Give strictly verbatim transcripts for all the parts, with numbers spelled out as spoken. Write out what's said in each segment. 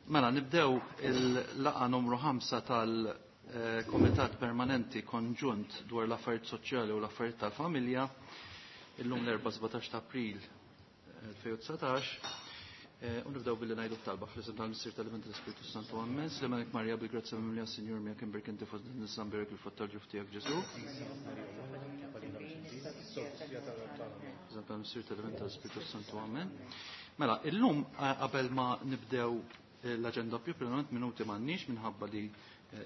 Mela, nibdew il-laqgħa numru ħamsa tal-Komitat Permanenti Konġunt dwar l-Affarijiet Soċjali u l-Affarijiet tal-Familja illum l-erbgħa sbatax ta' April elfejn u dsatax. U nibdew billi ngħidu t-talba fl-isem tal-Missier tal-Iben tal-Ispirtu Santu. Ammen. Slemanek Marija bil-grazzja mimlija Sinjur miegħek imbierek inti fost in-nisa mbierek il-frott tal-ġuf tiegħek Ġesù. Fl-isem tal-Missier tal-Iben tal-Ispirtu Santu. Ammen. Mela, illum qabel ma nibdew l-aġenda proprjament minuti m'għandniex minħabba li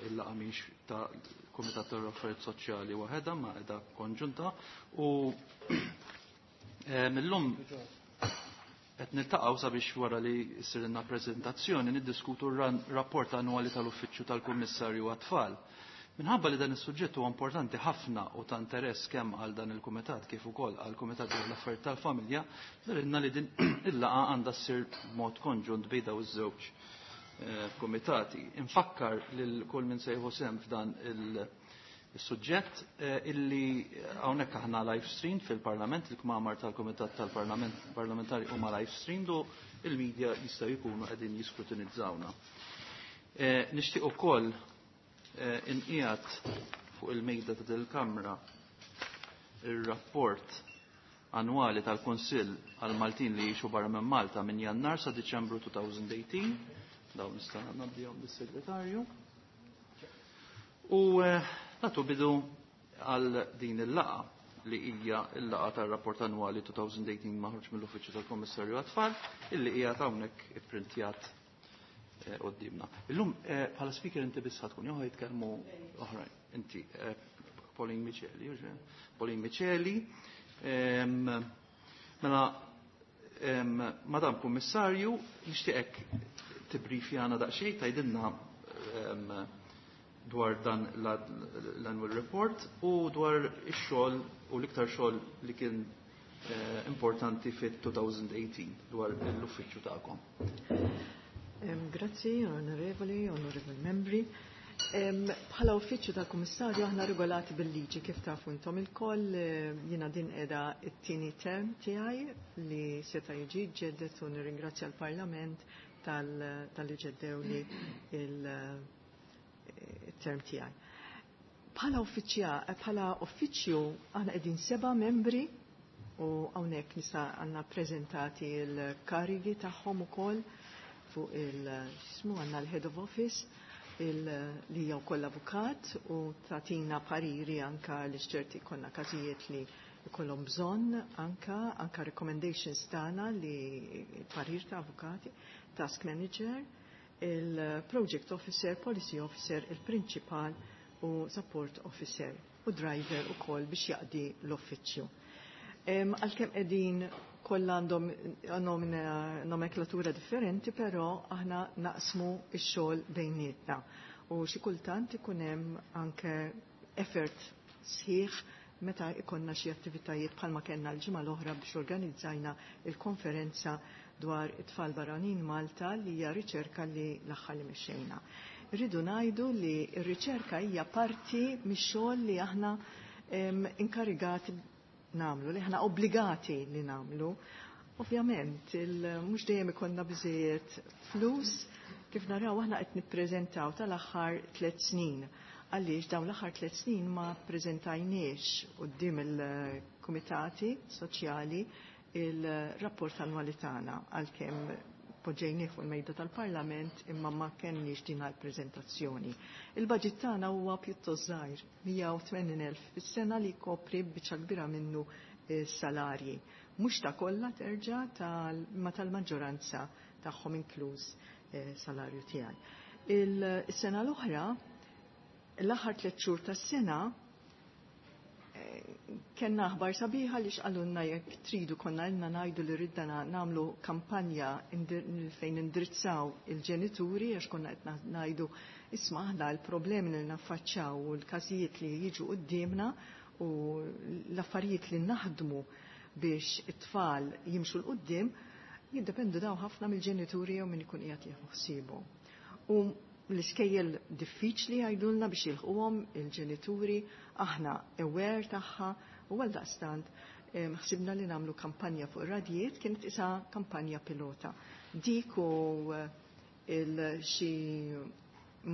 il-laqgħa mhix ta' Kumitat tal-Affarijiet Soċjali waħedha ma qiegħda konġunta u millum qed niltaqgħu sabiex wara li ssirilna preżentazzjoni niddiskutu r-rapport annwali tal-Uffiċċju tal-Kummissarju għat-Tfal. Minħabba li dan is-suġġett huwa importanti ħafna u ta' interess kemm għal dan il-kumitat kif ukoll għal kumitat dwar l-affarijiet tal-familja, darinna li din il-laqgħa għandha ssir b'mod konġunt bejn dawn iż-żewġ kumitati. Infakkar lil kull min se jieħu sehem f'dan il-suġġett illi hawnhekk aħna live stream fil-Parlament, il-kmamar tal-Kumitat tal-Parlament Parlamentari huma live stream u il-medja jistgħu jkunu qegħdin jiskrutinizzawna. Nixtieq ukoll inqiegħed fuq il-mejda ta' dil-Kamra ir-rapport annwali tal-Kunsill għal Maltin li jgħixu barra minn Malta minn Jannar sa Diċembru elfejn u tmintax. Dawn nista' ngħaddihom lis-segretarju. U nagħtu bidu għal din il-laqgħa li hija l-laqgħa tar-rapport annwali elfejn u tmintax maħruġ mill-Uffiċċju tal-Kummissarju għat-Tfal illi hija hawnhekk ipprintjat quddiemna. Illum bħala speaker inti biss tkun jew jitkellmu oħrajn. Inti Pauline Miceli, Pauline Miceli. Mela, Madam Kummissarju, nixtieqek tibrifjana daqsxejn tgħidilna dwar dan l-annual report u dwar ix-xogħol u l-iktar xogħol li kien importanti fit-elfejn u tmintax dwar l-uffiċċju tagħkom. Grazzi, onorevoli, onorevoli membri. Bħala uffiċċju tal-Kummissarju aħna regolati bil-liġi kif tafu intom ilkoll, jiena din qiegħda t-tieni term tiegħi li seta' jiġi ġeddet u nirringrazzja l-Parlament tal-li ġeddew li il-term tiegħi. Bħala bħala uffiċċju aħna qegħdin seba' membri u hawnhekk nista' għandna ppreżentati l-karigi tagħhom ukoll fuq il-xismu għandna l-Head of Office li hija wkoll avukat u tagħtina pariri anka li xċerti konna każijiet li jkollhom bżonn anka anka recommendations tagħna li parir ta' avukati, task manager, il-project officer, policy officer, il-principal u support officer u driver ukoll biex jaqdi l-uffiċċju. Għalkemm qegħdin kollha għandhom nomenklatura differenti, però aħna naqsmu x-xogħol bejnietna. U xi kultant ikun hemm anke effort sħiħ meta ikonna xi attivitajiet bħalma kellna l-ġimgħa l-oħra biex organizzajna il-konferenza dwar it-tfal barranin Malta li hija riċerka li l-aħħar li mexxejna. Rridu ngħidu li r-riċerka hija parti mix-xogħol li aħna inkarigati namlu, li ħna obbligati li namlu. Ovvjament, mhux dejjem ikollna biżejjed flus, kif naraw aħna qed nippreżentaw tal-aħħar tliet snin. Għaliex dawn l-aħħar tliet snin ma ppreżentajniex quddiem il-kumitati soċjali il-rapport annwali tagħna għalkemm poġġejnieh fuq il-mejda tal-Parlament imma ma kenniex din għall-preżentazzjoni. Il-budget tagħna huwa pjuttost żgħir, mija u tmenin elf fis-sena li jkopri biċċa kbira minnu salarji. Mhux ta' kollha terġa' ma tal-maġġoranza tagħhom inkluż salarju tiegħi. Il-sena l-oħra, l-aħħar tliet xhur tas-sena, kellna aħbar sabiħa li xqalulna jekk tridu konna ilna ngħidu li ridna nagħmlu kampanja fejn indirizzaw il-ġenituri għax konna qed ngħidu isma' aħna l-problemi li naffaċċaw u l-każijiet li jiġu quddiemna u l-affarijiet li naħdmu biex it-tfal jimxu l quddiem jiddependu daw ħafna mill-ġenituri jew min ikun qiegħed jieħu ħsiebu. U l-iskejjel diffiċli jgħidulna biex jilħquhom il-ġenituri, aħna aware tagħha u għal daqstant ħsibna li nagħmlu kampanja fuq ir-radijiet, kienet isa kampanja pilota. Dik u xi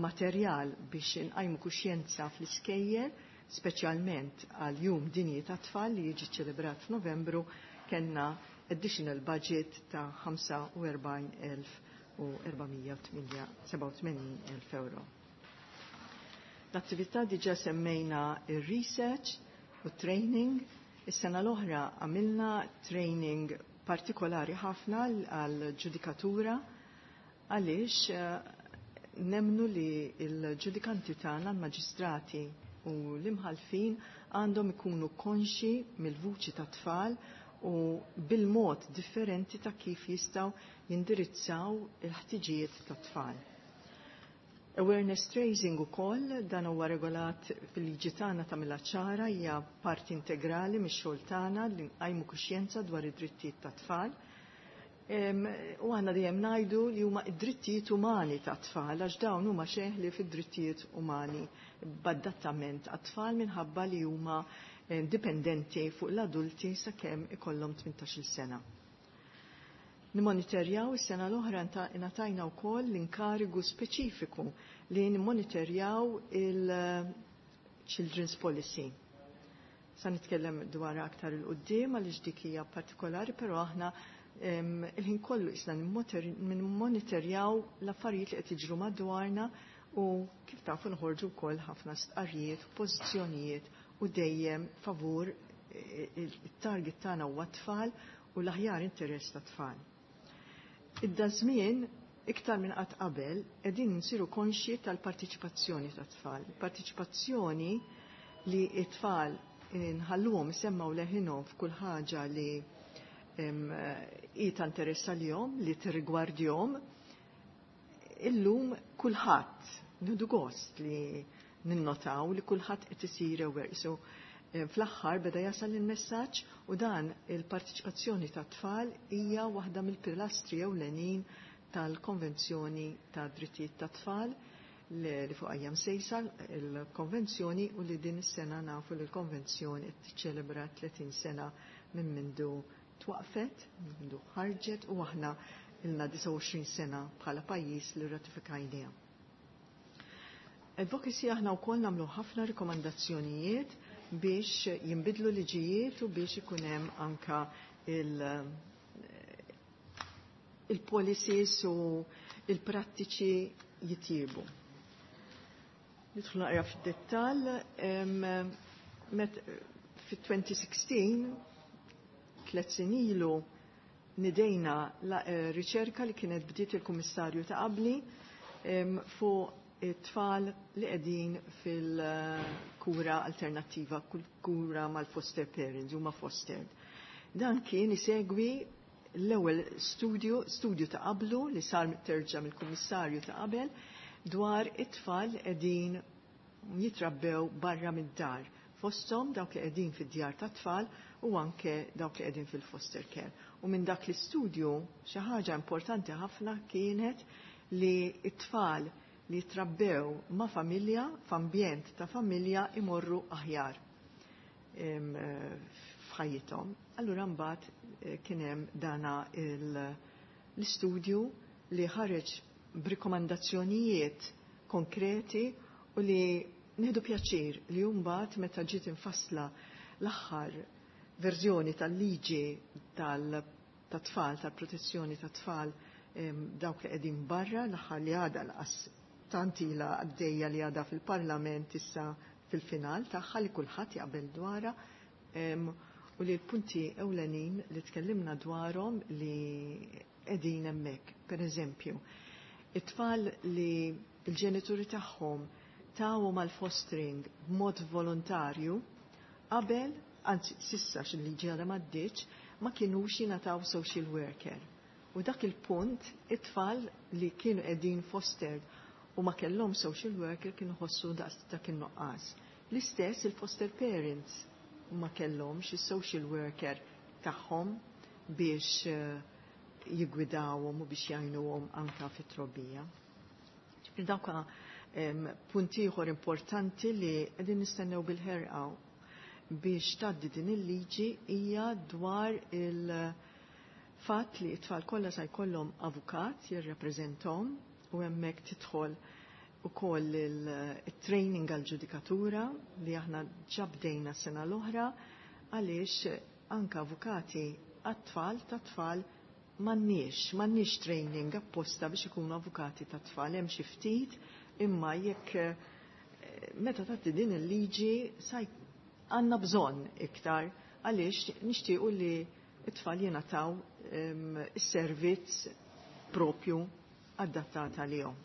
materjal biex inqajmu kuxjenza fl-iskejjel, speċjalment għal Jum Dinji ta' Tfal li jiġi ċelebrat f'Novembru, kellna additional budget ta' ħamsa u erbgħin elf u erba' mija sebgħa u tmenin elf euro. L-attività diġa semmejna il-research u training. Is-sena l-oħra għamilna training partikolari ħafna għal-ġudikatura għaliex eh, nemnu li l-ġudikanti tagħna, l-maġistrati u l-imħalfin għandhom ikunu konxi mill-vuċi ta' tfal u bil-mod differenti ta' kif jistgħu jindirizzaw il-ħtiġijiet ta' tfal. Awareness raising ukoll, dan huwa regolat fil-liġi tagħna ta' ċara, hija parti integrali mix-xogħol tagħna li nqajmu kuxjenza dwar id-drittijiet ta' tfal. U aħna dejjem ngħidu li huma id-drittijiet umani ta' tfal għax dawn huma xeħli fid-drittijiet umani b'adattament għat-tfal minħabba li huma dipendenti fuq l-adulti sakemm ikollhom tmintax-il sena. Nimonitorjaw, is-sena l-oħra ingħatajna wkoll l-inkarigu speċifiku li nimmonitorjaw il-Children's Policy. Sa nitkellem dwar aktar il-qoddim għaliex dik hija partikolari, però aħna il-ħin kollu isna nimmonitorjaw l-affarijiet li qed jiġru madwarna u kif tafu nħorġu wkoll ħafna stqarrijiet u pożizzjonijiet u dejjem favur il-target tagħna huwa tfal u l-aħjar interess ta' tfal. Id-dażmien iktar minn qatt qabel qegħdin nsiru konxji tal-partiċipazzjoni ta' tfal. Partiċipazzjoni li t-tfal nħalluhom isemmaw leħinhom f'kull ħaġa li hi ta' interess għalihom, li tirrigwardjhom. Illum kulħadd nieħdu gost li ninnotaw li kulħadd qed isir aware. So, fl-aħħar beda jasal il-messaġġ u dan il-partiċipazzjoni ta' tfal hija waħda mill-pilastri ewlenin tal-Konvenzjoni ta' Drittijiet ta' Tfal li fuq għajjam sejsa il-konvenzjoni u li din is-sena nafu li l-konvenzjoni qed tiċċelebra tletin sena minn mindu twaqfet, minn mindu ħarġet u aħna ilna disgħa u għoxrin sena bħala pajjiż li ratifikajniha. Advocacy, aħna wkoll nagħmlu ħafna rikomandazzjonijiet biex jinbidlu liġijiet u biex ikun hemm anka il- il-policies u il-prattiċi jitjiebu. Nidħlu naqra fid-dettall, fit-elfejn u sittax, tliet snin ilu, nidejna la, eh, riċerka li kienet bdiet il-Kummissarju ta' qabli fuq it-tfal li qegħdin fil-kura alternattiva, kura mal-foster parents, huma fostered. Dan kien isegwi l-ewwel studju, studju ta' qablu li sar terġa' mill-Kummissarju ta' qabel dwar it-tfal li qegħdin jitrabbew barra mid-dar, fosthom dawk li qegħdin fid-djar ta' tfal u anke dawk li qegħdin fil-foster care. U minn dak l-istudju xi ħaġa importanti ħafna kienet li t-tfal li trabbew ma' familja, f'ambjent ta' familja, imorru aħjar f'ħajjithom. Allura mbagħad eh, kien hemm dana l-istudju li ħareġ b'rikomandazzjonijiet konkreti u li nieħdu pjaċir li mbagħad meta ġiet infassla l-aħħar verżjoni tal-liġi tal-tfal, tal-protezzjoni tat-tfal, dawk li qegħdin barra, l-aħħar li għadha laqas tant ilha għaddejja li għadha fil-Parlament issa fil-final tagħha li kulħadd jaqbel dwarha, u li l-punti ewlenin li tkellimna dwarhom li qegħdin hemmhekk. Per eżempju, it-tfal li l-ġenituri tagħhom tawhom għal fostering b'mod volontarju qabel, anzi s'issa xil-liġi għadha m'għaddietx, ma kinux jingħataw social worker. U dak il-punt, it-tfal li kienu qegħdin fostered u ma kellhom social worker kienu ħossu dak in-nuqqas. L-istess il-foster parents ma kellhomx is-social worker tagħhom biex eh, jigwidawhom u biex jgħinuhom anka fit-trobbija. Dawk punti ieħor importanti li qegħdin nistennew bil-ħerqa biex tgħaddi din il-liġi hija dwar il-fatt li t-tfal kollha se jkollhom avukat jirrappreżentahom. U hemmhekk tidħol ukoll il-training għal-ġudikatura li aħna ġabdejna sena l-oħra, għaliex anka avukati għat-tfal ta' tfal m'għandniex, m'għandniex training apposta biex ikunu avukati ta' tfal, hemm xi ftit, imma jekk eh, meta tagħti din il-liġi saj għandna bżonn iktar, għaliex nixtiequ li t-tfal jingħataw is-servizz propju adattat għalihom.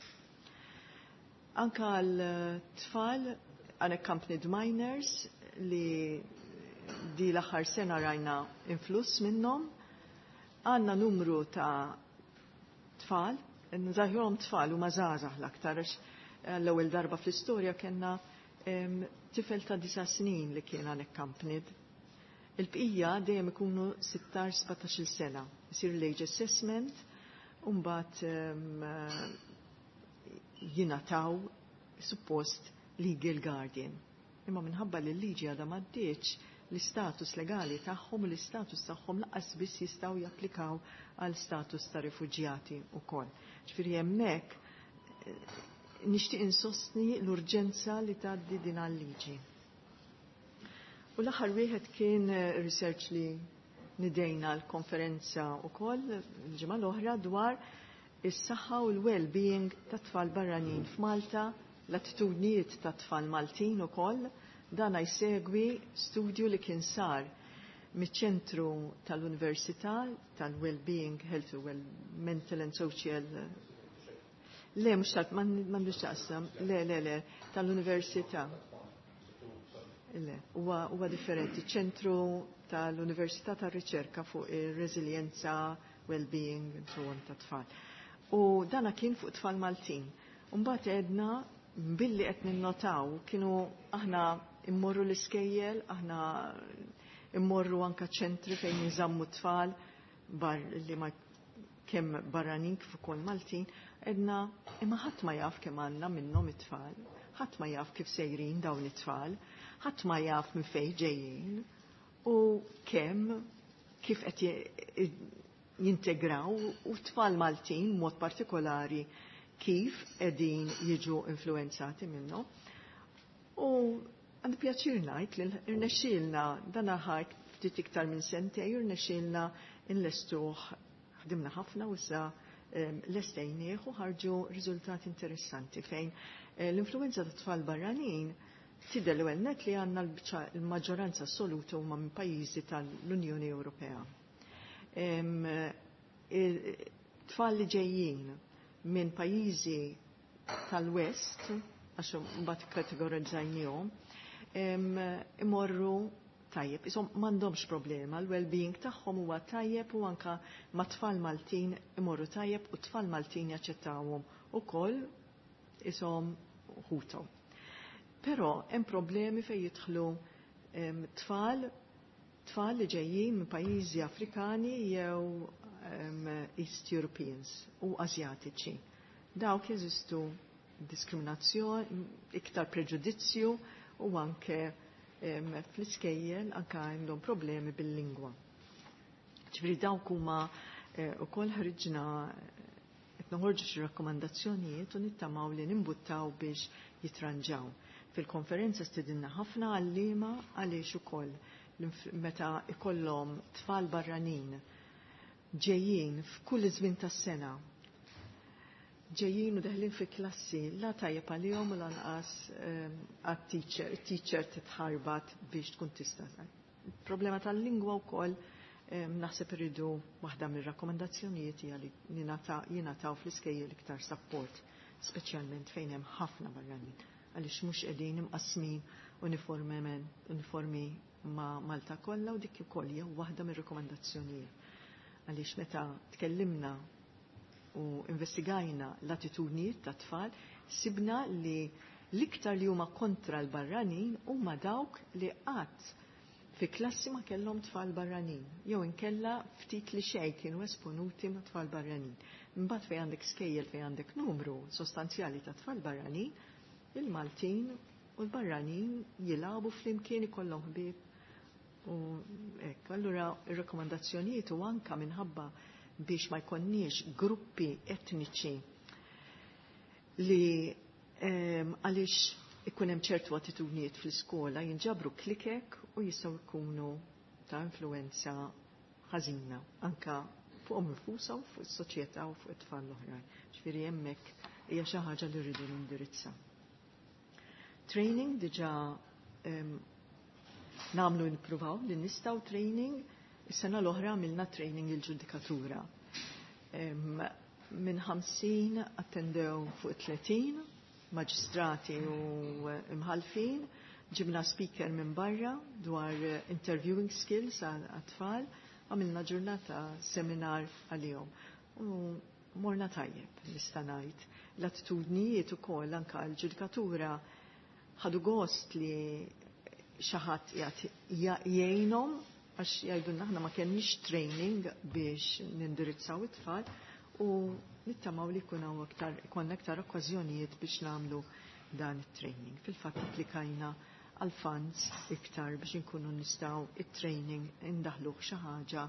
Anka għal tfal unaccompanied minors li di l-aħħar sena rajna influss minnhom, għandna numru ta' tfal, nżaħjurhom tfal u mażgħażagħ l-aktar, l-ewwel darba fl-istorja kellna tifel ta' disa' snin li kien unaccompanied. Il-bqija dejjem ikunu sittax sbatax-il sena. Isir l-age assessment, u mbagħad jingħataw suppost legal guardian. Imma minħabba li l-liġi għadha m'għaddiex, l-istatus legali tagħhom u l-istatus tagħhom lanqas biss jistgħu japplikaw għal status ta' rifuġjati wkoll. Ġifieri hemmhekk eh, nixtieq insostni l-urġenza li tgħaddi din għal-liġi. U l-aħħar wieħed kien eh, research li nidejna l-konferenza wkoll l-ġimgħa l-oħra dwar is-saħħa u l-well-being ta' tfal barranin f'Malta, l-attitudnijiet ta' tfal Maltin ukoll. Dana jsegwi studju li kien sar miċ-ċentru tal-Università tal-Well-being, Health, Well, Mental and Social. Le, mhux tal, m'għandux taqsam, le, le, le, tal-Università. Le, huwa huwa differenti. Ċentru tal-Università tar-Riċerka fuq ir-reżiljenza, well-being, and so on ta' tfal. U dana kien fuq tfal Maltin. Mbagħad għedna billi qed ninnotaw kienu aħna immorru l-iskejjel, aħna immorru anka ċentri fejn jinżammu tfal bar li ma kemm barranin kif ukoll Maltin, għedna imma ħadd ma jaf kemm għandna minnhom it-tfal, ħadd ma jaf kif sejrin dawn it-tfal, ħadd ma jaf minn fejn ġejjin u kemm kif qed jintegraw u tfal Maltin mod partikolari kif qegħdin jiġu influenzati minnhom. U għandi pjaċir ngħid li rnexxielna dan ħadd ftit iktar minn sentej, rnexxielna nlestuh, ħdimna ħafna u issa lestejnieh u ħarġu riżultati interessanti fejn eh, l-influenza ta' tfal barranin tidher l net li għandna l-maġġoranza assoluta huma minn pajjiżi tal-Unjoni Ewropea. Tfal li ġejjin minn pajjiżi tal-West, għax mbagħad kategorizzajnihom, imorru tajjeb, isom m'għandhomx problema, l-well-being tagħhom huwa tajjeb u anka ma' tfal Maltin imorru tajjeb u tfal Maltin jaċċettawhom ukoll isom ħuthom. Però hemm problemi fejn jidħlu tfal tfal li ġejjin minn pajjiżi Afrikani jew um, East Europeans u Azjatiċi. Dawk jeżistu diskriminazzjoni, iktar preġudizzju u anke um, fl-iskejjel anke għandhom problemi bil-lingwa. Ġifieri dawk huma eh, ukoll ħriġna, qed noħorġu xi rakkomandazzjonijiet u nittamaw li nimbuttaw biex jitranġaw. Fil-konferenza stidinna ħafna għallima għaliex ukoll meta ikollhom tfal barranin ġejjin f'kull żmien tas-sena, ġejjin u deħlin fi klassi, la tajjeb għalihom u lanqas ehm, għat-teacher, teacher titħarbat biex tkun tista'. Problema tal-lingwa wkoll ehm, naħseb irridu waħda mir-rakkomandazzjonijiet hija li jingħataw fl-iskejjel iktar support, speċjalment fejn hemm ħafna barranin, għaliex mhux qegħdin imqasmin uniformement uniformi ma' Malta kollha, u dik ukoll hija waħda mir-rakkomandazzjonijiet. Għaliex meta tkellimna u investigajna l-attitudnijiet ta' tfal, sibna li l-iktar li huma kontra l-barranin huma dawk li qatt fi klassi ma kellhom tfal barranin, jew inkella ftit li xejn kienu esponuti ma' tfal barranin. Imbagħad fejn għandek skejjel fejn għandek numru sostanzjali ta' tfal barranin, il-Maltin u l-barranin jilagħbu flimkien, ikollhom ħbieb u hekk. Allura ir-rakkomandazzjonijiet u anka minħabba biex ma jkonniex gruppi etniċi Li għaliex ikun hemm ċertu attitudnijiet fl-iskola jinġabru klikek u jistgħu jkunu ta' influenza ħażina anka fuqhom infushom, fuq is-soċjetà u fuq it-tfal l-oħrajn. Ġifieri hemmhekk hija xi ħaġa li rridu nindirizza. Training diġà nagħmlu, nippruvaw li nistgħu training. Is-sena l-oħra għamilna training il-ġudikatura. Minn ħamsin attendew fuq tletin maġistrati u imħalfin, ġibna speaker minn barra dwar interviewing skills għat-tfal, għamilna ġurnata seminar għalihom. U morna tajjeb, nista' ngħid. L-attitudnijiet ukoll anka l-ġudikatura ħadu gost li xi ħadd jgħinhom, għax jgħidulna aħna ma kenniex training biex nindirizzaw it-tfal, u nittamaw li jkun hawn aktar, ikollna aktar okkażjonijiet biex nagħmlu dan it-training. Fil-fatt applikajna għal funds iktar biex inkunu nistgħu it-training indaħluh xi ħaġa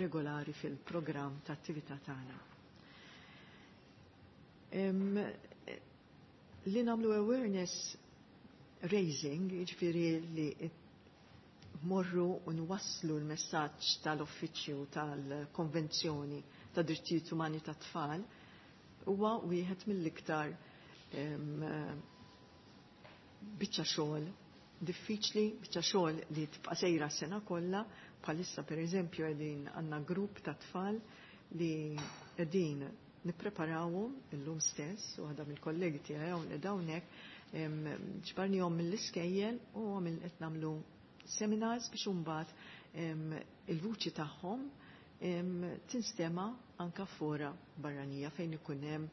regolari fil-programm ta' attività tagħna. Li nagħmlu awareness raising, jiġifieri li morru u nwasslu l-messaġġ tal-Uffiċċju tal-Konvenzjoni ta' Drittijiet Umani tat Tfal, huwa wieħed mill-iktar biċċa xogħol diffiċli, biċċa xogħol li tibqa' sejra s-sena kollha. Bħalissa, pereżempju, qegħdin għandna grupp ta' tfal li qegħdin nippreparawhom illum stess, u waħda mill-kollegi tiegħi hawn qiegħda hawnhekk, ġbarnihom mill-iskejjel u għamil qed nagħmlu seminars biex imbagħad il-vuċi tagħhom tinstema anka fora barranija fejn ikun hemm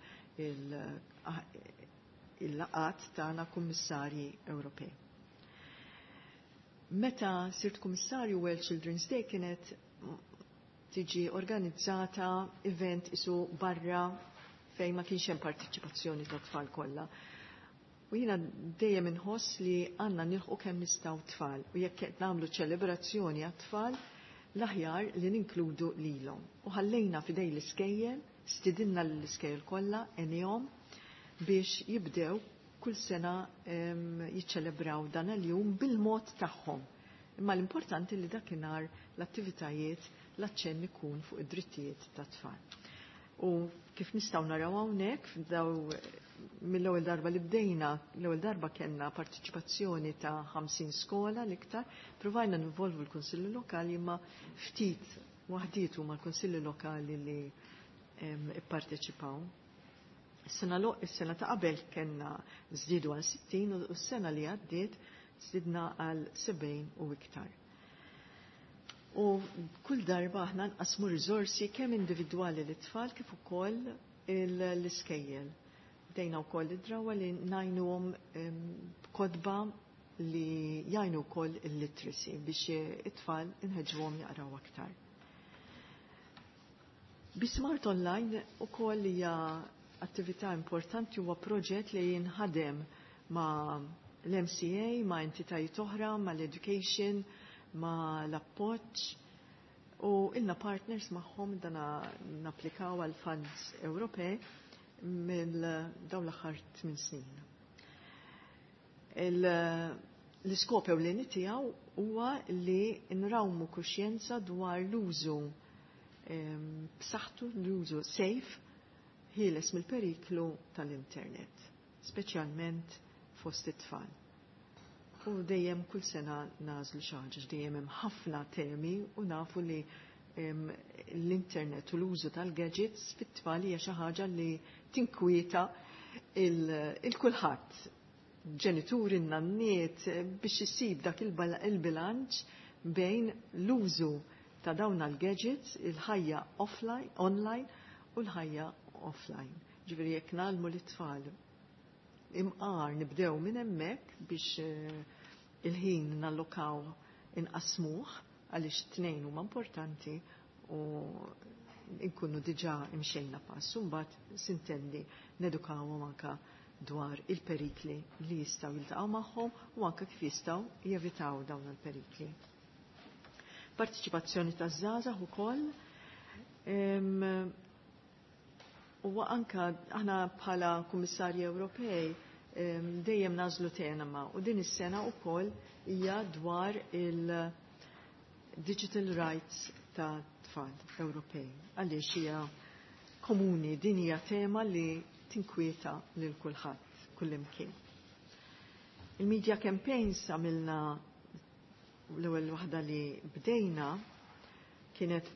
il-laqat tagħna kummissarji Ewropej. Meta sirt kummissarju, World Children's Day kienet tiġi organizzata event isu barra fejn ma kienx hemm partiċipazzjoni ta' tfal kollha. U jiena dejjem inħoss li għandna nilħqu kemm nistgħu tfal, u jekk qed nagħmlu ċelebrazzjoni għat-tfal, l-aħjar li ninkludu lilhom. U ħallejna f'idej l-iskejjel, stidinna l-iskejjel kollha għenihom biex jibdew kull sena jiċċelebraw dan il-jum bil-mod tagħhom. Imma l-importanti li dakinhar l-attivitajiet, l-aċċenn ikun fuq id-drittijiet tat-tfal. U kif nistgħu naraw hawnhekk, daw mill-ewwel darba li bdejna, l-ewwel darba kellna partiċipazzjoni ta' ħamsin skola l-iktar, provajna ninvolvu l-Kunsilli Lokali, imma ftit waħdiet huma l-Kunsilli Lokali li ipparteċipaw. Is-sena is-sena ta' qabel kellna żdiedu għal sittin u s-sena li għaddiet żdidna għal sebgħin u iktar. U kull darba aħna nqasmu riżorsi kemm individwali lit-tfal kif ukoll l-iskejjel. Bdejna wkoll id-drawa li ngħinuhom kodba li jgħinu wkoll il-literacy biex it-tfal inħeġġuhom jaqraw aktar. Bi Smart Online ukoll hija attività importanti, huwa proġett li jinħadem ma' l-M C A, ma' entitajiet oħra, ma' l-education, ma' l-appoġġ, u ilna partners magħhom dana napplikaw għal funds Ewropej mill dawn l-aħħar tmien snin. L-iskop ewlieni tiegħu huwa li nrawmu kuxjenza dwar l-użu b'saħħtu, l-użu safe, ħieles mill-periklu tal-internet, speċjalment fost it-tfal. U dejjem kull sena nagħżlu xi ħaġa, dejjem hemm ħafna temi u nafu li l-internet u l-użu tal-gadgets fit-tfal hija xi ħaġa li tinkwieta il-kulħadd. Ġenituri, nanniet, biex isib dak il-bilanċ bejn l-użu ta' dawn il-gadgets, il-ħajja offline, online u l-ħajja offline. Ġifieri jekk ngħallmu l-tfal imqar nibdew minn hemmhekk biex eh, il-ħin nallokaw, inqasmuh, għaliex tnejn huma importanti, u nkunu diġà imxejna pass. Mbagħad sintendi nedukawhom anka dwar il-perikli li jistgħu jiltaqgħu magħhom u anke kif jistgħu jevitaw dawn il-perikli. Partiċipazzjoni taż-żgħażagħ ukoll U anka aħna bħala Kummissarji Ewropej dejjem nażlu tema u din is-sena wkoll hija dwar il-digital rights ta' tfal Ewropej. Għaliex hija komuni, din hija tema li tinkwieta lil kulħadd kullimkien. Il-media campaigns għamilna l-ewwel waħda li bdejna kienet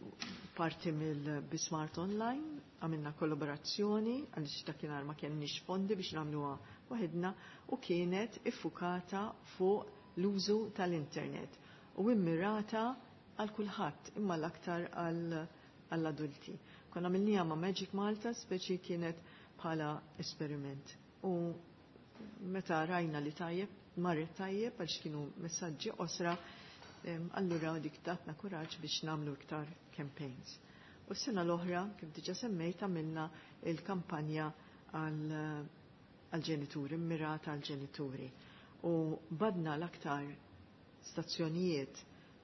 parti mill-Bismart Online, għamilna kollaborazzjoni għaliex dakinhar ma kenniex fondi biex nagħmluha waħedna u kienet iffukata fuq l-użu tal-internet u immirata għal kulħadd imma l-aktar għall-adulti. Konna għamilniha ma' Magic Malta, speċi kienet bħala esperiment. U meta rajna li tajjeb, marret tajjeb għaliex kienu messaġġi qosra, allura dik tatna kuraġġ biex nagħmlu iktar campaigns. U s-sena l-oħra, kif diġa semmejt, għamilna il-kampanja għal-ġenituri, mirata għal-ġenituri. U badna l-aktar stazzjonijiet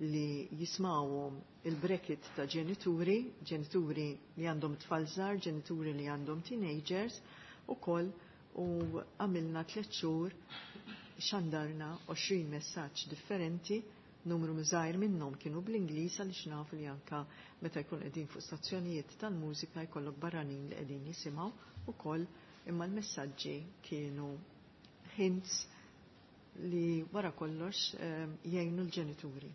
li jismawhom il-bracket ta' ġenituri, ġenituri li għandhom tfal żgħar, ġenituri li għandhom teenagers, u koll u għamilna tliet xhur xandarna għoxrin messaġġ differenti, numru żgħir minnhom kienu bl-Ingliż għaliex nafu li anka meta jkun qegħdin fuq stazzjonijiet tal-mużika jkollok barranin li qegħdin jisimgħu ukoll, imma l-messaġġi kienu hints li wara kollox jgħinu l-ġenituri.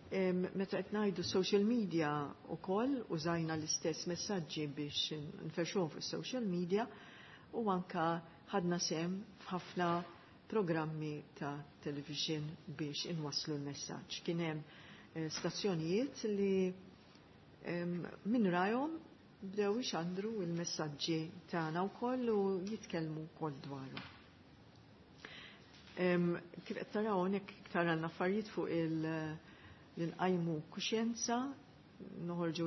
Meta qed ngħidu social media wkoll użajna l-istess messaġġi biex nferxuhom fuq social media u anka ħadna sem f'ħafna programmi ta' television biex inwasslu l-messaġġ. Kien hemm stazzjonijiet li minn rajhom bdew ixandru l-messaġġi tagħna wkoll u jitkellmu wkoll dwarhom. Kif qed taraw hawnhekk iktar għandna affarijiet fuq il- li nqajmu kuxjenza, noħorġu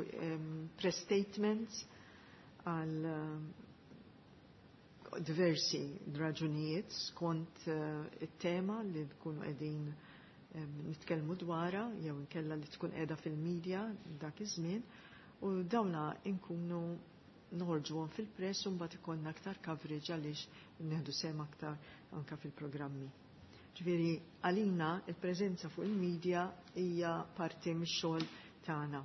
press statements għal diversi raġunijiet skont it-tema li tkunu qegħdin nitkellmu dwarha jew inkella li tkun qiegħda fil-medja dak iż-żmien, u dawna nkunu noħorġuhom fil-press u mbagħad ikollna aktar coverage għaliex nieħdu sehem aktar anke fil-programmi. Ġifieri għalina il-preżenza fuq il-medja hija parti mix-xogħol tagħna.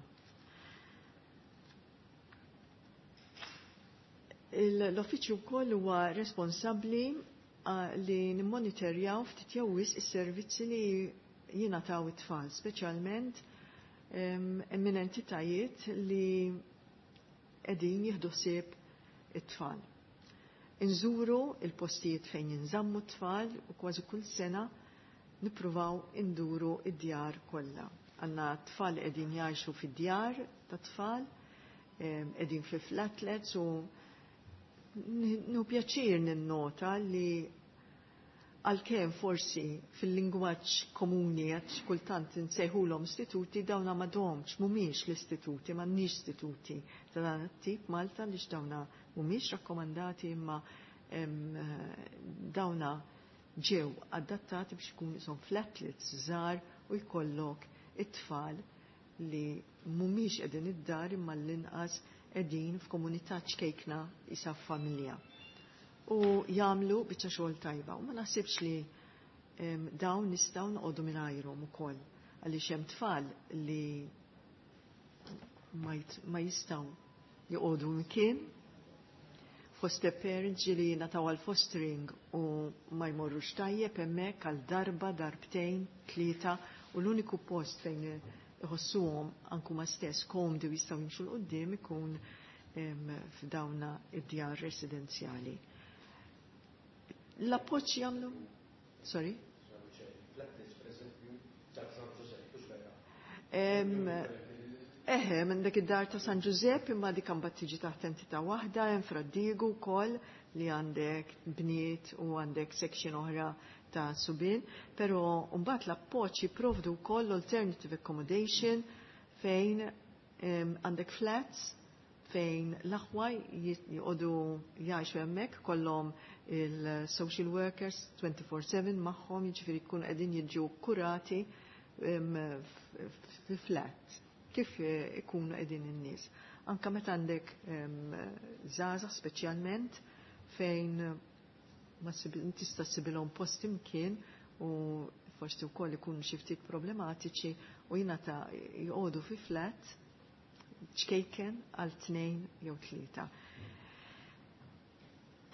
L-uffiċċju wkoll huwa responsabbli li nimmonitorjaw ftit jew wisq is-servizzi li jingħataw it-tfal, speċjalment minn entitajiet li qegħdin jieħdu ħsieb it-tfal. Inżuru il-postijiet fejn jinżammu t-tfal u kważi kull sena nippruvaw induru id-djar kollha. Għandna tfal qegħdin jgħixu fid-djar ta' tfal, qegħdin fi flatlets u nu pjaċir ninnota li għalkemm forsi fil-lingwaġġ komuni għax kultant nsejħulhom istituti, dawna m'għadhomx mhumiex l-istituti, m'għandniex istituti ta' dan it-tip Malta għaliex dawna mhumiex rakkomandati, imma dawna ġew adattati biex ikun isom flatlets żgħar u jkollok it-tfal li mhumiex qegħdin id-dar imma l-inqas qegħdin f'komunità ċkejkna isa familja. U jagħmlu biċċa xogħol tajba. U ma naħsibx li dawn nistgħu noqogħdu mingħajrhom ukoll għaliex hemm tfal li ma jistgħu joqogħdu mkien, foster parents li nataw għal fostering u ma jmorrux tajjeb hemmhekk għal darba, darbtejn, tlieta, u l-uniku post fejn iħossuhom anku ma stess komdi u jistgħu jimxu l quddiem ikun f'dawna id-djar residenzjali. L-appoġġ jagħmlu? Sorry? Eħe, minn dak id-dar ta' San Giuseppe, imma dik imbagħad tiġi taħt entità waħda, hemm Fra Diegu wkoll li għandek bniet u għandek section oħra ta' subien, però mbagħad l-appoġġ jipprovdu wkoll alternative accommodation fejn għandek flats fejn l-aħwa jqogħdu jgħixu hemmhekk, kollhom il-social workers twenty-four seven magħhom, jiġifieri jkunu qegħdin jiġu kurati fi flat kif ikunu qegħdin in-nies. Anka meta għandek żgħażagħ speċjalment fejn ma tista' ssibilhom post imkien u forsi wkoll ikunu xi ftit problematiċi u jingħata joqogħdu fi flat ċkejken għal tnejn jew tlieta.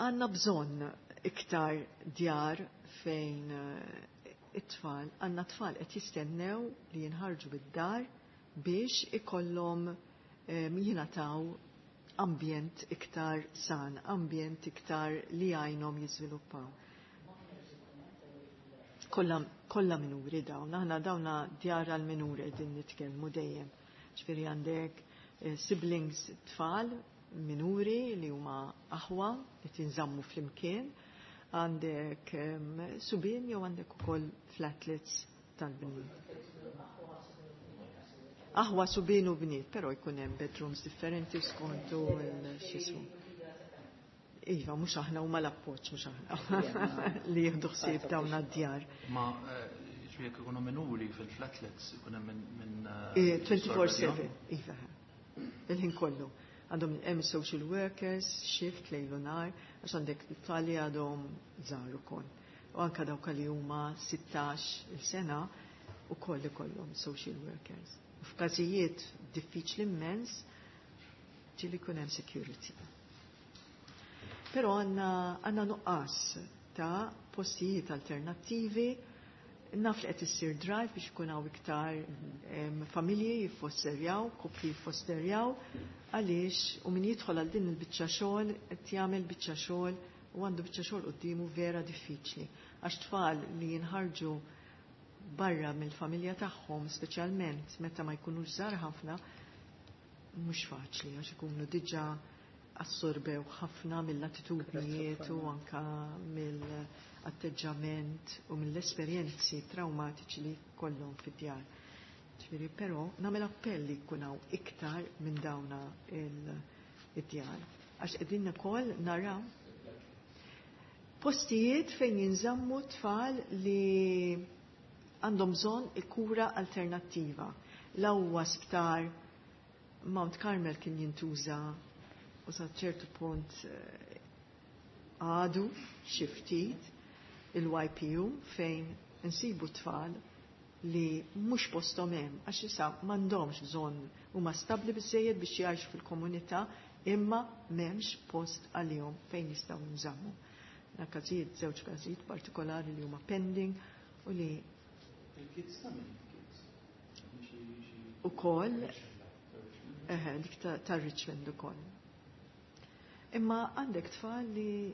Għandna bżonn iktar djar fejn it-tfal, għandna tfal qed jistennew li jinħarġu bid-dar biex ikollhom jingħataw ambjent iktar san, ambjent iktar li għajnhom jiżviluppaw. Kollha kollha minuri dawn, aħna dawna djar għal minuri qegħdin nitkellmu dejjem. Ġifieri għandek siblings tfal minuri li huma aħwa qed jinżammu flimkien, għandek subien jew għandek ukoll flatlets tal-bniet. Aħwa subien u bniet, però jkun hemm bedrooms differenti skontu x'ismu. Iva, mhux aħna huma l-appoġġ, mhux aħna li jieħdu ħsieb dawn għad-djar. Ma jekk ikunu minuri fil-flatlets ikun hemm minn twenty-four seven, iva. Il-ħin kollu. Għandhom hemm social workers, shift lejl u nhar, għax għandek tfal li għadhom żgħar ukoll. U anke dawk li huma sittax il-sena ukoll ikollhom social workers. U f'każijiet diffiċli immens ġieli jkun hemm security. Però għandna għandna nuqqas ta' postijiet alternattivi. Naf li qed issir drive biex ikun hawn iktar familji jiffosterjaw, koppji jiffosterjaw, għaliex u min jidħol għal din il-biċċa xogħol qed jagħmel biċċa xogħol u għandu biċċa xogħol quddiemu vera diffiċli. Għax tfal li jinħarġu barra mill-familja tagħhom, speċjalment meta ma jkunux żgħar ħafna, mhux faċli għax ikunu diġà assorbew ħafna mill-attitudnijiet u anka mill-atteġġament u mill-esperjenzi traumatiċi li kollhom fid-djar. Ġifieri, però nagħmel appell li jkun hawn iktar minn dawna id-djar. Għax qegħdin ukoll naraw postijiet fejn jinżammu tfal li għandhom bżonn il-kura alternattiva. L-ewwa sptar Mount Carmel kien jintuża u sa ċertu punt għadu xi ftit il-Y P U fejn insibu tfal li mhux posthom hemm għax issa m'għandhomx bżonn huma stabbli biżżejjed biex jgħixu fil-komunità imma m'hemmx post għalihom fejn jistgħu jinżammu. Na każijiet, żewġ każijiet partikolari li huma pending u li Il-kids ta' min? Il-kids? Ukoll, eħe, dik ta' Richmond ukoll. Imma għandek tfal li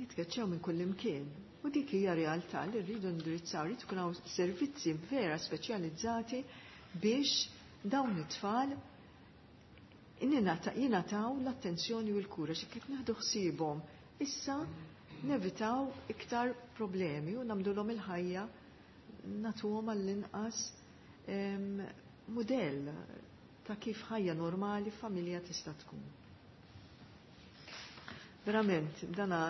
jitkeċċew minn kull imkien. U dik hija realtà li rridu indirizzaw, rridu jkun hawn servizzi vera speċjalizzati biex dawn it-tfal jingħataw l-attenzjoni u l-kura xi kif naħdu ħsiebhom. Issa nevitaw iktar problemi u nagħmluhom il-ħajja nagħtuhom għall-inqas mudell ta' kif ħajja normali familja tista' tkun. Verament, dana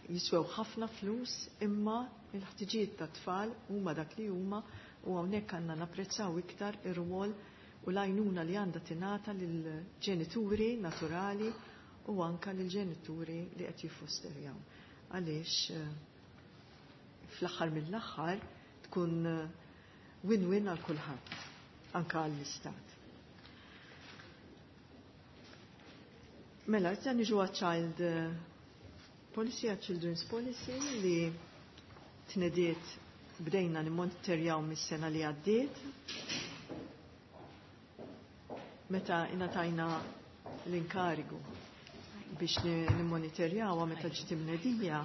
jiswew ħafna flus imma il-ħtiġijiet ta' tfal huma dak li huma u hawnhekk għandna napprezzaw iktar ir-rwol u l-għajnuna li għandha tingħata lill-ġenituri naturali u anka lill-ġenituri li qed jiffosterjaw. Għaliex fl-aħħar mill-aħħar tkun win-win għal kulħadd, anka għall-istat. Mela, issa niġu għal-child policy, għal-children's policy li tnediet bdejna nimmonitorjaw mis-sena li għaddiet. Meta ingħatajna l-inkarigu biex nimmonitorjawha meta ġiet imnedija,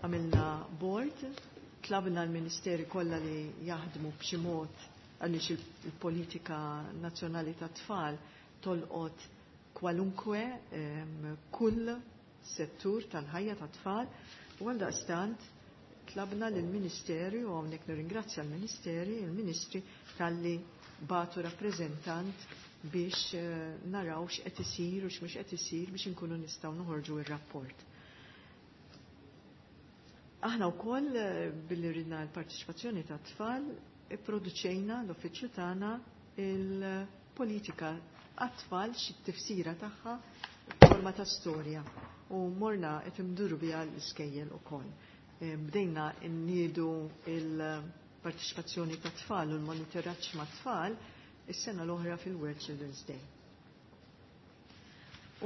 għamilna board, tlabna l-ministeri kollha li jaħdmu b'xi mod għaliex il-politika nazzjonali tat-tfal tolqot kwalunkwe kull settur tal-ħajja tat-tfal u għaldaqstant tlabna lill-Ministeru u hawnhekk nirringrazzja l-Ministeri, il-Ministri talli batu rappreżentant biex naraw x'qed isir u x'mhux qed isir biex inkunu nistgħu noħorġu r-rapport. Aħna wkoll billi ridna l-parteċipazzjoni tat-tfal ipproduċejna l-uffiċċju tagħna il politika għat-tfal xi tifsira tagħha forma ta' storja u morna qed imduru biha l-iskejjel ukoll. Bdejna nniedu il-parteċipazzjoni ta' tfal u l-monitoraġġ ma' tfal is-sena l-oħra fil-World Children's Day.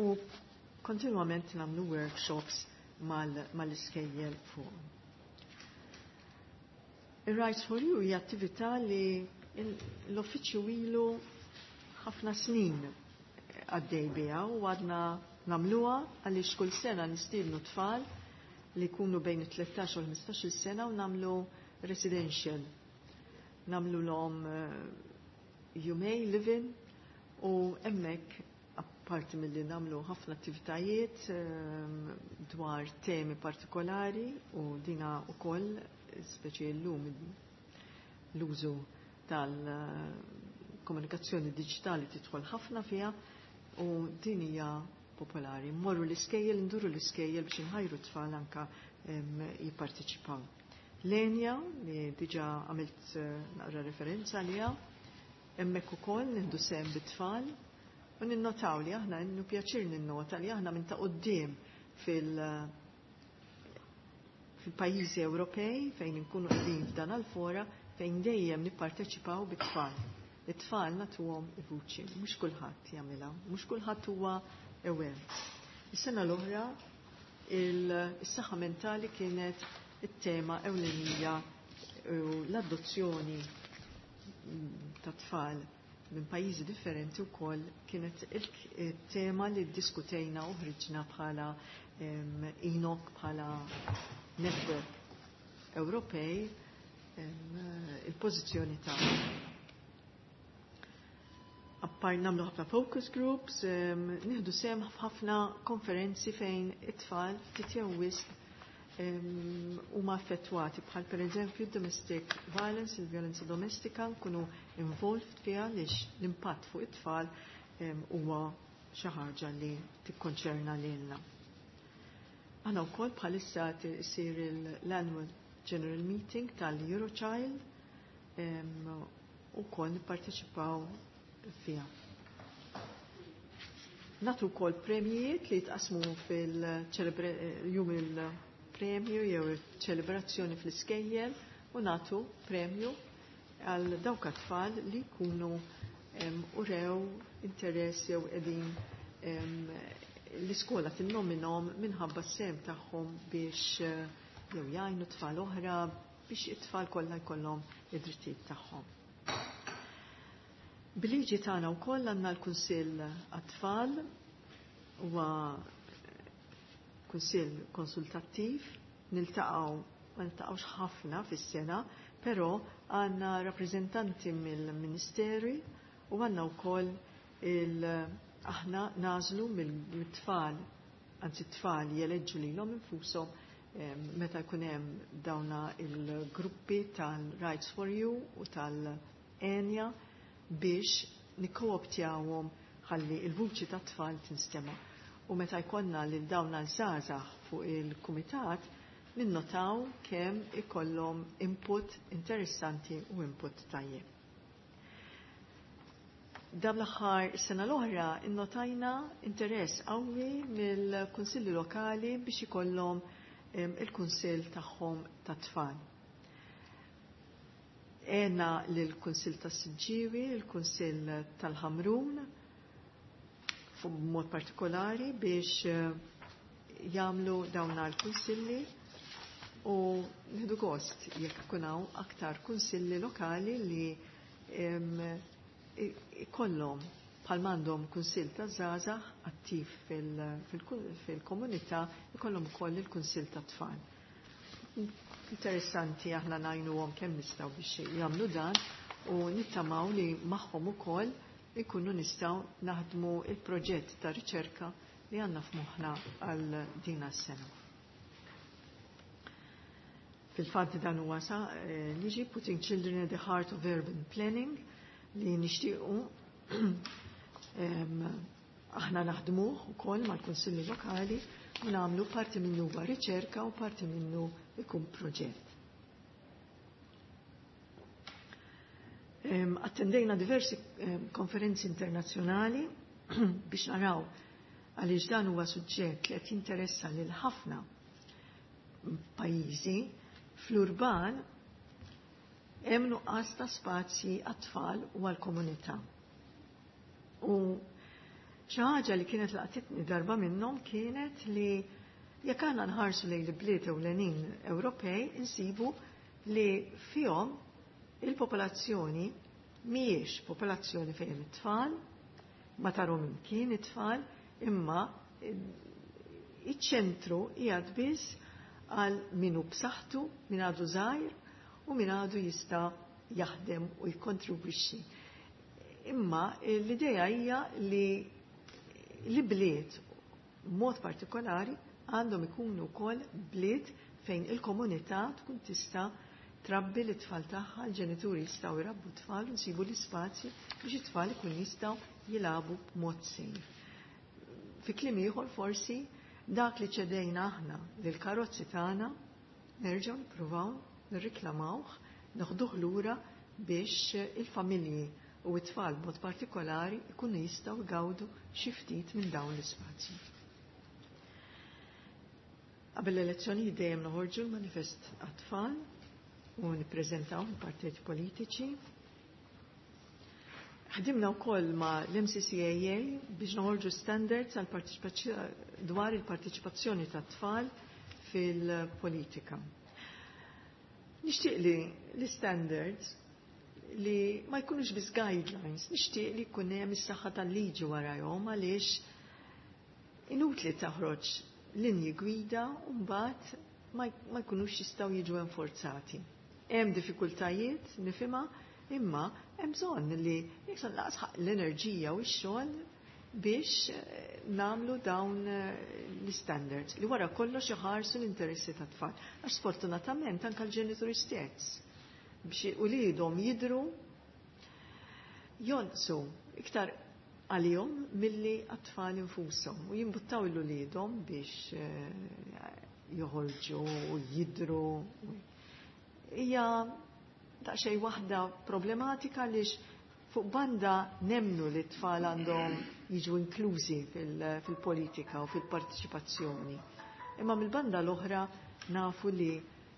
U kontinwament nagħmlu workshops mal-iskejjel fuq. Ir-Rights for You hija attività li l-uffiċċju ilu ħafna snin għaddej biha u għadna nagħmluha għaliex kull sena nistiednu tfal li jkunu bejn it-tlettax u l-ħmistax-il sena u nagħmlu residential. Nagħmlu lhom jumej living u hemmhekk apparti milli nagħmlu ħafna attivitajiet dwar temi partikolari u dina wkoll speċi llum l-użu tal-komunikazzjoni diġitali tidħol ħafna fiha u din hija popolari. Mmorru l-iskejjel, nduru l-iskejjel biex inħajru tfal anka jipparteċipaw. L-Enja, li diġa għamilt naqra referenza għaliha, hemmhekk ukoll nieħdu sehem bit-tfal u ninnotaw li aħna innu pjaċir ninnota li aħna minn ta' quddiem fil- fil-pajjiżi Ewropej fejn inkunu qegħdin f'dan għal-fora fejn dejjem nipparteċipaw bit-tfal. It-tfal nagħtuhom il-vuċi, mhux kulħadd jagħmilha, mhux kulħadd huwa aware. Is-sena l-oħra is-saħħa mentali kienet it-tema ewlenija u l-adozzjoni ta' tfal minn pajjiżi differenti wkoll kienet il-tema li ddiskutejna u ħriġna bħala ENOC, bħala network Ewropej, il-pożizzjoni tagħna. Appar nagħmlu ħafna focus groups, nieħdu sehem f'ħafna konferenzi fejn it-tfal ftit jew wisq huma affettwati bħal pereżempju domestic violence, il-violenza domestika, nkunu involved fiha għaliex l-impatt fuq it-tfal huwa xi ħaġa li tikkonċerna lilna. Aħna wkoll bħalissa isir l-annual General Meeting tal-Eurochild u wkoll nipparteċipaw fiha. Nagħtu wkoll premjijiet li jitqasmu fil-jum il-premju jew il-ċelebrazzjoni fl-iskejjel u nagħtu premju għal dawk tfal li jkunu urew interess jew qegħdin l-iskola tinnominom minħabba s-sem tagħhom biex jew jgħinu tfal oħra biex it-tfal kollha jkollhom id-drittijiet tagħhom. Bil-liġi tagħna wkoll għandna l-Kunsill għat-tfal, huwa kunsill konsultattiv, niltaqgħu ma niltaqgħux ħafna fis-sena, però għandna rappreżentanti mill-Ministeri u għandna wkoll il aħna nażlu mill-tfal, anzi t-tfal jeleġġu lilhom infushom meta jkun hemm dawna il-gruppi tal-Rights for You u tal-Enja biex nikkooptjawhom ħalli il-vuċi tat-tfal tinstema'. U meta jkollna lil dawn l-żgħażagħ fuq il-kumitat, ninnotaw kemm ikollhom input interessanti u input tajjeb. Dan l-aħħar sena l-oħra innotajna interess qawwi mill-kunsilli lokali biex ikollhom il-kunsill tagħhom tat-tfal. Għena lill-Kunsill tas-Siġġiewi, il-Kunsill tal-Ħamrun, b'mod partikolari biex jagħmlu dawn l-kunsilli u nieħdu gost jekk ikun hawn aktar kunsilli lokali li ikollhom bħal m'għandhom kunsill ta' żgħażagħ attiv fil-komunità, ikollhom ukoll il-kunsill ta' tfal. Interessanti aħna ngħinuhom kemm nistgħu biex jagħmlu dan u nittamaw li magħhom ukoll ikunu nistgħu naħdmu il-proġett ta' riċerka li għandna f'moħħna għal din is-sena. Fil-fatt dan huwa sa liġi Putting Children at the Heart of Urban Planning li nixtiequ aħna naħdmuh ukoll mal-kunsilli lokali u nagħmlu parti minnu huwa riċerka u parti minnu ikun proġett. Attendejna diversi konferenzi internazzjonali biex naraw għaliex dan huwa suġġett li qed jinteressa lil ħafna pajjiżi. Fl-urban hemm nuqqas ta' spazji għat-tfal u għall-komunità. U xi ħaġa li kienet laqtitni darba minnhom kienet li jekk għandna nħarsu lejn il-bliet ewlenin Ewropej insibu li fihom il-popolazzjoni mhijiex popolazzjoni fejn it-tfal, ma tarhom imkien it-tfal, imma iċ-ċentru qiegħed biss għal min hu b'saħħtu, min għadu żgħir u min għadu jista' jaħdem u jikkontribwixxi. Imma l-idea hija li li bliet mod partikolari għandhom ikunu wkoll bliet fejn il-komunità tkun tista' trabbi l-tfal tagħha, l-ġenituri jistgħu jrabbu tfal u nsibu l-ispazji biex it-tfal ikun jistgħu jilagħbu b'mod safe. Fi kliem ieħor, forsi dak li ċedejna aħna lill-karozzi tagħna nerġgħu nippruvaw nirriklamawh, noħduh lura biex il-familji u t-tfal b'mod partikolari ikunu jistgħu jgawdu xi ftit minn dawn l-ispazji. Qabel l-elezzjoni dejjem noħorġu l-manifest għat-tfal u nippreżentaw il-partiti politiċi. Ħdimna wkoll ma' l-M C C A A biex noħorġu standards għal dwar il-partiċipazzjoni tat-tfal fil-politika. Nixtieq li l-standards li ma jkunux biss guidelines, nixtieq li jkun hemm is-saħħa tal-liġi warahom, għaliex inutli taħroġ linji gwida u mbagħad ma jkunux jistgħu jiġu enforzati. Hemm diffikultajiet, nifhimha, imma hemm bżonn li jekk lanqas l-enerġija u x-xogħol biex eh, nagħmlu dawn eh, l-standards li wara kollox iħarsu l-interessi tat-tfal. Għax sfortunatament anke l-ġenituri stess biex uliedhom jidru jonqsu iktar għalihom milli għat-tfal infushom u jimbuttaw l-uliedhom biex eh, joħorġu u jidru. Hija daqsxejn waħda problematika għaliex fuq banda nemmnu li t-tfal għandhom jiġu inklużi fil-politika u fil-partiċipazzjoni. Imma mill-banda l-oħra nafu li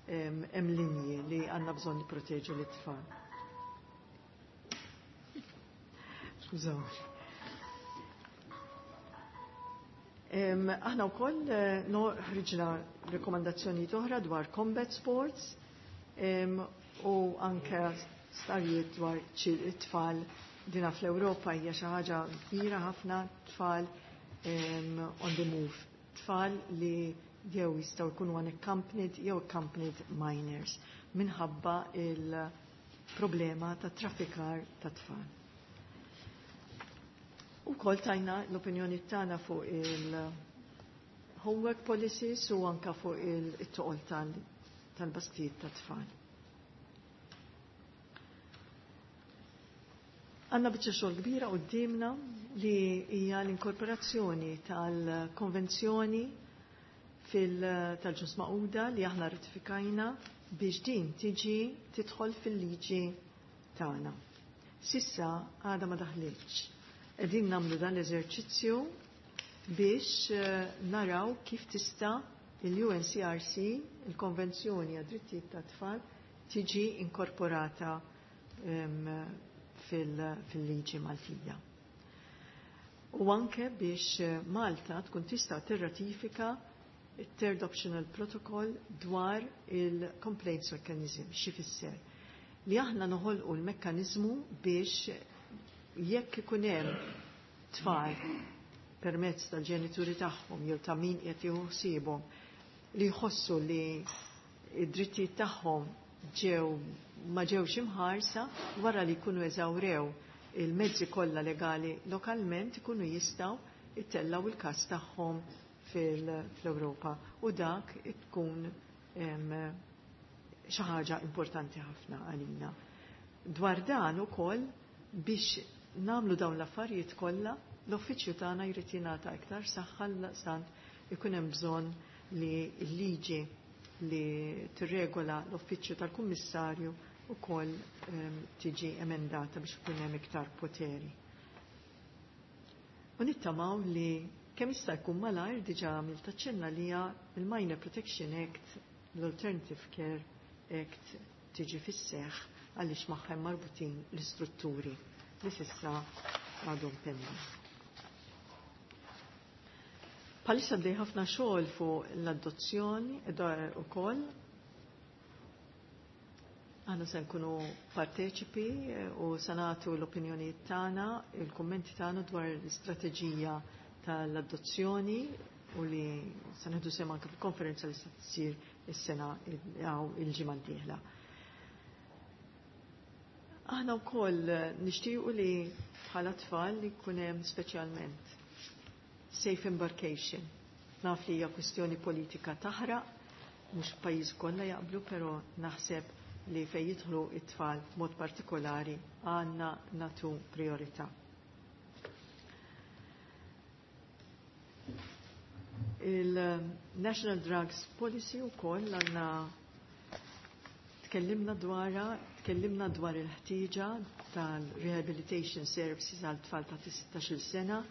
hemm linji li għandna bżonn nipproteġu l-tfal. Skużawni. Aħna wkoll eh, ħriġna rekomandazzjoni oħra dwar combat sports u anke starijiet dwar it-tfal. Dina fl-Ewropa hija xi ħaġa kbira ħafna, tfal on the move, tfal li jew jistgħu jkunu unaccompanied jew accompanied minors minħabba il-problema ta' traffikar ta' tfal. U kol tajna l-opinjoni tagħna fuq il-homework policies u anka fuq il-toqol tal-basktijiet ta' tfal. Għandna biċċa xogħol kbira qudiemna li hija l-inkorporazzjoni tal-konvenzjoni tal-Ġnus Magħquda li aħna ratifikajna biex din tiġi tidħol fil-liġi tagħna. S'issa għadha ma daħlitx. Qegħdin nagħmlu dan l-eżerċizzju biex eh, naraw kif tista' il-U N C R C, il-Konvenzjoni għad-Drittijiet tat-Tfal, tiġi inkorporata fil-liġi Maltija. U anke biex eh, Malta tkun tista' tirratifika il-Third Optional Protocol dwar il-Complaints Mechanism, x'ifisser? Li aħna noħolqu l-mekkanizmu biex jekk ikun hemm tfal permezz tal-ġenituri tagħhom jew ta' min qed jieħu ħsiebhom li jħossu li id-drittijiet tagħhom ġew ma ġewx imħarsa, wara li jkunu eżawrew il-mezzi kollha legali lokalment, ikunu jistgħu ittellaw il-każ tagħhom fil-Ewropa u dak tkun xi ħaġa importanti ħafna għalina. Dwar dan ukoll, biex nagħmlu dawn l-affarijiet kollha, l-uffiċċju tagħna jrid jingħata iktar saħħa, sant ikun hemm bżonn li l-liġi li tirregola l-uffiċċju tal-Kummissarju ukoll ehm, tiġi emendata biex ikun hemm iktar poteri. U nittamaw li kemm jista' jkun malajr diġà għamilt aċċenna li hija il-Minor Protection Act, l-Alternative Care Act tiġi fis-seħħ għaliex magħha marbutin l-istrutturi li s'issa għadhom pending. Bħalissa bdej ħafna xogħol fuq l-adozzjoni ukoll. Aħna se nkunu parteċipi eh, u se nagħtu l-opinjonijiet tagħna, il-kummenti tagħna dwar l-istrateġija tal-adozzjoni u li se nieħdu sehem anke fil-konferenza li se tsir is-sena jew il-ġimgħa d-dieħla. Aħna wkoll nixtiequ li bħala tfal li jkun hemm speċjalment safe embarkation. Naf li hija kwistjoni politika taħraq, mhux pajjiż kollha jaqblu, però naħseb li fejn jidħlu it-tfal b'mod partikolari għandna nagħtu priorità. Il-National Drugs Policy wkoll għandna tkellimna dwarha, tkellimna dwar il-ħtieġa tal-rehabilitation services għal tfal ta' sittax-il sena.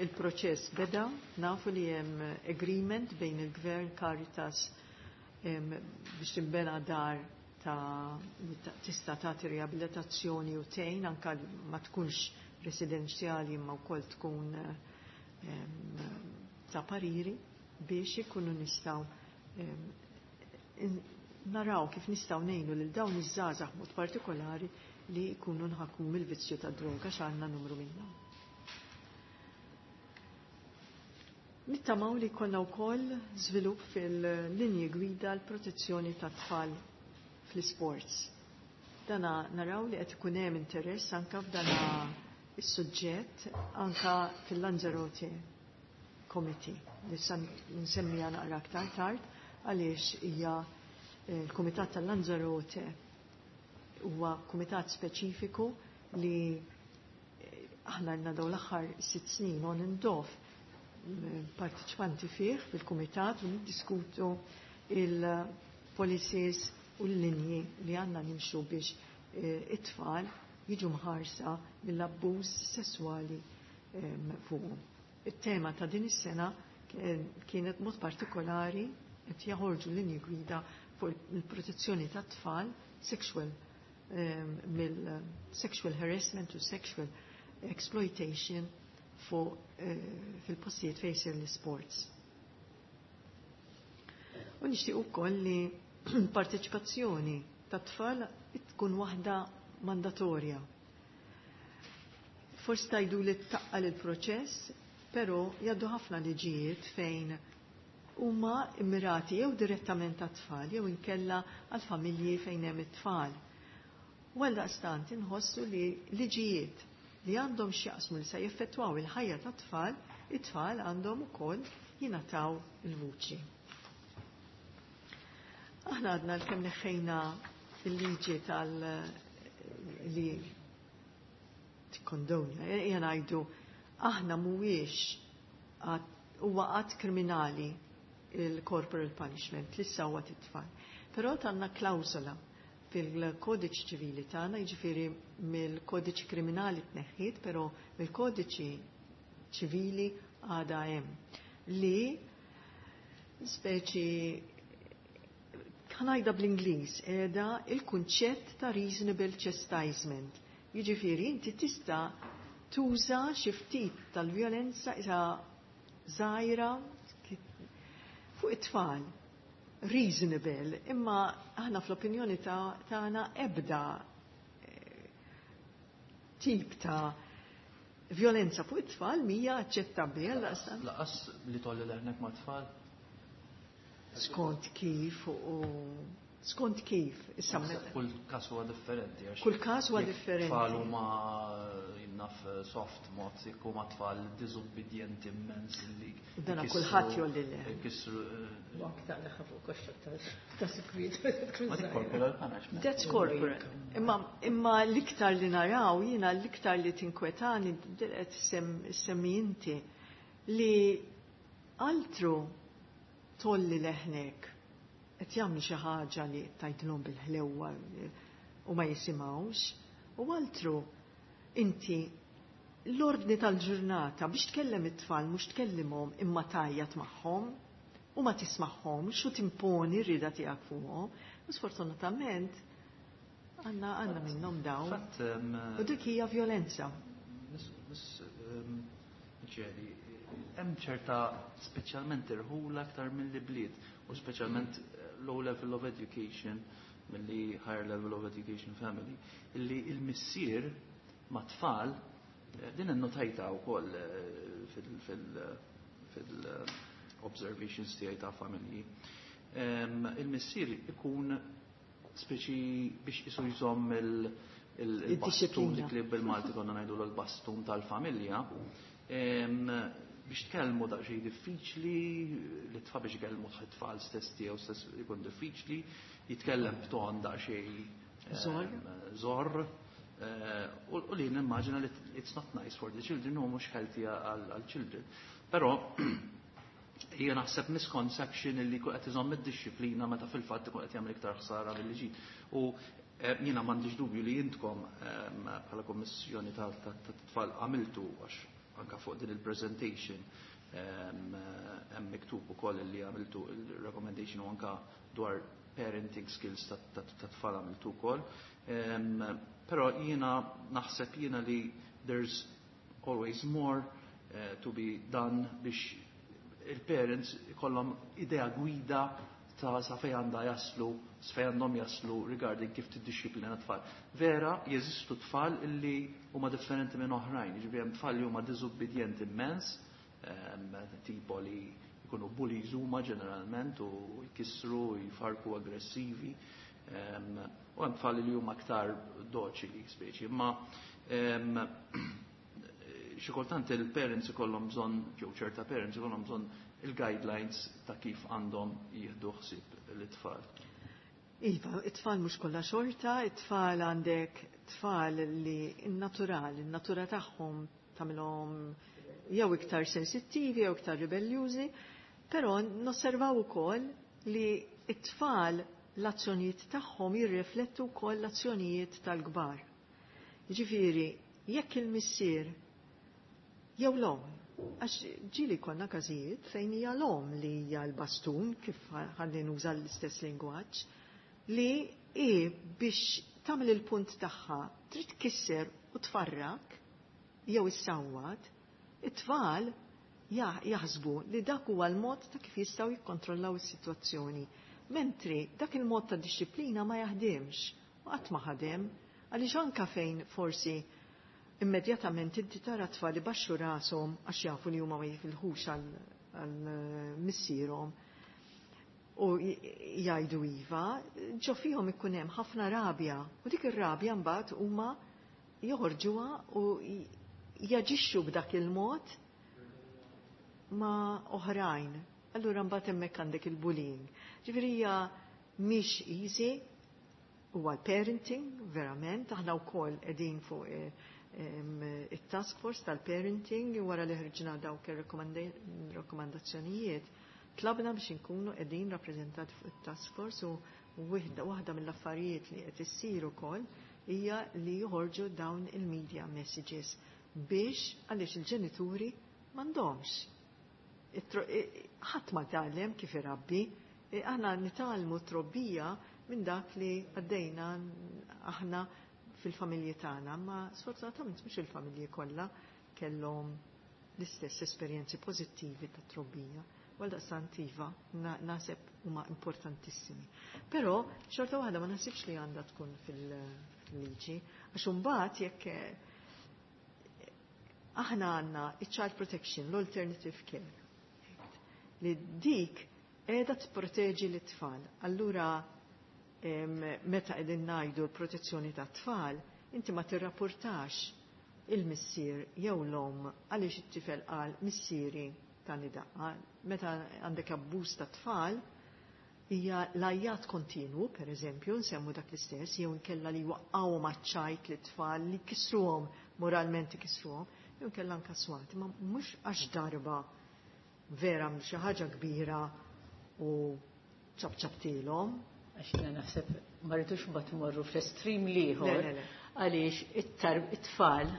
Il-proċess beda, nafu li hemm agreement bejn il-Gvern Caritas biex tinbena dar ta' tista' tagħti riabilitazzjoni u tgħin anke ma tkunx residenzjali imma wkoll tkun ta' pariri biex ikunu nistgħu naraw kif nistgħu ngħinu lil dawn iż-żgħażagħ mod partikolari li jkunu nħakmu mill-vizzju tad-droga x'għandna numru minnhom. Nittamaw li jkollna wkoll żvilupp fil-linji gwida l-protezzjoni tat-tfal fl-sports. Dana naraw li qed ikun hemm interess anke f'dana is-suġġett anke fil-Lanzarote Committee li sa nsemmija naqra aktar tard għaliex hija l-Kumitat tal-Lanzarote huwa kumitat speċifiku li aħna għandna dawn l-aħħar sitt snin on and off partiċipanti fih fil-kumitat u niddiskutu il-policies u l-linji li għandna nimxu biex it-tfal jiġu mħarsa mill-abbuż sesswali fuqhom. Il-tema ta' din is-sena kienet mod partikolari qed jaħorġu linji gwida fuq il-protezzjoni tat-tfal sexual mill-sexual harassment u sexual exploitation fuq fil-postijiet fejn jsir l-sports. U nixtieq ukoll li parteċipazzjoni tat-tfal tkun waħda mandatorja. Forsi tajdu li taqqal il-proċess, però jgħaddu ħafna liġijiet fejn huma immirati jew direttament għat-tfal jew inkella għal-familji fejn hemm it-tfal. U għaldaqstant inħossu li liġijiet li għandhom x'jaqsmu li se jeffettwaw il-ħajja tat-tfal, it-tfal għandhom ukoll jingħataw il-vuċi. Aħna għadna l-kemm neħħejna il-liġi tal li tikkondonja, ejja ngħidu aħna mhuwiex huwa qatt kriminali il-corporal punishment li huwa t-tfal. Però tanna klawsola fil-kodiċi ċivili tagħna, jiġifieri mill-kodiċi kriminali tneħħiet, però mill-kodiċi ċivili għadha hemm li speċi ħanajda bl-Ingliż qiegħda il-kunċett ta' reasonable chastisement. Jiġifieri inti tista' tuża xi ftit tal-vjolenza isa żgħira fuq it-tfal. Reasonable, imma aħna fl-opinjoni tagħna ebda tip ta' violenza fuq it-tfal mhija aċċettabbli. Laqas li tolli leħnek ma' tfal? Skont kif u skont kif. Issa Kull każ huwa differenti. Kull każ huwa differenti. Tfal huma jinnaf soft mod, jekk huma tfal diżubbidjenti immens li. Dana kulħadd jolli le. Kisru. Aktar leħa fuq koxxa ta' sikwit. Ma dik corporal punishment. That's corporal. Imma imma l-iktar li naraw jiena l-iktar li tinkwetani qed semmi inti li altru tolli leħnek qed jagħmlu xi ħaġa li tgħidilhom bil-ħlewwa u ma jisimgħux. U altru inti l-ordni tal-ġurnata biex tkellem it-tfal mhux tkellimhom imma tgħajjat magħhom u ma tismagħhomx u timponi r-rieda tiegħek fuqhom. U sfortunatament għandna għandna minnhom dawn. Fatt, em, U dik hija violenza. Miss, miss, um, Micheli, hemm ċerta speċjalment irħula aktar milli bliet u speċjalment eh, low level of education milli higher level of education family illi il-missier ma' tfal eh, din innotajta wkoll eh, fil- fil- fil- observations tiegħi ta' familji. Em, Il-missier ikun speċi biex isu jżomm il- il- il-bastun Id-dixxiplina. dik li bil-Malti konna ngħidu l-bastun tal-familja. Em, biex tkellmu daqsxejn diffiċli, li tfal biex ikellmu t-tfal stess tiegħu stess ikun diffiċli, jitkellem b'ton daqsxejn em, Żorr. żorr. eh, U u li nimmaġina li it's not nice for the children u mhux healthy għal children. Però hija naħseb misconception illi jkun qed iżomm id-dixxiplina meta fil-fatt ikun qed jagħmel iktar ħsara milli ġid. U eh, jiena m'għandix dubju li intkom em, bħala kommissjoni tat-tfal għamiltu għax anka fuq din il-presentation em, hemm miktub ukoll li għamiltu il-recommendation u anka dwar parenting skills tat-tfal għamiltu wkoll. Em, Però jiena naħseb jiena li there's always more eh, to be done biex il-parents ikollhom idea gwida ta' sa fej għandha jaslu, sa fej għandhom jaslu regarding kif tiddixxiplina tfal. Vera, jeżistu tfal illi huma differenti minn oħrajn, jiġifieri hemm tfal li huma diżubbidjenti immens, em, tipo li jkunu bullies huma ġeneralment u jkissru, jfarku aggressivi, em, u hemm tfal li huma aktar doċili speċi, imma em, xi kultant il-parents ikollhom bżonn, jew ċerta parents ikollhom bżonn il-guidelines ta' kif għandhom jieħdu ħsieb l-itfal. Iva, it-tfal mhux kollha xorta, it-tfal għandek tfal li n-natural, in-natura tagħhom tagħmilhom jew iktar sensittivi jew iktar ribeljużi, però nosservaw ukoll li it-tfal l-azzjonijiet tagħhom jirriflettu wkoll l-azzjonijiet tal-kbar. Jiġifieri, jekk il-missier jew l-omm, għax ġieli konna każijiet fejn hija l-omm li hija l-bastun, kif ħalli nuża l-istess lingwaġġ, li hi biex tagħmel il-punt tagħha trid tkisser u tfarrak jew issawwat, it-tfal jaħsbu li dak huwa l-mod ta' kif jistgħu jikkontrollaw is-sitwazzjoni. Mentri dak il-mod ta' dixxiplina ma jaħdimx, u qatt ma ħadem, għaliex anka fejn forsi immedjatament inti tara tfal li baxxu rashom għax jafu li huma ma jifilħux għal missierhom u jgħidu iva, ġo fihom ikun hemm ħafna rabja u dik ir-rabja mbagħad huma joħorġuha u jaġixxu b'dak il-mod ma' oħrajn. Allura mbagħad hemmhekk għandek il-bullying. Ġifieri hija mhix easy, huwa l-parenting, verament, aħna wkoll qegħdin fuq eh, it-task force tal-parenting wara li ħriġna dawk ir-rakkomandazzjonijiet tlabna biex inkunu qegħdin rappreżentati fuq it-task force u waħda mill-affarijiet li qed issir ukoll hija li joħorġu dawn il-media messages biex għaliex il-ġenituri m'għandhomx. Ħadd ma tgħallem kif irabbi, aħna nitgħallmu trobbija minn dak li għaddejna aħna fil-familji tagħna, ma sfortunatament mhux il-familji kollha kellhom l-istess esperjenzi pożittivi ta' trobbija. Għal daqstant iva, naħseb huma importantissimi. Però xorta waħda ma naħsibx li għandha tkun fil-liġi, għax imbagħad jekk aħna għandna il-child protection, l-alternative care, li dik qiegħda tipproteġi l-tfal. Allura meta qegħdin ngħidu l-protezzjoni tat-tfal, inti ma tirrapportax il-missier jew l-omm għaliex it-tifel qal missieri tani daqqa. Meta għandek abbuż ta' tfal, hija l-għajjat kontinwu, per eżempju, nsemmu dak l-istess, jew inkella li waqqgħu maċ-ċajt lit-tfal li kisruhom, moralment kisruhom, jew inkella anka swat, ma mhux għax darba vera xi ħaġa kbira u ċabċabtilhom. Għax jiena naħseb ma rridux mbagħad imorru fl-estrim l-ieħor għaliex it-tfal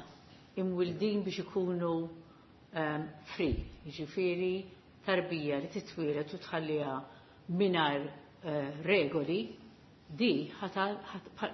imwildin biex ikunu ehm, free, jiġifieri tarbija li titwieled u tħalliha mingħajr eh, regoli di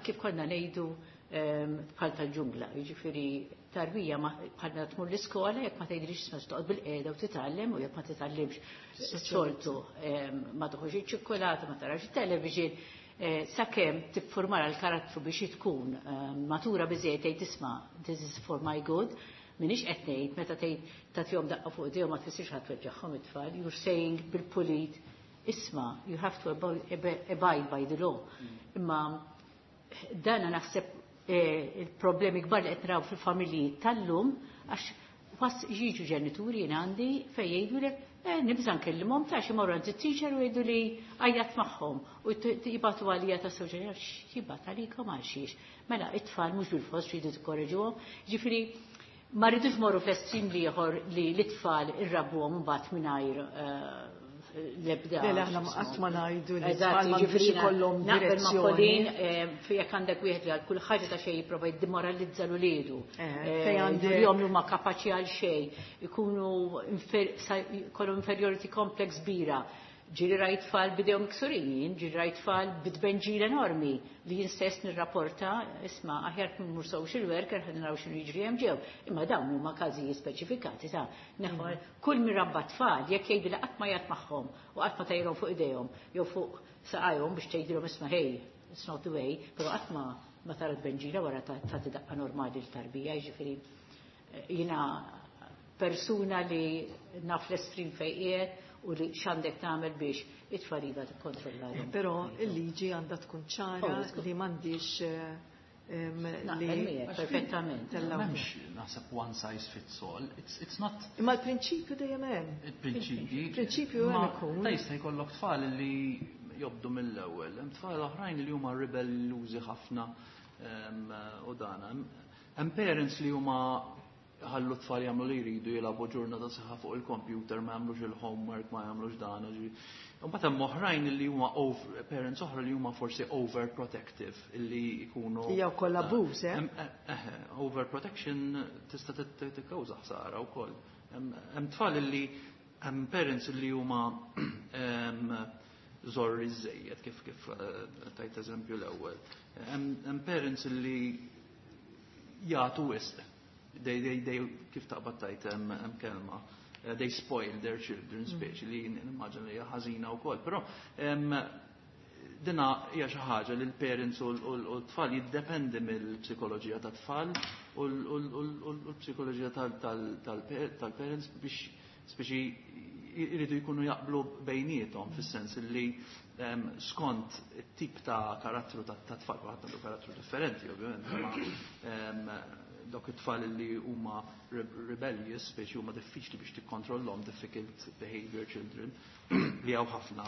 kif konna ngħidu ehm, bħal tal-ġungla, jiġifieri tarbija bħalna tmur l-iskola jekk ma tgħidlix isma' toqgħod bil-qiegħda u titgħallem u jekk ma titgħallimx soltu ehm, ma toħroġ iċ-ċikkulata, ma tarax it-television, eh, sakemm tiffurmara l-karattru biex tkun ehm, matura biżejjed tgħid isma' this is for my good, minix qed ngħid meta tgħid tagħtihom daqqa fuq idejhom ma tfissirx ħadd tweġġagħhom it-tfal, you're saying bil-pulit isma' you have to abide by the law. Mm. Imma dana naħseb eh, il-problemi kbar li qed naraw fil-familji tal-lum għax was jiġu ġenituri jien għandi fejn jgħidulek eh, nibża' nkellimhom ta' xi morru għand it-teacher u jgħidu li għajjat magħhom u jibgħatu għalija ta' sewġa jibgħat għalikom għal xiex. Mela it-tfal mhux bil-fors tridu tikkoreġuhom. Ġifieri ma rridux morru fl-estrim ieħor li l-itfal irrabbuhom mbagħad mingħajr eh, l-ebda. Le, aħna qatt ma ngħidu li tfal ma ikollhom direzzjoni. Eh, fejn għandek wieħed li għal kull ħaġa ta' xejn jipprova jiddemoralizza l uliedu. Eh, fejn għandek jom huma kapaċi għal xejn, ikunu jkollhom inferiority complex kbira. Ġieli rajt tfal b'idejhom miksurin, ġieli rajt tfal bit-tbenġil enormi li jien stess nirrapporta, isma' aħjar mur social worker ħa naraw x'inhu jiġri hemm ġew. Imma dawn huma każijiet speċifikati ta' neħor kull min rabba tfal jekk jgħidu li qatt ma jgħid magħhom u qatt ma tajrhom fuq idejhom jew fuq saqajhom biex tgħidilhom isma' hey, it's not the way, però qatt ma ma tara tbenġila wara tagħti daqqa normali l-tarbija, jiġifieri eh, jiena persuna li naf l-estrim fejn qiegħed u li x'għandek tagħmel biex it-tfal iva tikkontrollahom. Però il-liġi għandha tkun ċara oh, li m'għandix eh, li perfettament. M'hemmx naħseb one size fits all. It's, it's not. Imma l-prinċipju dejjem hemm. Il-prinċipji. Il-prinċipju hemm ikun. Ta' jista' jkollok tfal li jobdu mill-ewwel. Hemm tfal oħrajn li huma ribellużi ħafna u dana. Hemm parents li huma ħallu tfal jagħmlu li jridu jilagħbu ġurnata sħiħa fuq il-computer, ma jagħmlux il-homework, ma jagħmlux dan. Mbagħad hemm oħrajn li huma over, parents oħra li huma forsi overprotective illi jkunu. Hija wkoll abbuż, eh? eh overprotection tista' tikkawża ħsara wkoll. Hemm tfal li hemm parents li huma żorri żejjed kif kif eh, tajt eżempju l-ewwel. Hemm parents li jagħtu wisq they, they, they, kif taqbad tajt hemm kelma, eh, they spoil their children mm. speċi li nimmaġina li hija ħażina wkoll. Però dina hija xi ħaġa li l-parents u l-tfal jiddependi mill-psikoloġija tat-tfal u l-psikoloġija tal-parents biex speċi jridu jkunu jaqblu bejniethom fis-sens li skont it-tip ta' karattru ta' tfal, kulħadd għandu karattru differenti ovvjament, imma dawk it-tfal li huma rebellious, speċi huma diffiċli biex tikkontrollhom, difficult behavior children, li hawn ħafna.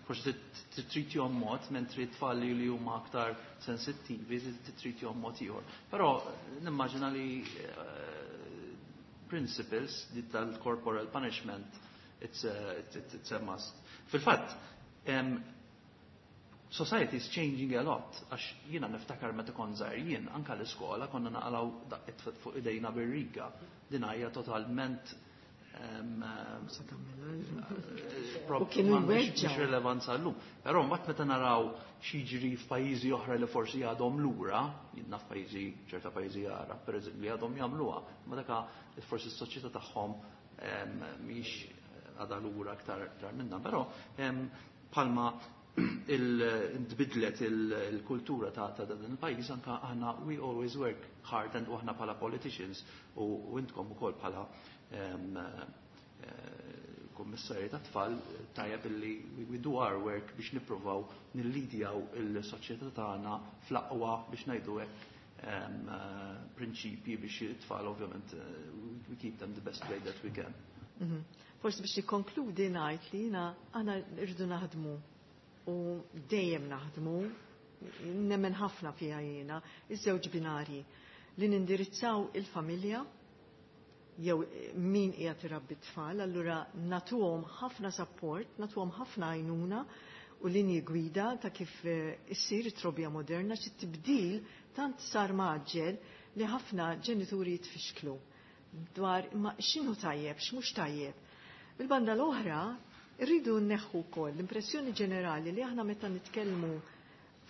Forsi titritjhom mod, mentri tfal li huma aktar sensittivi, titritjhom mod ieħor. Però nimmaġina li eh, principles di tal-corporal punishment it's a, it's a must. Fil-fatt, society is changing a lot, għax jiena niftakar meta kont żgħir jien anka l-iskola konna naqalaw daqqiet fuq idejna bir-riga. Din hija totalment U kienu jweġġgħu. Mhix rilevanza llum. Però mbagħad meta naraw x'jiġri f'pajjiżi oħra li forsi għadhom lura, jien f'pajjiżi ċerta pajjiżi Għarab, pereżempju, li għadhom jagħmluha, ma daka forsi s-soċjetà tagħhom mhix għadha lura aktar aktar minna, però palma il-tbidlet il-kultura ta' ta' dan il-pajjiż anka aħna we always work hard and aħna bħala politicians u intkom ukoll bħala eh, kummissarji ta' tfal tajjeb illi we do our work biex nippruvaw nillidjaw il-soċjetà tagħna fl-aqwa biex ngħidu hekk eh, prinċipji biex it-tfal ovvjament eh, we keep them the best way that we can. Mhm. Forsi biex nikkonkludi ngħid li jiena aħna rridu naħdmu u dejjem naħdmu, nemmen ħafna fiha jiena, iż-żewġ binari li nindirizzaw il-familja jew min qiegħed irabbi tfal, allura natuhom ħafna support, natuhom ħafna għajnuna u linji gwida ta' kif issir it-trobbija moderna, xi tibdil tant sar maġġel li ħafna ġenituri jitfixklu dwar imma x'inhu tajjeb, x'mhux tajjeb. Bil-banda l-oħra, rridu nneħħu wkoll l-impressjoni ġenerali li aħna meta nitkellmu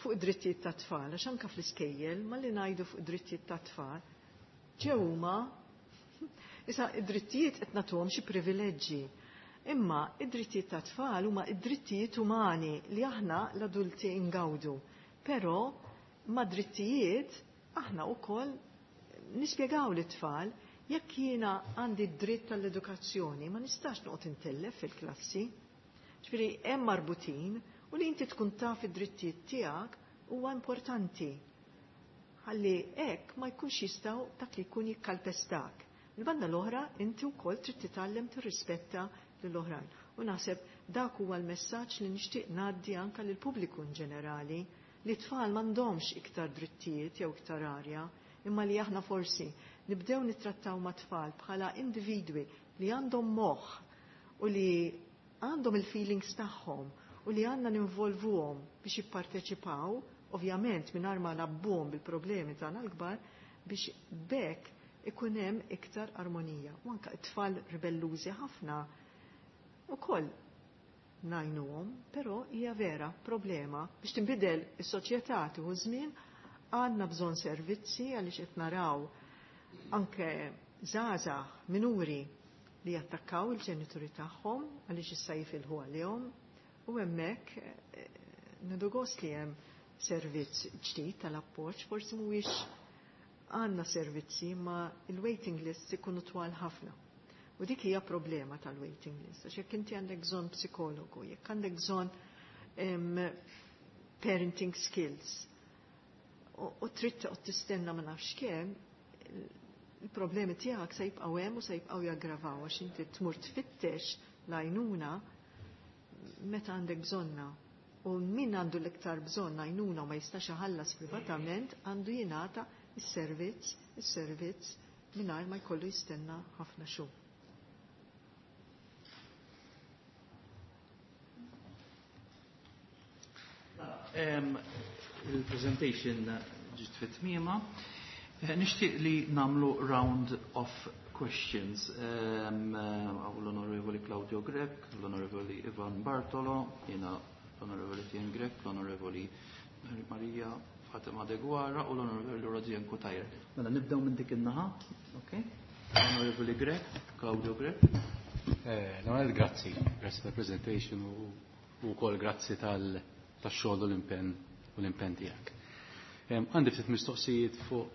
fuq id-drittijiet tat-tfal, għax anke fl-iskejjel malli ngħidu fuq id-drittijiet tat-tfal, ġew huma issa id-drittijiet qed nagħtuhom xi privileġġi. Imma id-drittijiet tat-tfal huma id-drittijiet umani li aħna l-adulti ngawdu. Però ma' drittijiet aħna wkoll nispjegaw lit-tfal jekk jiena għandi d-dritt tal-edukazzjoni ma nistax noqgħod intellef fil-klassi. Ġifieri hemm marbutin u li inti tkun taf id-drittijiet tiegħek huwa importanti. Ħalli hekk ma jkunx jistgħu dak li jkun jikkalpestak. Il-banda l-oħra inti wkoll trid titgħallem tirrispetta lill-oħrajn. U naħseb dak huwa l-messaġġ li nixtieq ngħaddi anke lill-pubbliku in ġenerali li t-tfal m'għandhomx iktar drittijiet jew iktar arja, imma li aħna forsi nibdew nittrattaw ma' tfal bħala individwi li għandhom moħħ u li għandhom il-feelings tagħhom u li għandna ninvolvuhom biex jipparteċipaw, ovvjament mingħajr ma nabbuhom bil-problemi tagħna l-kbar, biex bekk ikun hemm iktar armonija. U anke t-tfal ribellużi ħafna ukoll ngħinuhom, però hija vera problema biex tinbidel is-soċjetà tieħu żmien, għandna bżonn servizzi għaliex qed naraw anke żgħażagħ minuri li jattakkaw il-ġenituri tagħhom għaliex issa jifilħu għalihom u hemmhekk nieħdu gost li hemm servizz ġdid tal-appoġġ, forsi mhuwiex għandna servizzi ma il-waiting lists ikunu twal ħafna. U dik hija problema tal-waiting list, għax jekk inti għandek bżonn psikologu, jekk għandek bżonn parenting skills, u trid toqgħod tistenna ma nafx kemm, il-problemi tiegħek se jibqgħu hemm u se jibqgħu jaggravaw għax inti tmur tfittex l-għajnuna meta għandek bżonna. U min għandu l-iktar bżonn għajnuna u ma jistax iħallas privatament għandu jingħata is-servizz, is-servizz mingħajr ma jkollu jistenna ħafna xhur. Il-presentation ġiet fit-tmiema. Nixtieq li nagħmlu round of questions. Għaw l-Onorevoli Claudio Grech, l-Onorevoli Ivan Bartolo, jiena l-Onorevoli Tien Grech, l-Onorevoli Maria Fatima Deguara u l-Onorevoli Rosianne Cutajar. Mela nibdew minn dik in-naħa, okay? Onorevoli Grech, Claudio Grech. L-ewwel grazzi, grazzi tal-presentation u wkoll grazzi tal-xogħol u l-impenn u l-impenn tiegħek. Għandi ftit mistoqsijiet fuq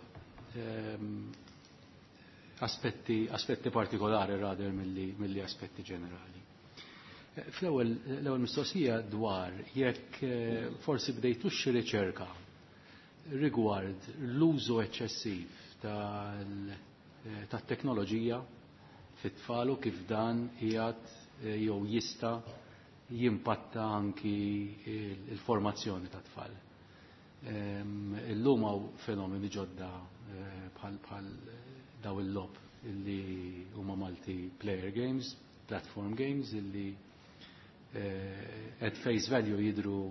aspetti, aspetti partikolari rather milli, milli aspetti ġenerali. Fl-ewwel l-ewwel mistoqsija dwar jekk forsi bdejtux xi riċerka rigward l-użu eċċessiv tat-teknoloġija fit-tfal u kif dan qiegħed jew jista' jimpatta anki il-formazzjoni tat-tfal. Illum hawn fenomeni ġodda bħal bħal daw il-logħob illi huma multiplayer games, platform games illi at face value jidru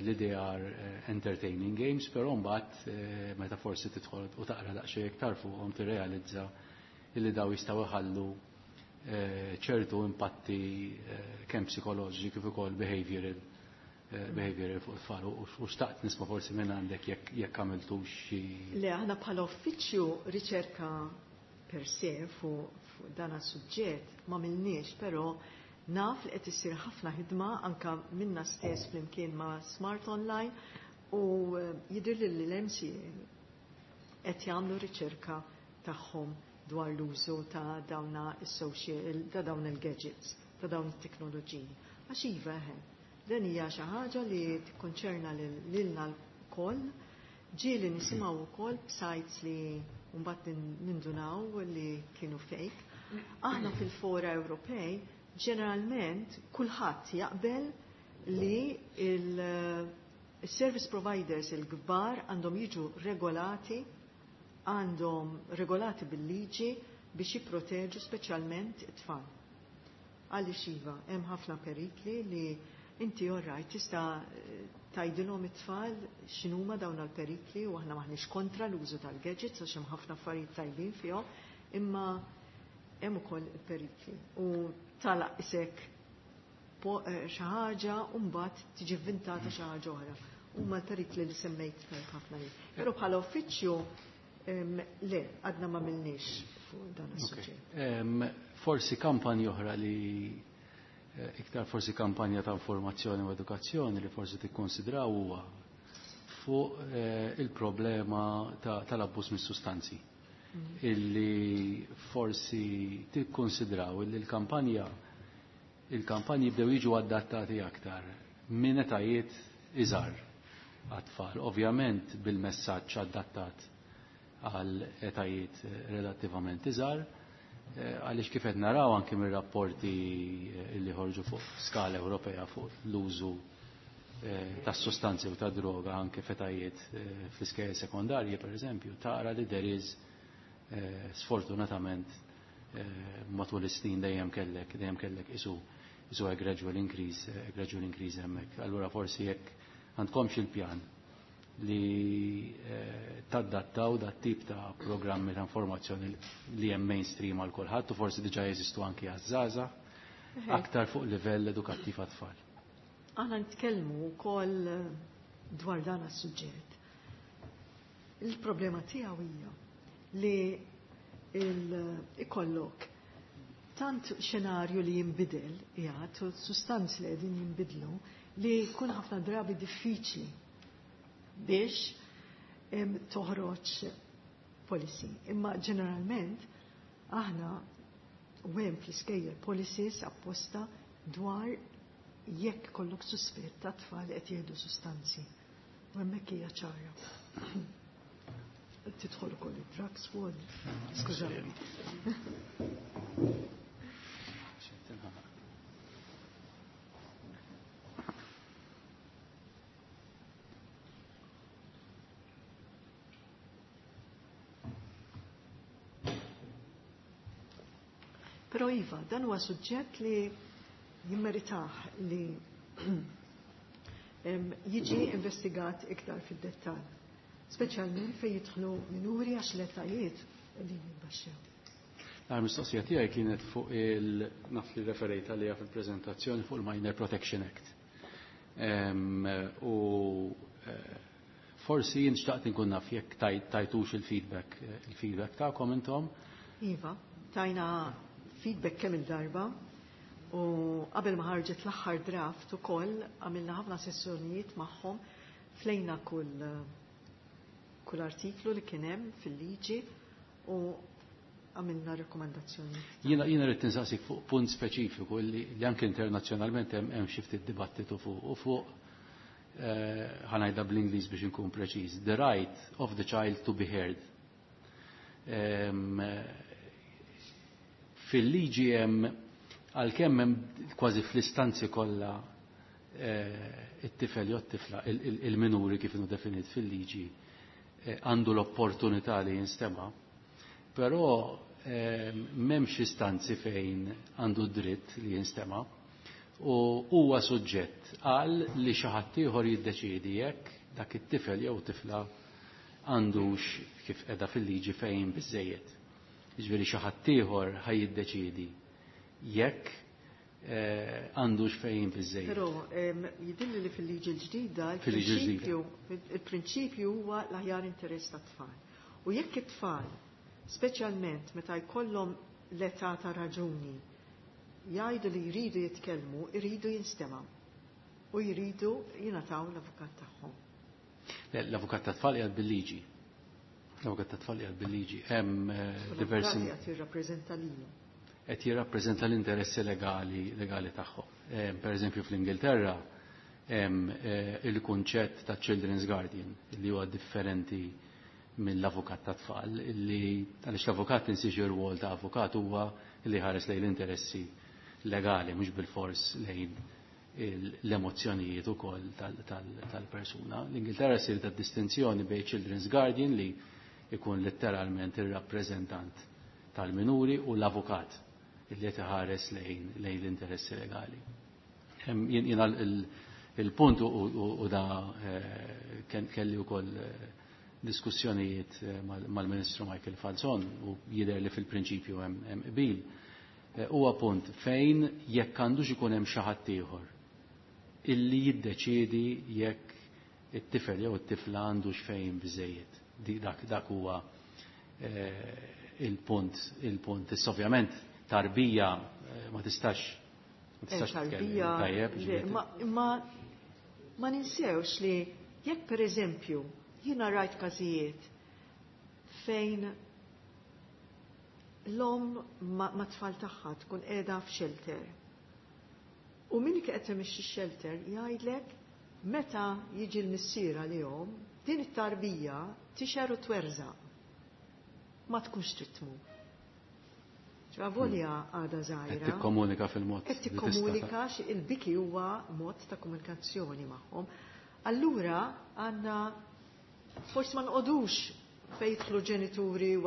li they are entertaining games, però mbagħad meta forsi tidħol u taqra daqsxejn iktar fuqhom tirrealizza illi daw jistgħu jħallu ċertu impatti kemm psikoloġiċi kif ukoll behavioral behavioral fuq it-tfal u xtaqt nisma' forsi minn għandek jekk jekk għamiltux xi. Le, aħna bħala uffiċċju riċerka per se fuq dan is-suġġett ma għamilniex, però naf li qed issir ħafna ħidma anka minna stess flimkien ma' Smart Online u jidher li l-M C A qed jagħmlu riċerka tagħhom dwar l-użu ta' dawna is-social, ta' dawn il-gadgets, ta' dawn it-teknoloġiji. Għax iva eħe, dan hija xi ħaġa li tikkonċerna lilna lkoll, ġieli nisimgħu wkoll b'sites li mbagħad nindunaw li kienu fake. Aħna fil-fora Ewropej ġeneralment kulħadd jaqbel li il-service providers il-kbar għandhom jiġu regolati, għandhom regolati bil-liġi biex jipproteġu speċjalment it-tfal. Għaliex iva, hemm ħafna perikli li Inti all right, tista' tgħidilhom it-tfal x'inhuma dawn l-perikli u aħna maħniex kontra l-użu tal-gadgets għax hemm ħafna affarijiet tajbin fihom, imma hemm ukoll il-perikli. U talaq isek xi ħaġa u mbagħad tiġi vvintata xi ħaġa oħra. Huma l-perikli li semmejt ħafna jien. Però bħala uffiċċju le, għadna ma milniex fuq dan is-suġġett. Forsi kampanja oħra li iktar forsi kampanja ta' informazzjoni u edukazzjoni li forsi tikkonsidraw huwa fuq il-problema tal-abbuż mis-sustanzi. Illi forsi tikkonsidraw illi l-kampanja il-kampanji bdew jiġu adattati aktar minn etajiet iżgħar għat-tfal. Ovvjament bil-messaġġ adattat għal etajiet relattivament iżgħar, għaliex kif qed naraw anke mir-rapporti li ħorġu fuq skala Ewropea fuq l-użu tas-sustanzi u ta' droga anke f'etajiet fl-iskejjel sekondarji pereżempju, tara li there is sfortunatament matul is-snin dejjem kellek dejjem kellek isu isu a gradual increase, a gradual increase hemmhekk. Allura forsi jekk għandkomx il-pjan li tadattaw dat tip ta' programmi ta' informazzjoni li hemm mainstream għal kulħadd u forsi diġà jeżistu anki għaż-żgħażagħ aktar fuq livell edukattiv għat-tfal. Aħna nitkellmu wkoll dwar dan is-suġġett. Il-problema tiegħu hija li ikollok tant xenarju li jinbidel, jgħat, u sustanzi li qegħdin jinbidlu, li jkun ħafna drabi diffiċli biex toħroġ policy. Imma ġeneralment aħna u hemm fl-iskejjel policies apposta dwar jekk kollok suspett ta' tfal qed jieħdu sustanzi. U hemmhekk hija ċara. Tidħol ukoll id-drug squad. Skużani. Però iva, dan huwa suġġett li jimmeritah li jiġi investigat iktar fid-dettall. Speċjalment fejn jidħlu minuri għax l-etajiet qegħdin jitbaxxew. L-mistoqsija tiegħi kienet fuq il naf li referejt għaliha fil-preżentazzjoni fuq il-Minor Protection Act. U forsi jien xtaqt inkun naf jekk tajtux il-feedback il-feedback tagħkom intom. Iva, tajna feedback kemm il-darba u qabel ma ħarġet l-aħħar draft ukoll għamilna ħafna sessjonijiet magħhom flejna kull kull artiklu li kien hemm fil-liġi u għamilna rekomandazzjoni. Jiena jiena rrid tinsaqsik fuq punt speċifiku li, li anke internazzjonalment hemm hemm xi ftit dibattitu fuq u fuq ħa ngħidha bl-Ingliż biex inkun preċiż, the right of the child to be heard. Fil-liġi hemm għalkemm hemm kważi fl-istanzi kollha it-tifel jew t-tifla il-minuri kif inhu definit fil-liġi għandu l-opportunità li jinstema', però m'hemmx istanzi fejn għandu dritt li jinstema' u huwa suġġett għal li xi ħadd ieħor jiddeċiedi jekk dak it-tifel jew tifla għandux kif qiegħda fil-liġi fejn biżejjed. Jiġifieri xi ħadd ieħor ħaj jiddeċiedi jekk għandux fejn biżejjed. Però jidhirli li fil-liġi l-ġdida il-prinċipju il-prinċipju huwa l-aħjar interess tat-tfal. U jekk it-tfal, speċjalment meta jkollhom l-età ta' raġuni, jgħidu li jridu jitkellmu, jridu jinstemgħu u jridu jingħataw l-avukat tagħhom. L-avukat tat-tfal qiegħed bil-liġi. L-avukat tat-tfal qiegħed bil-liġi. Hemm diversi qed jirrappreżenta lilu. Qed jirrappreżenta l-interessi legali legali tagħhom. Per eżempju fl-Ingilterra hemm il-kunċett ta' Children's Guardian li huwa differenti mill-avukat ta' tfal li għaliex l-avukat tinsiex ir-rwol ta' avukat huwa li ħares lejn l-interessi legali mhux bil-fors lejn l-emozzjonijiet ukoll tal-persuna. L-Ingilterra ssir ta' distinzjoni bejn Children's Guardian li ikun letteralment ir-rappreżentant tal-minuri u l-avukat li qed iħares lejn lejn l-interessi legali. Jiena il-punt u da kelli wkoll diskussjonijiet mal-Ministru Michael Falzon u jidher li fil-prinċipju hemm qbil. Huwa punt fejn jekk għandux ikun hemm xi ħadd ieħor illi jiddeċiedi jekk it-tifel jew it-tifla għandux fejn biżejjed. Dak dak huwa il-punt, il-punt. Issa ovvjament tarbija ma tistax ma tistax Tarbija tajjeb. Ma ma ninsewx li jekk pereżempju jiena rajt każijiet fejn l-omm ma tfal tagħha tkun qiegħda f'shelter. U min qed imexxi x-shelter jgħidlek meta jiġi l-missier għalihom din it-tarbija tixer u twerżaq. Ma tkunx trid tmur. Ċavolja għadha żgħira. Qed tikkomunika fil-mod. Qed tikkomunika il-biki huwa mod ta' komunikazzjoni magħhom. Allura għandna forsi ma nqogħdux fejn jidħlu ġenituri u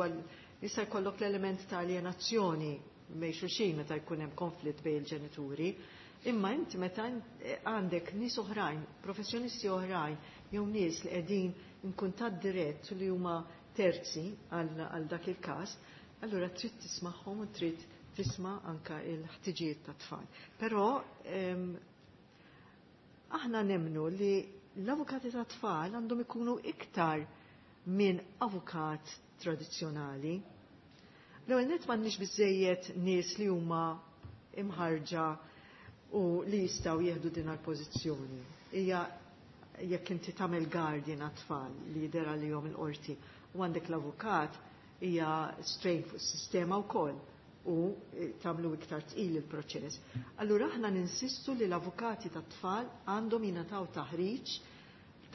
jista' jkollok l-element ta' alienazzjoni bejn xulxin meta jkun hemm konflitt bejn il-ġenituri. Imma inti meta għandek nies oħrajn, professjonisti oħrajn, jew nies li qegħdin in kuntatt dirett li huma terzi għal dak il-każ, allura trid tismagħhom u trid tisma' anka l-ħtiġijiet tat-tfal. Però aħna nemmnu li l-avukati tat-tfal għandhom ikunu iktar minn avukat tradizzjonali. L-ewwel nett m'għandniex biżejjed nies li huma imħarġa u li jistgħu jieħdu din għall-pożizzjoni. Hija jekk inti tagħmel guardian għat-tfal li jidher għalihom il-qorti u għandek l-avukat hija strain fuq is-sistema wkoll u tagħmlu iktar tqil il-proċess. Allura aħna ninsistu li l-avukati tat-tfal għandhom jingħataw taħriġ,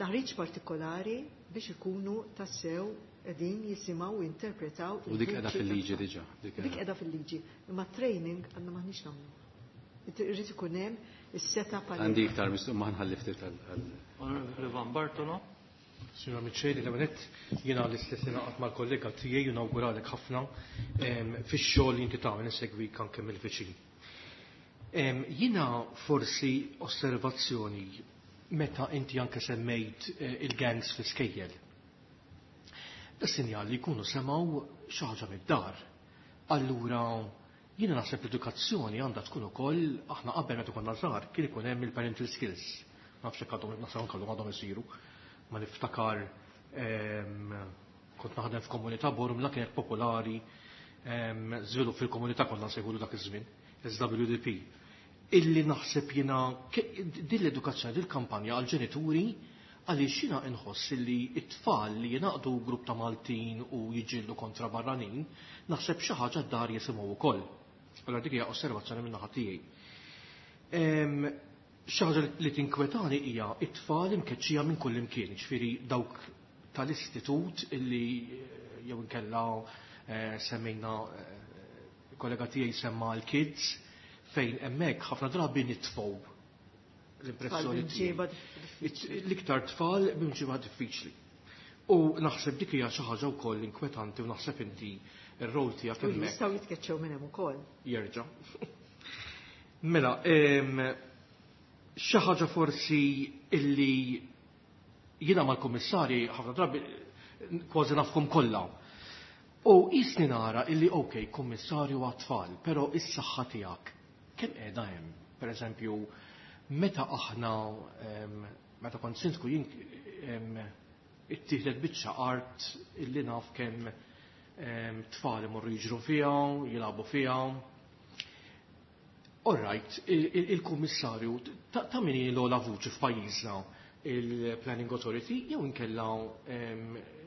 taħriġ partikolari biex ikunu tassew qegħdin jisimgħu u jinterpretaw. U dik qiegħda fil-liġi diġà. Dik qiegħda fil-liġi. Imma training għandna m'aħniex nagħmlu. Irid ikun hemm is-setup għal. Għandi iktar mistoq ma nħalli ftit għal. Onorevoli Van Bartolo. Signora Miceli, l-għanet jena l-istess naqat mal-kollega tiegħi u nawguralek ħafna fix-xogħol li inti tagħmel insegwik anke mill-viċin. Jiena forsi osservazzjoni meta inti anke semmejt il-gangs fl-iskejjel. Da sinjal li jkunu semgħu xi ħaġa mid-dar. Allura jiena naħseb l-edukazzjoni għandha tkun ukoll aħna qabel meta konna żgħar kien ikun hemm il-parental skills. Ma nafx hekk għadhom naħseb anke għadhom isiru. Ma niftakar kont naħdem f'komunità Bormla kienet popolari żvilupp fil-komunità konna nsejħulu dak iż-żmien, S W D P. Illi naħseb jiena din l-edukazzjoni, din il-kampanja għall-ġenituri għaliex jiena inħoss illi t-tfal li jingħaqdu grupp ta' Maltin u jiġġieldu kontra barranin, naħseb xi ħaġa d-dar jisimgħu wkoll. Allora dik hija osservazzjoni minn naħa tiegħi. Xi ħaġa li tinkwetani hija t-tfal imkeċċija minn kull imkien, ġifieri dawk tal-istitut illi jew inkella semmejna kollega tiegħi semma l-kids fejn hemmhekk ħafna drabi nitfgħu l-impressjoni tiegħi. L-iktar tfal b'imġiba diffiċli. U naħseb dik hija xi ħaġa wkoll inkwetanti u naħseb inti r-rol tiegħek hemmhekk. Jistgħu jitkeċċew minn hemm ukoll. Jerġa'. Mela, xi ħaġa forsi illi jiena mal-kummissarji ħafna drabi kważi nafhom kollha. U jisni nara illi ok, kummissarju għat-tfal, però is-saħħa tiegħek kemm qiegħda hemm? Per eżempju, meta aħna meta kont sindku jien ittieħdet biċċa art illi naf kemm tfal imorru jiġru fiha, jilagħbu fiha. All right, il-kummissarju ta' min hi l-ogħla vuċi f'pajjiżna il-Planning Authority jew inkella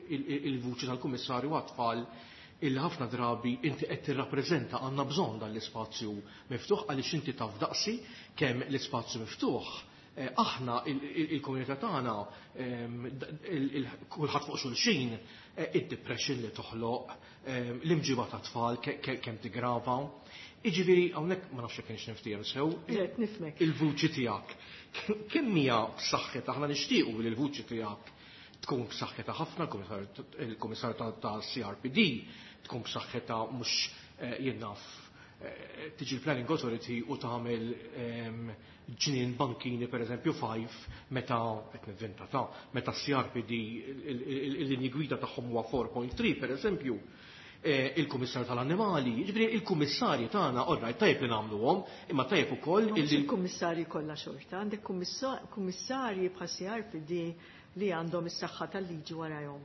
il-vuċi tal-kummissarju għat-tfal illi ħafna drabi inti qed tirrappreżenta għandna bżonn dan l-ispazju miftuħ għaliex inti taf daqsi kemm l-ispazju miftuħ. Aħna il-komunità tagħna kulħadd fuq xulxin, id-depression li toħloq, l-imġiba ta' tfal kemm tigrava. Jiġifieri hawnhekk ma nafx jekk kienx niftiehem sew. Le, nifhmek. Il-vuċi tiegħek. Kemm hija b'saħħitha aħna nixtiequ li l-vuċi tiegħek tkun b'saħħitha ħafna, il-Kummissarju ta' C R P D tkun b'saħħitha mhux jien naf tiġi l-Planning Authority u tagħmel ġnien bankini per eżempju five meta qed nivvinta ta' meta C R P D il-linji gwida tagħhom huwa four point three per eżempju, il-Kummissarju tal-Annimali, jiġifieri il-kummissarji tagħna orrajt tajjeb li nagħmluhom, imma tajjeb ukoll Mhux il-kummissarji kollha xorta, għandek kummissarji bħal C R P D li għandhom is-saħħa tal-liġi warahom.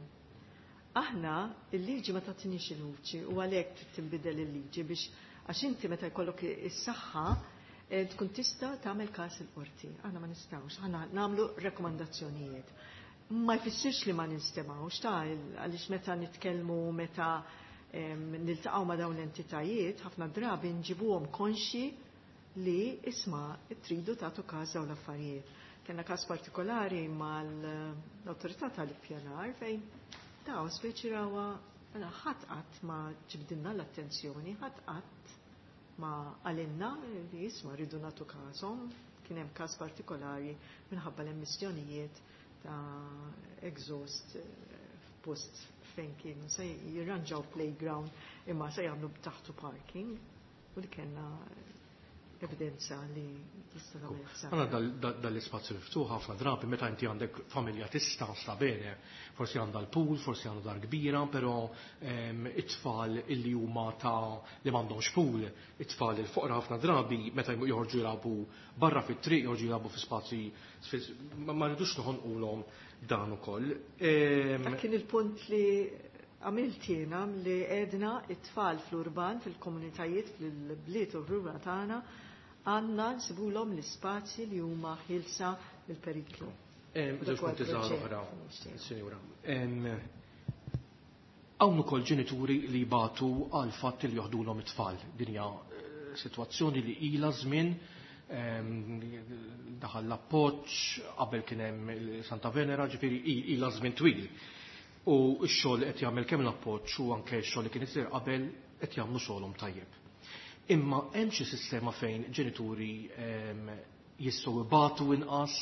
Aħna il-liġi ma tagħtinix il-vuċi u għalhekk trid tinbidel il-liġi biex għax inti meta jkollok is-saħħa tkun tista' tagħmel każ il-qorti. Aħna ma nistgħux, aħna nagħmlu rakkomandazzjonijiet. Ma jfissirx li ma nistemgħux ta' għaliex meta nitkellmu, meta niltaqgħu ma' dawn l-entitajiet, ħafna drabi nġibuhom konxi li isma' tridu tagħtu każ dawn l-affarijiet. Kellna każ partikolari mal-awtorità tal-ippjanar fejn daw speċi rawa ħadd qatt ma ġibdilna l-attenzjoni, ħadd qatt ma għalinna li jisma' rridu nagħtu każhom. Kien hemm każ partikolari minħabba l-emissjonijiet ta' exhaust f'post fejn kienu se jirranġaw playground imma se jagħmlu taħtu parking u li kellna evidenza li tista' tagħmel ħsara. Għandna dal-ispazju miftuħ ħafna drabi meta inti għandek familja tista' sta bene, forsi għandha l-pool, forsi għandha dar kbira, però it-tfal illi huma ta' li m'għandhomx pool, it-tfal il-foqra ħafna drabi meta joħorġu jilagħbu barra fit-triq, joħorġu jilagħbu fi spazji, ma rridux noħonqulhom dan ukoll. Dak kien il-punt li għamilt jiena li għedna it-tfal fl-urban, fil-komunitajiet, fil-bliet u r-rura tagħna, għandna nsibulhom l-ispazji li huma ħilsa mill-periklu. Żewġ punti żgħar oħra, Sinjura. Hawn ukoll ġenituri li jbatu għal fatt li joħdulhom it-tfal. Din hija sitwazzjoni li ilha żmien, daħal l-appoġġ, qabel kien hemm Santa Venera, ġifieri ilha żmien twil. U x-xogħol qed jagħmel kemm l-appoġġ u anke x-xogħol li kien isir qabel qed jagħmlu xogħolhom tajjeb. Imma hemm xi sistema fejn ġenituri jistgħu ibatu inqas,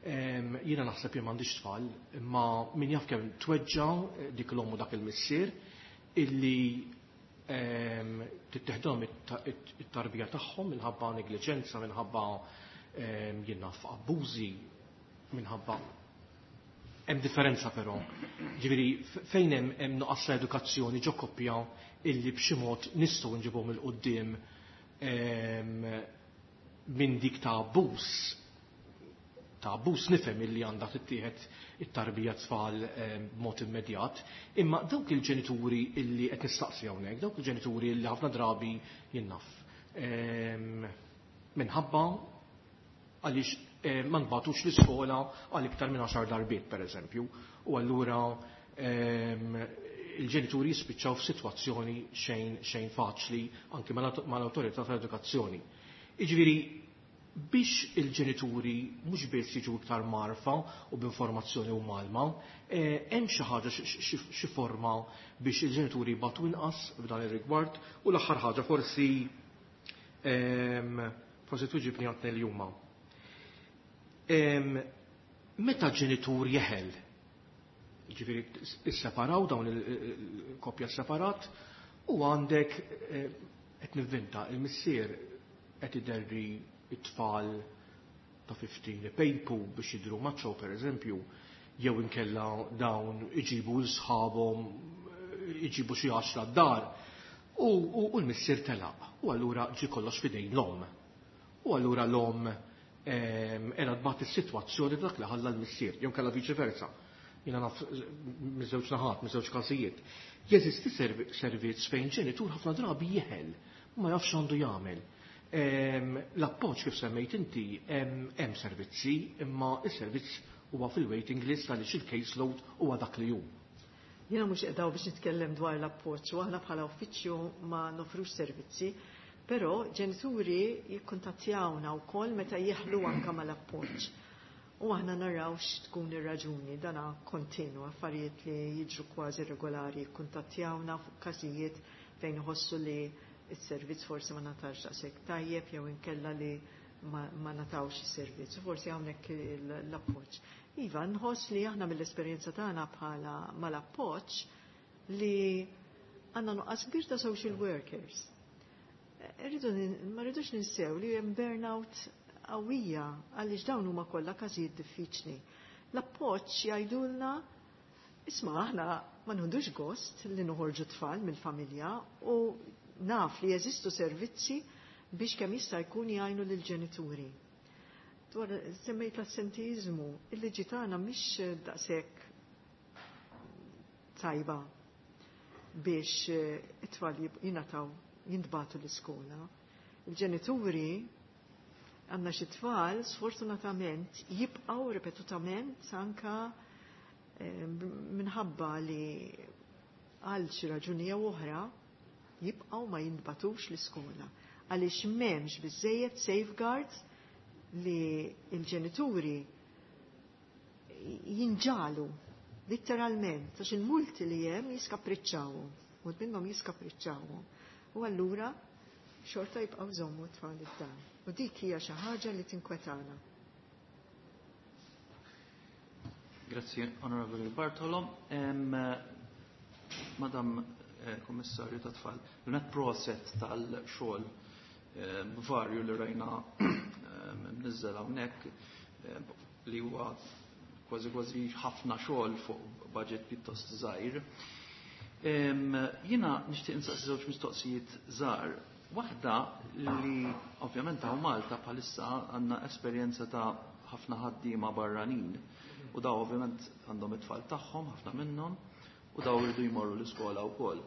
jiena naħseb jien m'għandix tfal, imma min jaf kemm tweġġa' dik l-omm u dak il-missier illi titteħdhom it-tarbija tagħhom minħabba negliġenza, minħabba jien naf abbużi, minħabba hemm differenza però. Ġifieri fejn hemm hemm nuqqas ta' edukazzjoni ġo koppja illi b'xi mod nistgħu nġibhom il quddiem minn dik ta' abbuż. Ta' abbuż nifhem illi għandha tittieħed it-tarbija tfal b'mod immedjat, imma dawk il-ġenituri illi qed nistaqsi hawnhekk, dawk il-ġenituri illi ħafna drabi jien naf minħabba għaliex ma nbatux l-iskola għal iktar minn għaxar darbiet pereżempju, u allura il-ġenituri jispiċċaw f'sitwazzjoni xejn xejn faċli anki mal-awtorità tal-edukazzjoni. Jiġifieri biex il-ġenituri mhux biss jiġu iktar marfa u b'informazzjoni u malma, hemm xi ħaġa xi forma biex il-ġenituri jbatu inqas f'dan ir-rigward, u l-aħħar ħaġa forsi forsi tuġibni għatni li huma. Meta ġenitur jeħel, ġifieri isseparaw dawn il-koppja separat, u għandek qed nivvinta il-missier qed iderri it-tfal ta' fifteen ipejpu biex jidhru maċċo per eżempju, jew inkella dawn iġibu l-sħabhom, iġibu xi għaxra d-dar, u, u, u l-missier telaq, u allura ġie kollox f'idejn l-omm. U allura l-omm qiegħda tbagħat is-sitwazzjoni dak li ħalla l-missier, jew inkella viċi versa. Jiena naf miż-żewġ naħat, miż-żewġ każijiet. Jeżisti servizz fejn ġenitur ħafna drabi jeħel, ma jafx għandu jagħmel. L-appoġġ kif semmejt inti hemm servizzi, imma s-servizz huwa fil-waiting list għaliex il-caseload huwa dak li hu. Jiena mhux qiegħda biex nitkellem dwar l-appoġġ, u aħna bħala uffiċċju ma nofrux servizzi, però ġenituri jikkuntattjawna wkoll meta jeħlu anke mal-appoġġ. U aħna naraw x'tkun ir-raġuni, dana kontinu, affarijiet li jiġru kważi regolari, jikkuntattjawna fuq każijiet fejn iħossu li s-servizz forsi ma natax daqshekk tajjeb jew inkella li ma, ma natawx is-servizz, forsi hawnhekk l-appoġġ. Iva, nħoss li aħna mill-esperjenza tagħna bħala mal-appoġġ li għandna nuqqas kbir ta' social workers. Irridu ma rridux ninsew li hemm burnout qawwija għaliex dawn huma kollha każijiet diffiċli. L-appoġġ jgħidulna isma' aħna ma nħudux gost li noħorġu tfal mill-familja u naf li jeżistu servizzi biex kemm jista' jkun jgħinu lill-ġenituri. Dwar semmejt l-assentiżmu, il-liġi tagħna mhix daqshekk tajba biex it-tfal jingħataw jintbagħtu l-iskola. Il-ġenituri għandna xi tfal sfortunatament jibqgħu ripetutament anka minħabba li għal xi raġuni jew oħra jibqgħu ma jintbatux l-iskola għaliex m'hemmx biżejjed safeguards li l-ġenituri jinġalu literalment għax il-multi li hemm jiskapriċċawhom, u minnhom jiskapriċċawhom. U allura xorta jibqgħu żommu t-tfal id-dar. U dik hija xi ħaġa li tinkwetana. Grazzi, Onorevoli Bartolo. Em, Madam eh, Kommissarju ta' Tfal, l-net proset tal-xogħol eh, varju li rajna mniżżel hawnhekk eh, li huwa kważi kważi ħafna xogħol fuq budget pjuttost żgħir. Jiena nixtieq insaqsi żewġ mistoqsijiet żgħar. Waħda li ovvjament hawn Malta bħalissa għandna esperjenza ta' ħafna ħaddiema barranin u daw ovvjament għandhom it-tfal tagħhom ħafna minnhom u daw iridu jmorru l-iskola wkoll.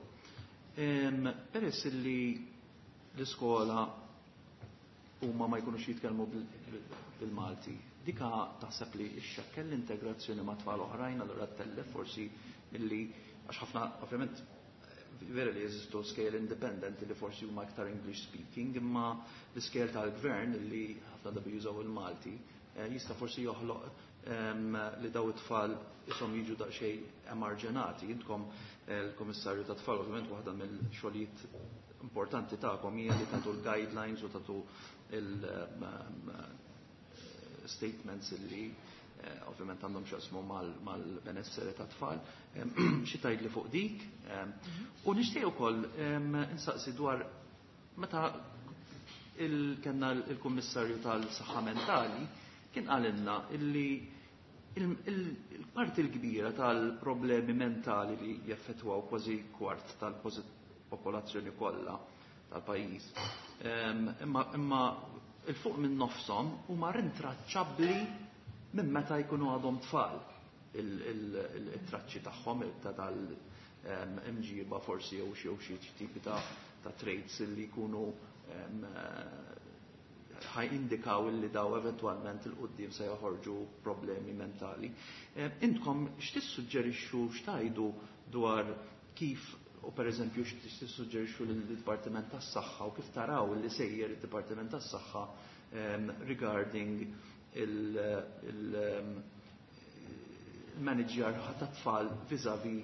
Peress li l-iskola huma ma jkunux jitkellmu bil-Malti, dika taħseb li xxekkel l-integrazzjoni ma' tfal oħrajn allura tellef forsi milli għax ħafna ovvjament vera li jeżistu scale independent li forsi huma aktar English speaking, imma l-scale tal-gvern li ħafna drabi jużaw il-Malti jista' forsi joħloq li daw it-tfal isom jiġu daqsxejn emarġenati. Intkom il-Komissarju ta' Tfal ovvjament waħda mill-xogħlijiet importanti tagħkom hija li tagħtu l-guidelines u tagħtu il-statements li ovvjament għandhom x'jaqsmu mal-benessere ta' tfal. Xi tgħid li fuq dik. U nixtieq ukoll insaqsi dwar meta kellna il-Kummissarju tal-Saħħa Mentali kien qalilna illi il-parti l-kbira tal-problemi mentali li jaffettwaw kważi kwart tal-popolazzjoni kollha tal-pajjiż. Imma imma il-fuq minn nofshom huma rintraċċabbli minn meta jkunu għadhom tfal il-traċċi tagħhom ta' tal-imġiba forsi jew xi xi tipi ta' traits li jkunu ħaj indikaw illi daw eventwalment il-qoddim se joħorġu problemi mentali. Intkom x'tissuġġerixxu x'tajdu dwar kif u per eżempju x'tissuġġerixxu lill-Dipartiment tas-Saħħa u kif taraw li sejjer id-Dipartiment tas-Saħħa regarding il-manager ta' tfal vis-a-vis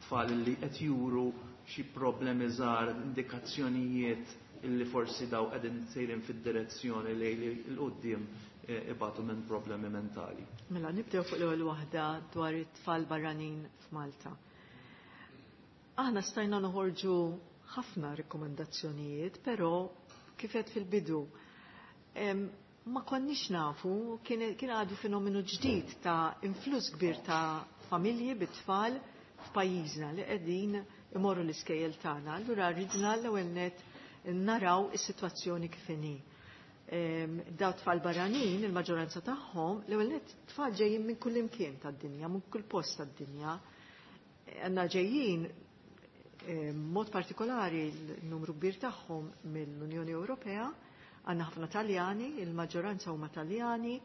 tfal li qed juru xi problemi żgħar, indikazzjonijiet illi forsi daw qegħdin sejrin fid-direzzjoni li l-qudiem ibatu minn problemi mentali. Mela nibdew fuq l-ewwel waħda dwar it-tfal barranin f'Malta. Aħna stajna noħorġu ħafna rikkomandazzjonijiet, però kif qed fil-bidu ma konniex nafu, kien għadu fenomenu ġdid ta' influss kbir ta' familji bit-tfal f'pajjiżna li qegħdin imorru l-iskejjel tagħna. Allura ridna l-ewwel net naraw is-sitwazzjoni kif inhi. Daw tfal barranin, il-maġġoranza tagħhom, l-ewwel net tfal ġejjin minn kull imkien tad-dinja, minn kull post tad-dinja. Għandna ġejjin mod partikolari l-numru kbir tagħhom mill-Unjoni Ewropea, għandna ħafna Taljani, il-maġġoranza huma Taljani,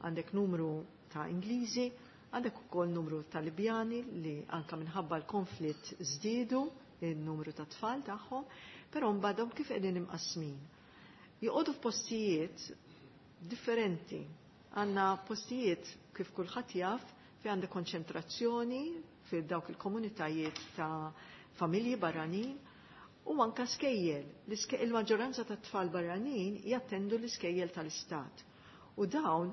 għandek numru ta' Ingliżi, għandek ukoll numru ta' Libjani li anka minħabba l-konflitt żdiedu il-numru ta' tfal tagħhom, però mbagħadhom kif qegħdin imqasmin. Joqogħdu f'postijiet differenti. Għandna postijiet kif kulħadd jaf fi għandek konċentrazzjoni fi dawk il-komunitajiet ta' familji barranin u anka skejjel. Il-maġġoranza ta' tfal barranin jattendu l-iskejjel tal-istat. U dawn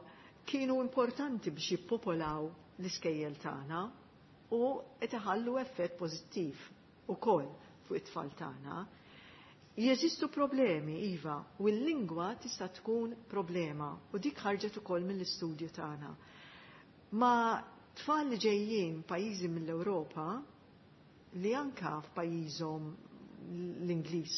kienu importanti biex jippopolaw l-iskejjel tagħna u qed iħallu effett pożittiv ukoll fuq it-tfal tagħna. Jeżistu problemi, iva, u l-lingwa tista' tkun problema u dik ħarġet ukoll mill-istudju tagħna. Ma tfal li ġejjin pajjiżi mill-Ewropa li anka f'pajjiżhom l-Ingliż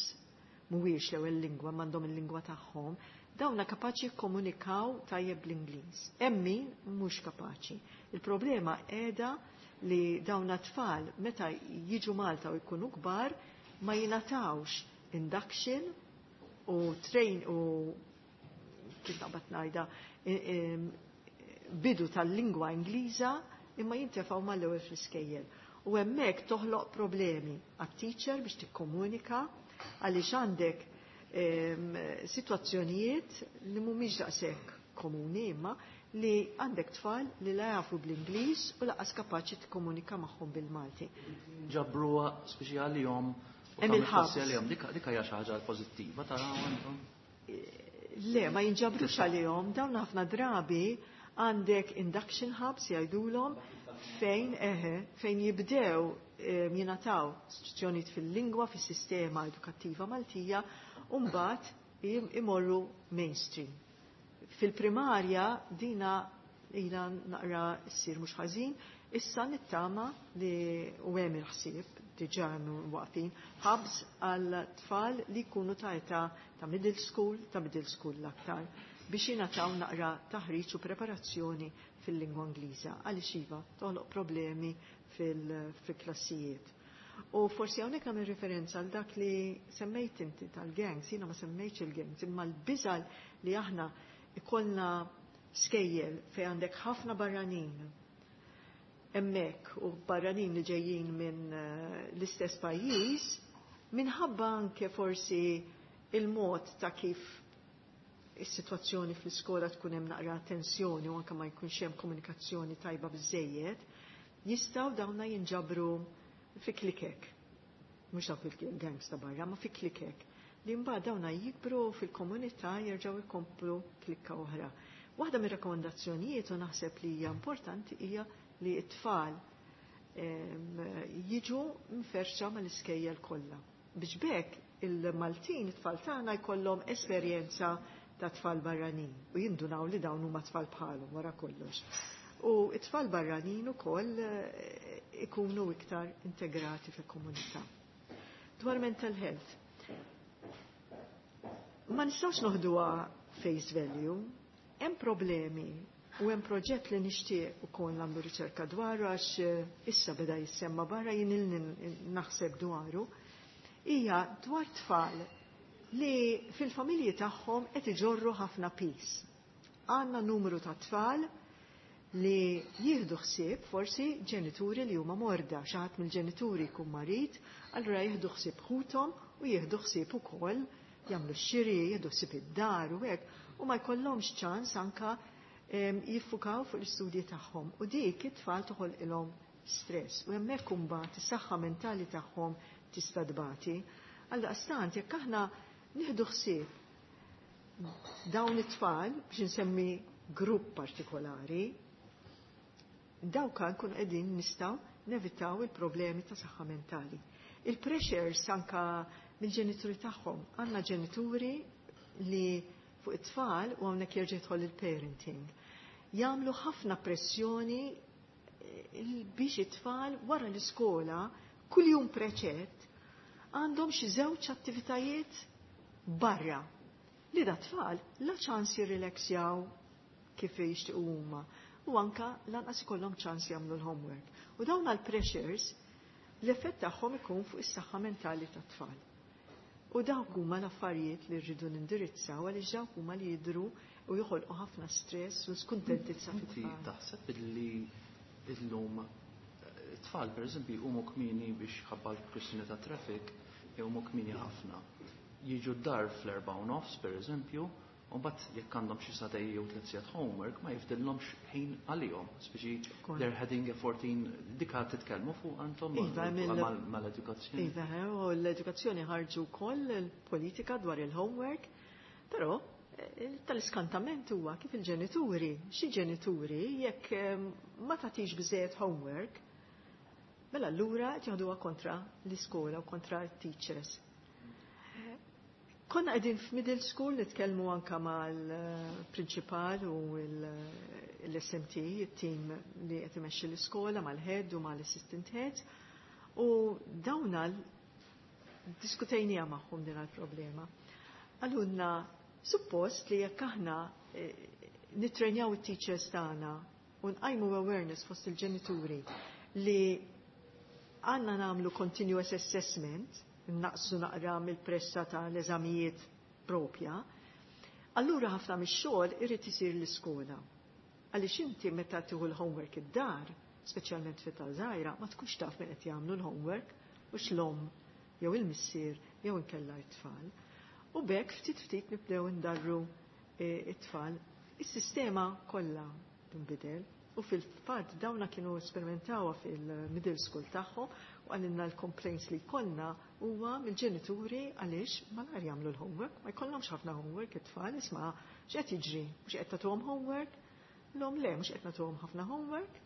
mhuwiex l-ewwel lingwa, m'għandhom il-lingwa tagħhom, dawna kapaċi jikkomunikaw tajjeb bl-Ingliż. Hemm min mhux kapaċi. Il-problema qiegħda li dawna tfal meta jiġu Malta u jkunu kbar ma jingħatawx induction u train u kif naqbad ngħidha bidu tal-lingwa Ingliża imma jintefgħu mal-ewwel fl-iskejjel. U hemmhekk toħloq problemi għat-teacher biex tikkomunika għaliex għandek sitwazzjonijiet li mhumiex daqshekk komuni imma li għandek tfal li la jafu bl-Ingliż u lanqas kapaċi tikkomunika magħhom bil-Malti. Ġabruha speċi għalihom u Hemm tagħmel il-ħabs. klassi għalihom. Dik dik hija xi ħaġa pożittiva taraw intom. Le, ma jinġabrux għalihom, dawn ħafna drabi għandek induction hubs jgħidulhom fejn eħe, fejn jibdew em, jingħataw istruzzjonijiet fil-lingwa, fis-sistema edukattiva Maltija, u mbagħad im- imorru mainstream. Fil-primarja dina ila naqra ssir mhux ħażin, issa nittama li u hemm il-ħsieb diġà hemm waqfin hubs għal tfal li jkunu ta' età ta' middle school, ta' middle school l-aktar, biex jingħataw naqra taħriġ u preparazzjoni fil-lingwa Ingliża għaliex iva toħloq problemi fil- fil-klassijiet. U forsi hawnhekk nagħmel referenza għal dak li semmejt inti tal-gangs, jiena ma semmejtx il-gangs, imma l-biża' li aħna ikollna skejjel fejn għandek ħafna barranin hemmhekk u barranin li ġejjin minn eh, l-istess pajjiż, minħabba anke forsi il-mod ta' kif is-sitwazzjoni fl-iskola tkun hemm naqra tensjoni u anke ma jkunx hemm komunikazzjoni tajba biżejjed, jistgħu dawna jinġabru fi klikek. Mhux dawk il-gangs ta' barra, ma fi klikek. Li mbagħad dawna jikbru fil-komunità jerġgħu jkomplu klikka oħra. Waħda mir-rakkomandazzjonijiet u naħseb li hija importanti hija li t-tfal em, jiġu mferxa mal-iskejjel kollha. Biex b'hekk il-Maltin, it-tfal tagħna jkollhom esperjenza ta' tfal barranin u jindunaw li dawn huma tfal bħalhom wara kollox. U it-tfal barranin ukoll eh, ikunu iktar integrati fil-komunità. Dwar mental health. Ma nistgħux noħduha face value, hemm problemi u hemm proġett li nixtieq ukoll nagħmlu riċerka dwaru għax eh, issa beda jissemma barra jien ilni naħseb dwaru, hija dwar tfal li fil-familji tagħhom qed iġorru ħafna piż. Għandna numru ta' tfal li jieħdu ħsieb forsi ġenituri li huma morda, xi ħadd mill-ġenituri jkun marid, allura jieħdu ħsieb ħuthom u jieħdu ħsieb ukoll jagħmlu x-xiri, jieħdu ħsieb id-dar u hekk, u ma jkollhomx ċans anka em, jiffukaw fuq l-istudji tagħhom. U dik it-tfal toħolqilhom stress u hemmhekk imbagħad is-saħħa mentali tagħhom tista' tbati. Għaldaqstant jekk aħna nieħdu ħsieb dawn it-tfal biex insemmi grupp partikolari, dawk nkun qegħdin nistgħu nevitaw il-problemi ta' saħħa mentali. Il-pressures anka mill-ġenituri tagħhom. Għandna ġenituri li fuq it-tfal u hawnhekk jerġa' jidħol il-parenting. Jagħmlu ħafna pressjoni eh, biex it-tfal wara l-iskola kuljum preċett għandhom xi żewġ attivitajiet barra li da tfal la ċans jirrilaxjaw kif jixtiequ huma u anka lanqas ikollhom ċans jagħmlu l-homework. U dawn għal-pressures l-effett tagħhom ikun fuq is-saħħa mentali tat-tfal. U dawk huma l-affarijiet li rridu nindirizzaw għaliex dawk huma li jidhru u joħolqu ħafna stress u skuntentizza Inti fit-tfal. taħseb illi illum it-tfal pereżempju jqumu kmieni biex ħabba l-kwistjoni ta' traffic jqumu kmieni ħafna. Jiġu d-dar fl-erba' u nofs pereżempju, u mbagħad jekk għandhom xi sagħtejn jew tliet sigħat homework ma jifdilhomx ħin għalihom. Speċi Ukoll. they're heading a fourteen dika titkellmu fuq antom Iva, mill- mal- mal-edukazzjoni. Iva, u l-edukazzjoni ħarġu wkoll il-politika dwar il-homework, però eh, tal-iskantament huwa kif il-ġenituri, xi ġenituri jekk eh, ma tagħtix biżejjed homework, mela allura qed jaħduha kontra l-iskola u kontra t-teachers. Konna qegħdin f'middle school nitkellmu anka mal-prinċipal u l-S M T, it-team li qed imexxi l-iskola, mal-head u mal-assistant head, u dawna diskutejnija magħhom din il-problema. Qalulna, suppost li jekk aħna eh, nitrenjaw it-teachers tagħna u nqajmu awareness fost il-ġenituri li għandna nagħmlu continuous assessment, naqsu naqra mill-pressa ta' l-eżamijiet propja, allura ħafna mix-xogħol irid isir l-iskola. Għaliex inti meta tieħu l-homework id-dar, speċjalment fit żgħira, ma tkunx taf min qed jagħmlu l-homework u l-omm jew il-missier jew inkella t-tfal. U b'hekk ftit ftit nibdew indarru eh, it-tfal. Is-sistema kollha tinbidel u fil-fatt dawna kienu esperimentawha fil-middle school tagħhom u qalilna l-complaints li jkollna huwa mill-ġenituri għaliex malajr jagħmlu l-homework, ma jkollhomx ħafna homework it-tfal, isma' x'qed jiġri, mhux qed tagħtuhom homework, l-om le mhux qed nagħtuhom ħafna homework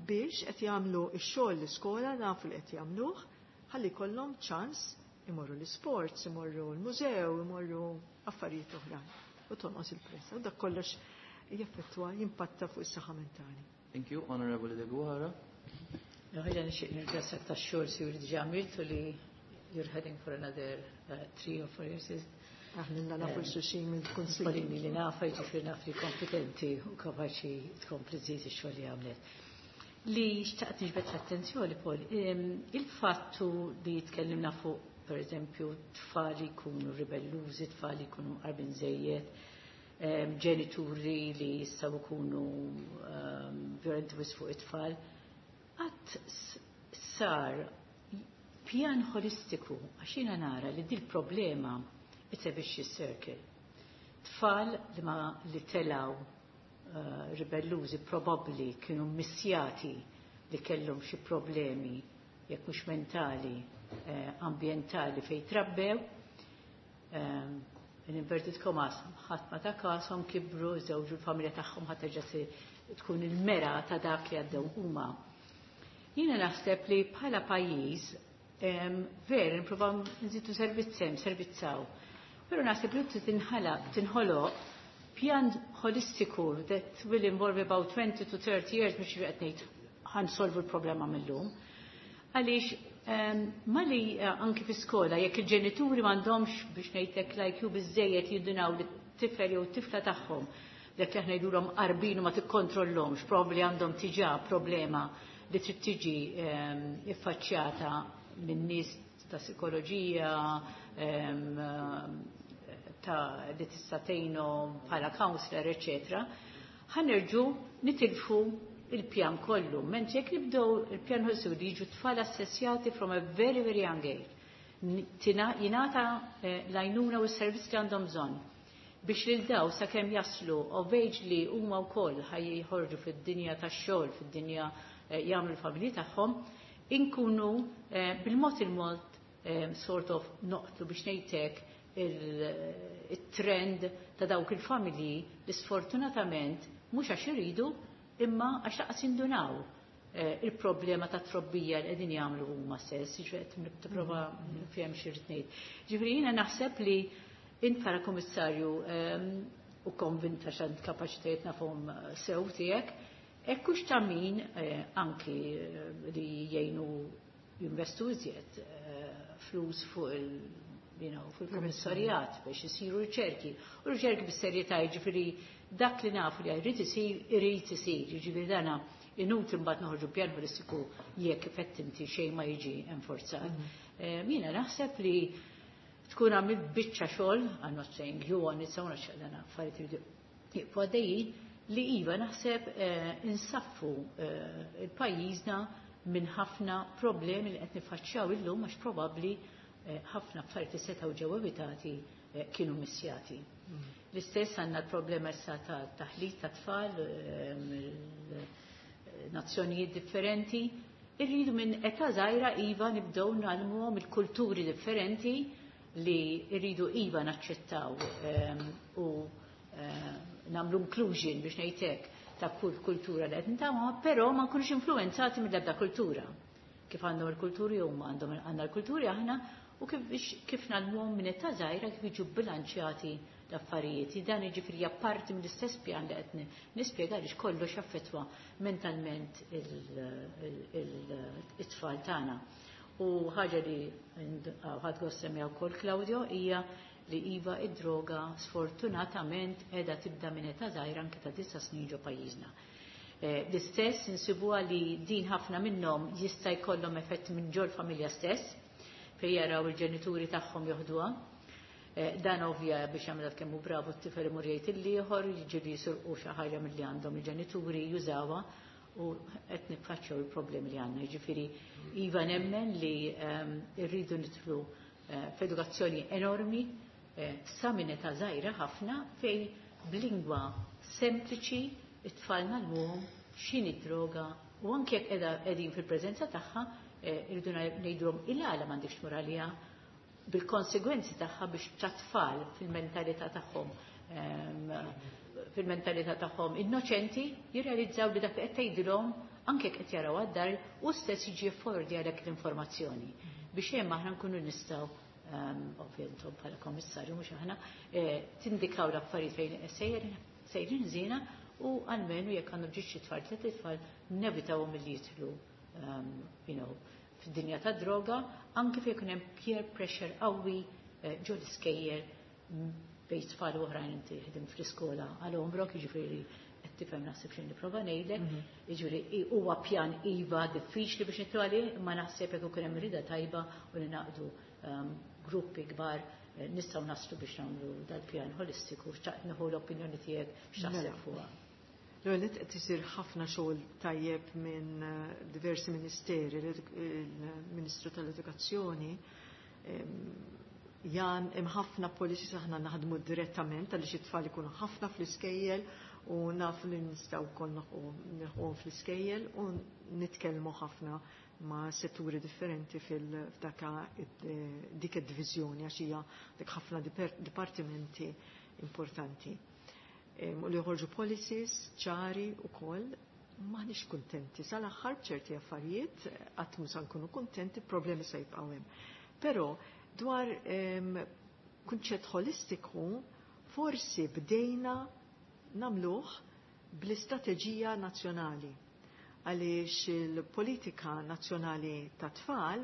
biex qed jagħmlu x-xogħol l-iskola, nafu li qed jagħmluh, ħalli jkollhom ċans imorru l-sports, imorru l-mużew, imorru affarijiet oħrajn. U tonqos il-pressa. U dak kollox jaffettwa, jimpatta fuq is-saħħa mentali. Thank you, Honorable Deguara. Ħajja nixtieq nirringrazzjak tax-xogħol siewi li diġà għamiltu, li you're heading for another uh, three or four years. Aħna nafu xulxin mill-kunsill. Pauline li nafa, ġifieri naf li kompetenti u kapaċi tkompli żżid ix-xogħol li għamlet. Li xtaqt niġbed l-attenzjoni, Paul, il-fattu li tkellimna fuq, per eżempju, tfal jkunu ribellużi, tfal jkunu qarbin żejjed, ġenituri li jistgħu jkunu violenti wisq fuq it-tfal. Qatt sar pjan holistiku, għax jiena nara li dil problema it's a vicious circle. Tfal li ma li telaw uh, ribellużi probabli kienu missjati li kellhom xi problemi jekk mhux mentali, eh, ambientali fej trabbew. Um, in inverted commas, ħadd ma ta kashom, kibru, żewġu, l-familja tagħhom ħadd terġa' tkun il-mera ta' dak li għaddew huma. Jiena naħseb li bħala pajjiż ver nippruvaw nżidu servizz hemm, servizzaw. Però naħseb li tinħalaq tinħoloq pjan holistiku that will involve about twenty to thirty years, biex qed ngħid ħa nsolvu l-problema mill-lum. Għaliex mali eh, anki fi skola jekk il-ġenituri m'għandhomx, biex ngħidlek, like biżejjed jindunaw li t-tifel jew tifla tagħhom dak li aħna ngħidulhom qarbin u ma tikkontrollhomx, probabbli għandhom diġà problema li trid tiġi iffaċċjata minn nies ta' psikoloġija ta' li tista' tgħinhom bħala counselor, eċetera, ħa nerġgħu nitilfu il-pjan kollu. Mentri jekk nibdew il-pjan ħossu li jiġu tfal assessjati from a very, very young age, jingħata eh, l-għajnuna u s-servizz li għandhom bżonn biex lil daw sakemm jaslu of age li huma wkoll ħaj jħorġu fid-dinja tax-xogħol, fid-dinja eh, jagħmlu l-familji tagħhom, inkunu eh, bil-mod il-mod sort of noqtlu, biex ngħidlek, il-trend ta' dawk il-familji li sfortunatament mhux għax iridu imma għax lanqas jindunaw eh, il-problema ta' trobbija li qegħdin jagħmlu huma stess, ġifieri qed tipprova nifhem xi ngħid. Ġifieri jiena naħseb li int bħala kummissarju u konvinta x'għand kapaċitajiet nafhom sew tiegħek, ekkux ta' min eh, anki eh, li jgħinu jinvestu iżjed flus fuq il you know, fil-komissarjat biex isiru riċerki. U riċerki bis-serjetà, jiġifieri dak li nafu li jrid isir, irid isir, jiġifieri dana inutli mbagħad noħorġu pjan holistiku jekk effettivament xejn ma jiġi enforzat. Mhm. Jiena naħseb li tkun għamilt biċċa xogħol, I'm not saying you on its own, għax dana affarijiet iridu jibqgħu għaddejjin, li iva naħseb eh, insaffu eh, il-pajjiżna minn ħafna problemi li qed nifaċċjaw illum għax probabbli eh, ħafna affarijiet li setgħu ġew evitati kienu missjati. Mm. L-istess għandna l-problema issa ta' taħlit ta' tfal, nazzjonijiet differenti. Irridu minn età żgħira iva nibdew ngħallmuhom il-kulturi differenti li rridu iva naċċettaw u nagħmlu inclusion, biex ngħidlek, ta' kull kultura li qed nitgħallmu, però ma nkunux influenzati mill-ebda kultura. Kif għandhom il-kulturi huma għandhom għandna l-kulturi aħna u kif kif ngħallmuhom minn età żgħira kif jiġu bilanċjati l-affarijiet. Dan jiġifieri parti mill-istess pjan li qed nispjega għaliex kollox jaffettwa mentalment it-tfal tagħna. U ħaġa li ħadt gost semmija wkoll Claudio hija li iva id-droga sfortunatament qiegħda tibda minn età żgħira anke ta' disa' snin ġo pajjiżna. L-istess insibuha li din ħafna minnhom jista' jkollhom effett minn ġol familja stess, fejn jaraw il-ġenituri tagħhom joħduha. Dan ovvja biex jagħmel kemm hu bravu t-tifel imur jgħid il-ieħor, jiġri jisirqu xi ħaġa milli għandhom il-ġenituri jużawha u qed niffaċċjaw il-problemi li għandna. Jiġifieri iva nemmen li rridu nidħlu f'edukazzjoni enormi sa minn età żgħira ħafna fejn b'lingwa sempliċi it-tfal ngħallmuhom x'inhi droga u anke jekk qegħdin fil-preżenza tagħha irridu ngħidulhom il-għala m'għandekx tmur għaliha bil-konsegwenzi tagħha biex tat-tfal fil-mentalità tagħhom fil-mentalità tagħhom innoċenti jirrealizzaw li dak li qed tgħidilhom anke jekk qed jaraw għad-dar u stess jiġi fordi għalhekk l-informazzjoni biex hemm aħna nkunu nistgħu ovvjament bħala kommissarju mhux aħna tindikaw l-affarijiet fejn sejrin sejrin żiena u almenu jekk għandhom ġiex xi tfal tliet itfal nevitawhom milli jidħlu you know, fid-dinja ta' droga, anke fejn ikun hemm peer pressure qawwi ġo l-iskejjel bejn tfal oħrajn inti ħdim fl-iskola għal għomrok, jiġifieri qed tifhem naħseb xejn nipprova ngħidlek, jiġifieri huwa pjan iva diffiċli biex nitlu għalih, imma naħseb jekk ikun hemm rida tajba u li naqdu gruppi kbar nistgħu naslu biex nagħmlu dal-pjan holistiku, xtaqt nieħu l-opinjoni tiegħek x'taħseb fuqha. L-ewwel qed isir ħafna xogħol tajjeb minn diversi ministeri, il-Ministru tal-Edukazzjoni jan hemm ħafna policies aħna naħdmu direttament għaliex it-tfal ikunu ħafna fl-iskejjel u nafu li nistgħu wkoll nilħquhom fl-iskejjel u nitkellmu ħafna ma' setturi differenti fil-f'daka dik id-diviżjoni għax hija dik ħafna dipartimenti importanti. U li joħorġu policies ċari u koll, maħniex kontenti. Sal-aħħar b'ċerti affarijiet, qatt mhu sa nkunu kontenti, problemi se jibqgħu hemm. Però dwar kunċett holistiku, forsi bdejna nagħmluh bl-istrateġija nazzjonali. Għaliex il-politika nazzjonali ta' tfal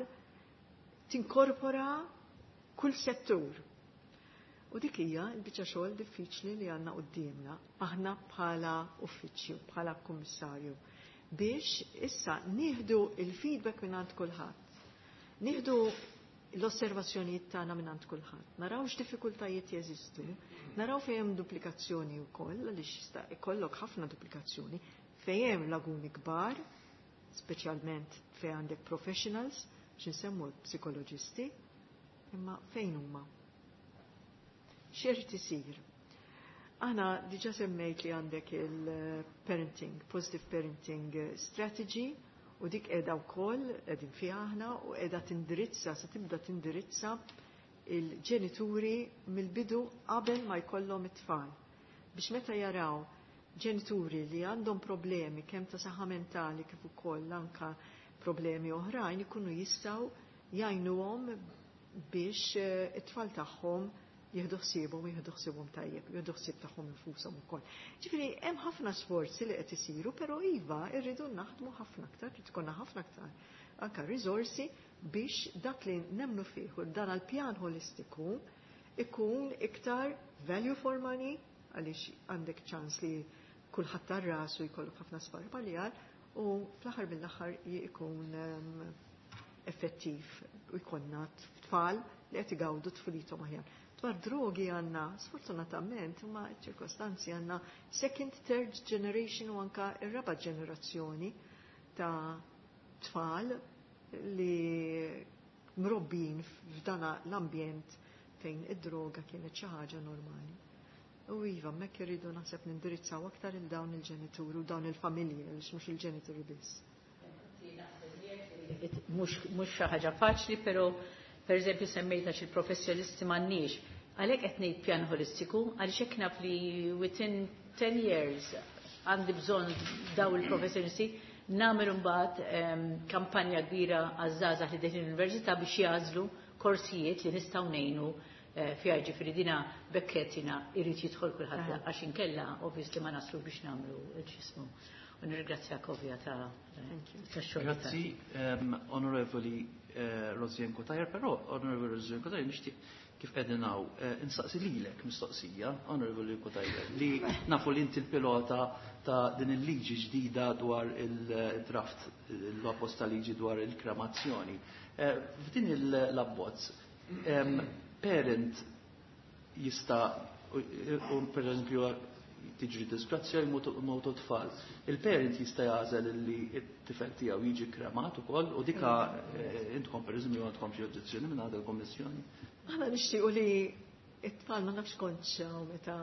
tinkorpora kull settur. U dik hija l-biċċa xogħol diffiċli li għandna quddiemna aħna bħala uffiċċju, bħala kummissarju, biex issa nieħdu il-feedback minn għand kulħadd. Nieħdu l-osservazzjonijiet tagħna minn għand kulħadd. Naraw x'diffikultajiet jeżistu, naraw fejn hemm duplikazzjoni wkoll, għaliex jista' ikollok ħafna duplikazzjoni, fejn hemm laguni kbar, speċjalment fejn għandek professionals, x'insemmu psikoloġisti, imma fejn huma? X'irid isir? Aħna diġà semmejt li għandek il-parenting, positive parenting strategy, u dik qiegħda wkoll qegħdin fiha aħna u qiegħda tindirizza, se tibda tindirizza il-ġenituri mill-bidu qabel ma jkollhom it-tfal. Biex meta jaraw ġenituri li għandhom problemi kemm ta' saħħa mentali kif ukoll anka problemi oħrajn ikunu jistgħu jgħinuhom biex it-tfal tagħhom jieħdu ħsiebhom, jieħdu ħsiebhom tajjeb, jieħdu ħsieb tagħhom infushom ukoll. Ġifieri hemm ħafna sforzi li qed isiru, però iva rridu naħdmu ħafna aktar, trid ikollna ħafna aktar anke riżorsi biex dak li nemmnu fih u dan għall-pjan holistiku ikun iktar value for money, għaliex għandek ċans li kulħadd tar rasu jkollok ħafna sparpaljar u fl-aħħar mill-aħħar jkun effettiv u jkollna tfal li qed igawdu tfulithom aħjar. Dwar drogi għandna, sfortunatament, ma ċirkostanzi għandna second, third generation u anka ir-raba ġenerazzjoni ta' tfal li mrobbin f'dana l-ambjent fejn id-droga kienet xi ħaġa normali. U iva, hemmhekk irridu naħseb nindirizzaw aktar il dawn il-ġenituri u dawn il-familji, għaliex mhux il-ġenituri biss. Mhux xi ħaġa faċli, però per eżempju semmejta xi professjonisti m'għandniex. Għalhekk qed ngħid pjan holistiku, għaliex hekk naf li within ten years għandi bżonn daw il-professjonisti, Nagħmel imbagħad kampanja kbira għaż-żgħażagħ li deħlin l-università biex jagħżlu korsijiet li nistgħu ngħinu fiha, ġifieri dina bekketina irid jidħol kulħadd għax inkella obviously ma naslu biex nagħmlu l-ġismu. U nirringrazzjak ovvja ta' tax-xogħol. Grazzi, Onorevoli Rosianne Cutajar, però Onorevoli Rosianne Cutajar nixtieq kif qegħdin hawn insaqsi lilek mistoqsija, Onorevoli Cutajar, li nafu li inti l-pilota ta' din il-liġi ġdida dwar il-draft, l-abbozz ta' liġi dwar il-kremazzjoni. F'din l-abbozz, parent jista' per eżempju tiġri disgrazzja jmutu tfal. Il-parent jista' jagħżel li t-tifel tiegħu jiġi kremat ukoll u dika intkom per eżempju għandkom xi oġġezzjoni minn għadha l-Kommissjoni. Aħna nixtiequ li it-tfal ma nafx kontx meta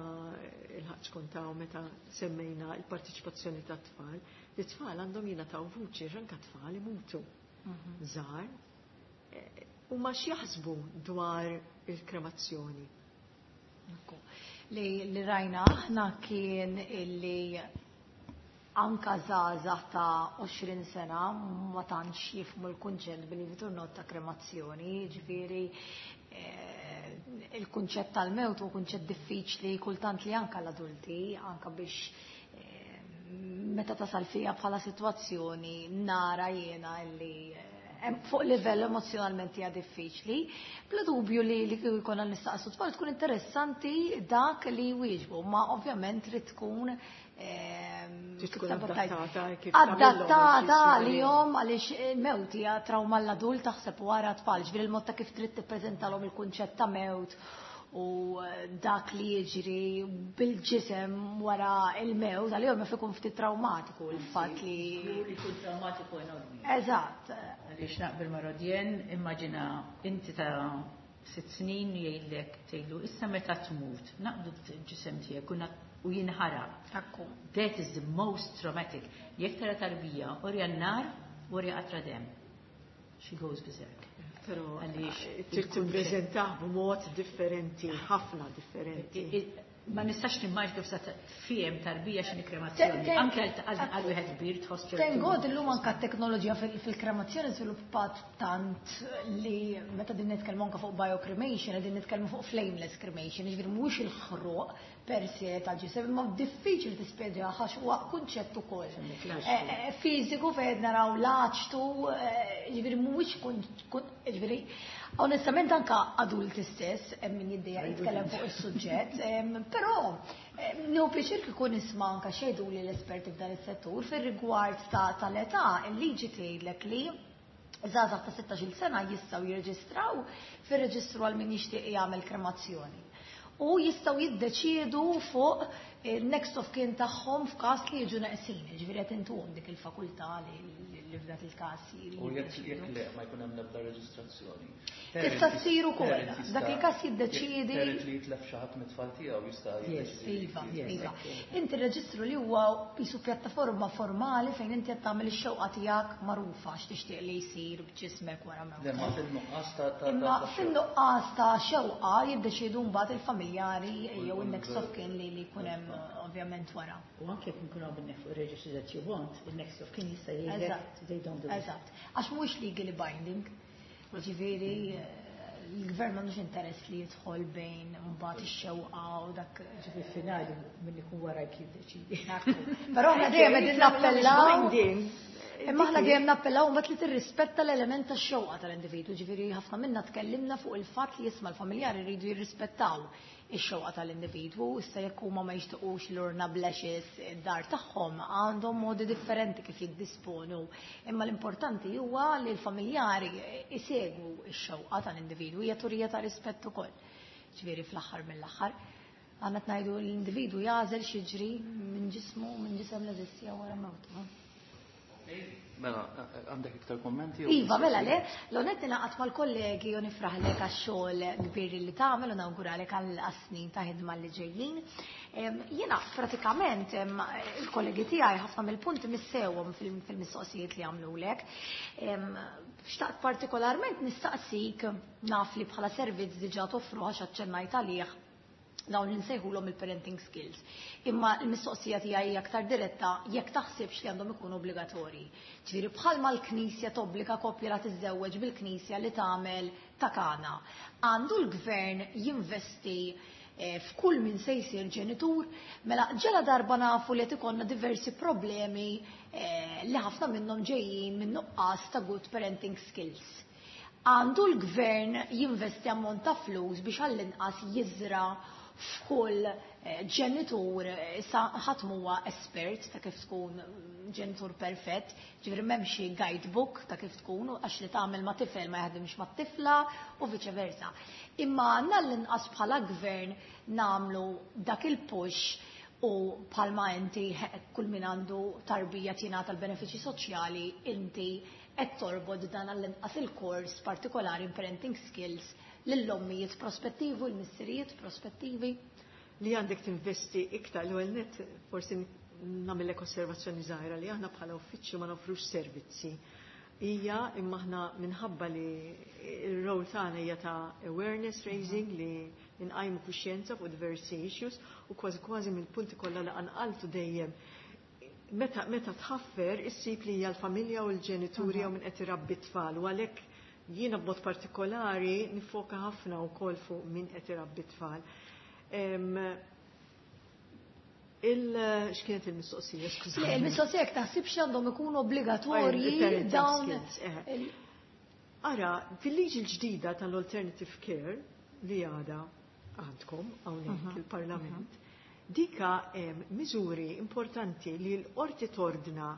il-ħaġ kontaw meta semmejna il-partiċipazzjoni tat-tfal, it-tfal għandhom jingħataw vuċi anke tfal imutu. Żgħar. U ma x'jaħsbu dwar il-kremazzjoni? Li, li rajna aħna kien illi anka żgħażagħ ta' għoxrin sena ma tantx jifhmu l-kunċett bil-vitur ta' kremazzjoni, ġifieri il-kunċett tal-mewt huwa kunċett diffiċli kultant li anka l-adulti, anka biex meta tasal fija bħala sitwazzjoni nara jiena illi fuq livell emozjonalment hija diffiċli. Bla dubju li li jkollna nistaqsu tfal tkun interessanti dak li jwieġbu, ma ovvjament trid tkun adattata għalihom għaliex il-mewt hija trauma l-adult taħseb wara tfal, ġifieri il-mod ta' kif trid tippreżentalhom il-kunċett ta' mewt u dak li jiġri bil-ġisem wara il-mewt, għalihom jaf ikun ftit traumatiku il-fatt li jkun traumatiku enormi. Eżatt. Għaliex naqbel ma' Rodienne, immaġina inti ta' sitt snin jgħidlek tgħidlu issa meta tmut, naqdu l-ġisem tiegħek u jinħaraq. Akku. That is the most traumatic. Jekk tara tarbija, orja n-nar, orja qatra dem. She goes berserk. Però trid tippreżentah b'mod differenti, ħafna differenti. Ma nistax nimmaġ kif sa fiem tarbija x'inhi kremazzjoni. Anke għal wieħed kbir tħoss ċertu. Thank God illum anke t-teknoloġija fil-kremazzjoni żviluppat tant li meta din nitkellmu anke fuq biocremation, qegħdin nitkellmu fuq flameless cremation, jiġifieri mhuwiex il-ħruq per se tal-ġisem, imma diffiċli tispjega għax huwa kunċett ukoll. Fiżiku fejn naraw l-aċtu, jiġifieri mhuwiex jiġifieri onestament anke adulti stess hemm min jiddejjaq jitkellem fuq is-suġġett, però nieħu pjaċir kieku nisma' anke xejdu li l-esperti f'dan is-settur fir-rigward tal-età, il-liġi tgħidlek li żgħażagħ ta' sittax-il sena jistgħu jirreġistraw fir-reġistru għal min jixtieq jagħmel kremazzjoni. U jistgħu jiddeċiedu fuq il-next of kin tagħhom f'każ li jiġu neqsin, jiġifieri qed intuhom dik il-fakultà li f'dak il-każ U jekk le ma jkun hemm l-ebda reġistrazzjoni. Tista' ssir ukoll. Dak il-każ jiddeċiedi. Parent li jitlef xi ħadd mit-tfal tiegħu jista' jiddeċiedi. Iva, iva. Inti reġistru li huwa qisu pjattaforma formali fejn inti qed tagħmel ix-xewqa tiegħek magħrufa x'tixtieq li jsir b'ġismek wara mewt. Imma fin-nuqqas ta' Imma fin-nuqqas ta' xewqa jiddeċiedu mbagħad il-familjari jew in-next of kin li jkun hemm ovvjament wara. U anke jekk nkunu għamilna fuq ir-reġistru that you want, il-next of kin jista' jgħidlek they don't do it. Eżatt. Għax mhuwiex legally binding. Ġifieri l-gvern m'għandux interess li jidħol bejn mbagħad ix-xewqa u dak. Ġifieri finali min ikun wara jiddeċidi. Però aħna dejjem qegħdin nappellaw. Imma aħna dejjem nappellaw mbagħad li tirrispetta l-element tax-xewqa tal-individwu, ġifieri ħafna minna tkellimna fuq il-fatt li jisma' l-familjari jridu jirrispettaw ix-xewqa tal-individwu, issa jekk huma ma jixtiequx l-urna bl-ashes id-dar tagħhom, għandhom modi differenti kif jiddisponu. Imma l-importanti huwa li l-familjari isegwu x-xewqa tal-individwu, hija turija ta' rispett ukoll. Ġifieri fl-aħħar mill-aħħar għandna tgħidu l-individwu jagħżel x'jiġri minn ġismu, minn ġisem l-eżistija wara mewtu. Mela, għandek iktar kommenti? Iva, mela le, l-onet naqat mal-kollegi u nifraħlek għax-xogħol kbir li tagħmel u nawguralek għal snin ta' ħidma li ġejjin. Jiena pratikament il-kollegi tiegħi ħafna mill-punti missewhom fil-mistoqsijiet li għamlulek. Xtaqt partikolarment nistaqsik naf li bħala servizz diġà toffru għax aċċennajt għalih Dawn li nsejħulhom il-parenting skills. Imma l-mistoqsija tiegħi hija aktar diretta jekk taħsibx li għandhom ikunu obbligatorji. Ġifieri bħalma l-Knisja tobbliga koppja la tiżżewweġ bil-Knisja li tagħmel ta' kana. Għandu l-gvern jinvesti eh, f'kull min se jsir ġenitur, mela ġela darba nafu li qed ikollna diversi problemi eh, li ħafna minnhom ġejjin minn nuqqas ta' good parenting skills. Għandu l-gvern jinvesti ammont ta' flus biex għall-inqas jiżra f'kull eh, ġenitur, issa ħadd huwa espert ta' kif tkun ġenitur perfett, ġifieri m'hemm xi guidebook ta' kif tkun, għax li tagħmel ma' tifel ma jaħdimx ma' tifla u viċe versa. Imma għandna l-inqas bħala gvern nagħmlu dak il-push u bħalma inti kull min għandu tarbija tingħata l-benefiċċji soċjali, inti qed torbod dan għall-inqas il-kors partikolari in parenting skills lill-ommijiet prospettivi u l-missirijiet prospettivi. Li għandek tinvesti iktar, l-ewwel net forsi nagħmellek osservazzjoni żgħira li aħna bħala uffiċċju ma nofrux servizzi. Hija imma aħna minħabba li r-rol tagħna hija ta' awareness raising li nqajmu kuxjenza fuq diversi issues u kważi kważi mill-punti kollha li qanqaltu dejjem meta meta tħaffer issib li hija l-familja u l-ġenituri jew min qed irabbi t-tfal u għalhekk jiena b'mod partikolari nifoka ħafna wkoll fuq min qed irabbi t-tfal. Il x'kienet il-mistoqsija, skużani. Le, il-mistoqsija jekk taħsibx li għandhom ikunu obbligatorji Il-parenting dawn skills, eh. Ara, fil-liġi l-ġdida tal-alternative care li għada għandkom hawnhekk il-Parlament, dika hemm miżuri importanti li l-qorti tordna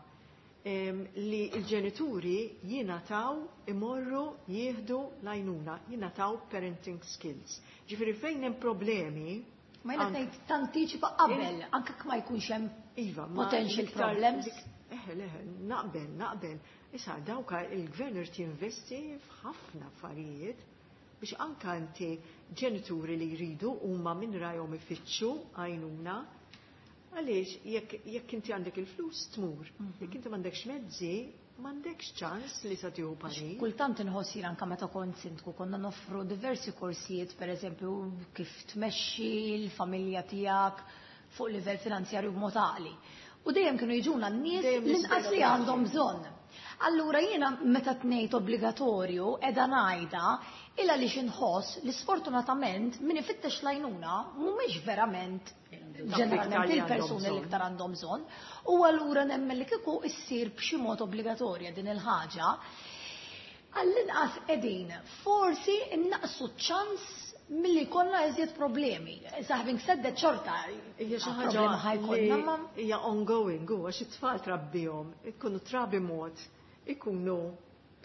em, li l-ġenituri jingħataw imorru jieħdu l-għajnuna, jingħataw parenting skills. Ġifieri fejn hemm problemi Ma jiena anke- ngħid tantiċipa qabel, anke ma jkunx hemm Iva, ma potential l-iktar- problems. dik- Eħe, leħe, naqbel, naqbel. Issa, dawka il-gvern irid jinvesti f'ħafna affarijiet biex anka inti ġenituri li jridu huma minn rajhom ifittxu għajnuna. Għaliex, jekk jekk inti għandek il-flus tmur, jekk inti m'għandekx mezzi, m'għandekx ċans li sa tieħu parir. Kultant inħoss jien anke meta kont sindku konna noffru diversi korsijiet, per eżempju, kif tmexxi l-familja tiegħek fuq livell finanzjarju b'mod għaqli. U dejjem kienu jiġuna n-nies Dejjem l-inqas li l-istess. għandhom bżonn. Allura jiena meta tnejt obbligatorju qiegħda ngħidha illa li xinħoss li sfortunatament min ifittex l-għajnuna mhumiex verament ġeneralment iktar li il-persuni għandhom li bżonn. iktar għandhom bżonn. U allura nemmen li kieku issir b'xi mod obbligatorja din il-ħaġa, għall-inqas qegħdin forsi innaqsu ċ-ċans milli jkollna iżjed problemi. Issa having said that xorta Hija xi ħaġa problema ħa jkollna li ma hija ongoing, u għax it-tfal trabbihom, ikunu trabi mod, ikunu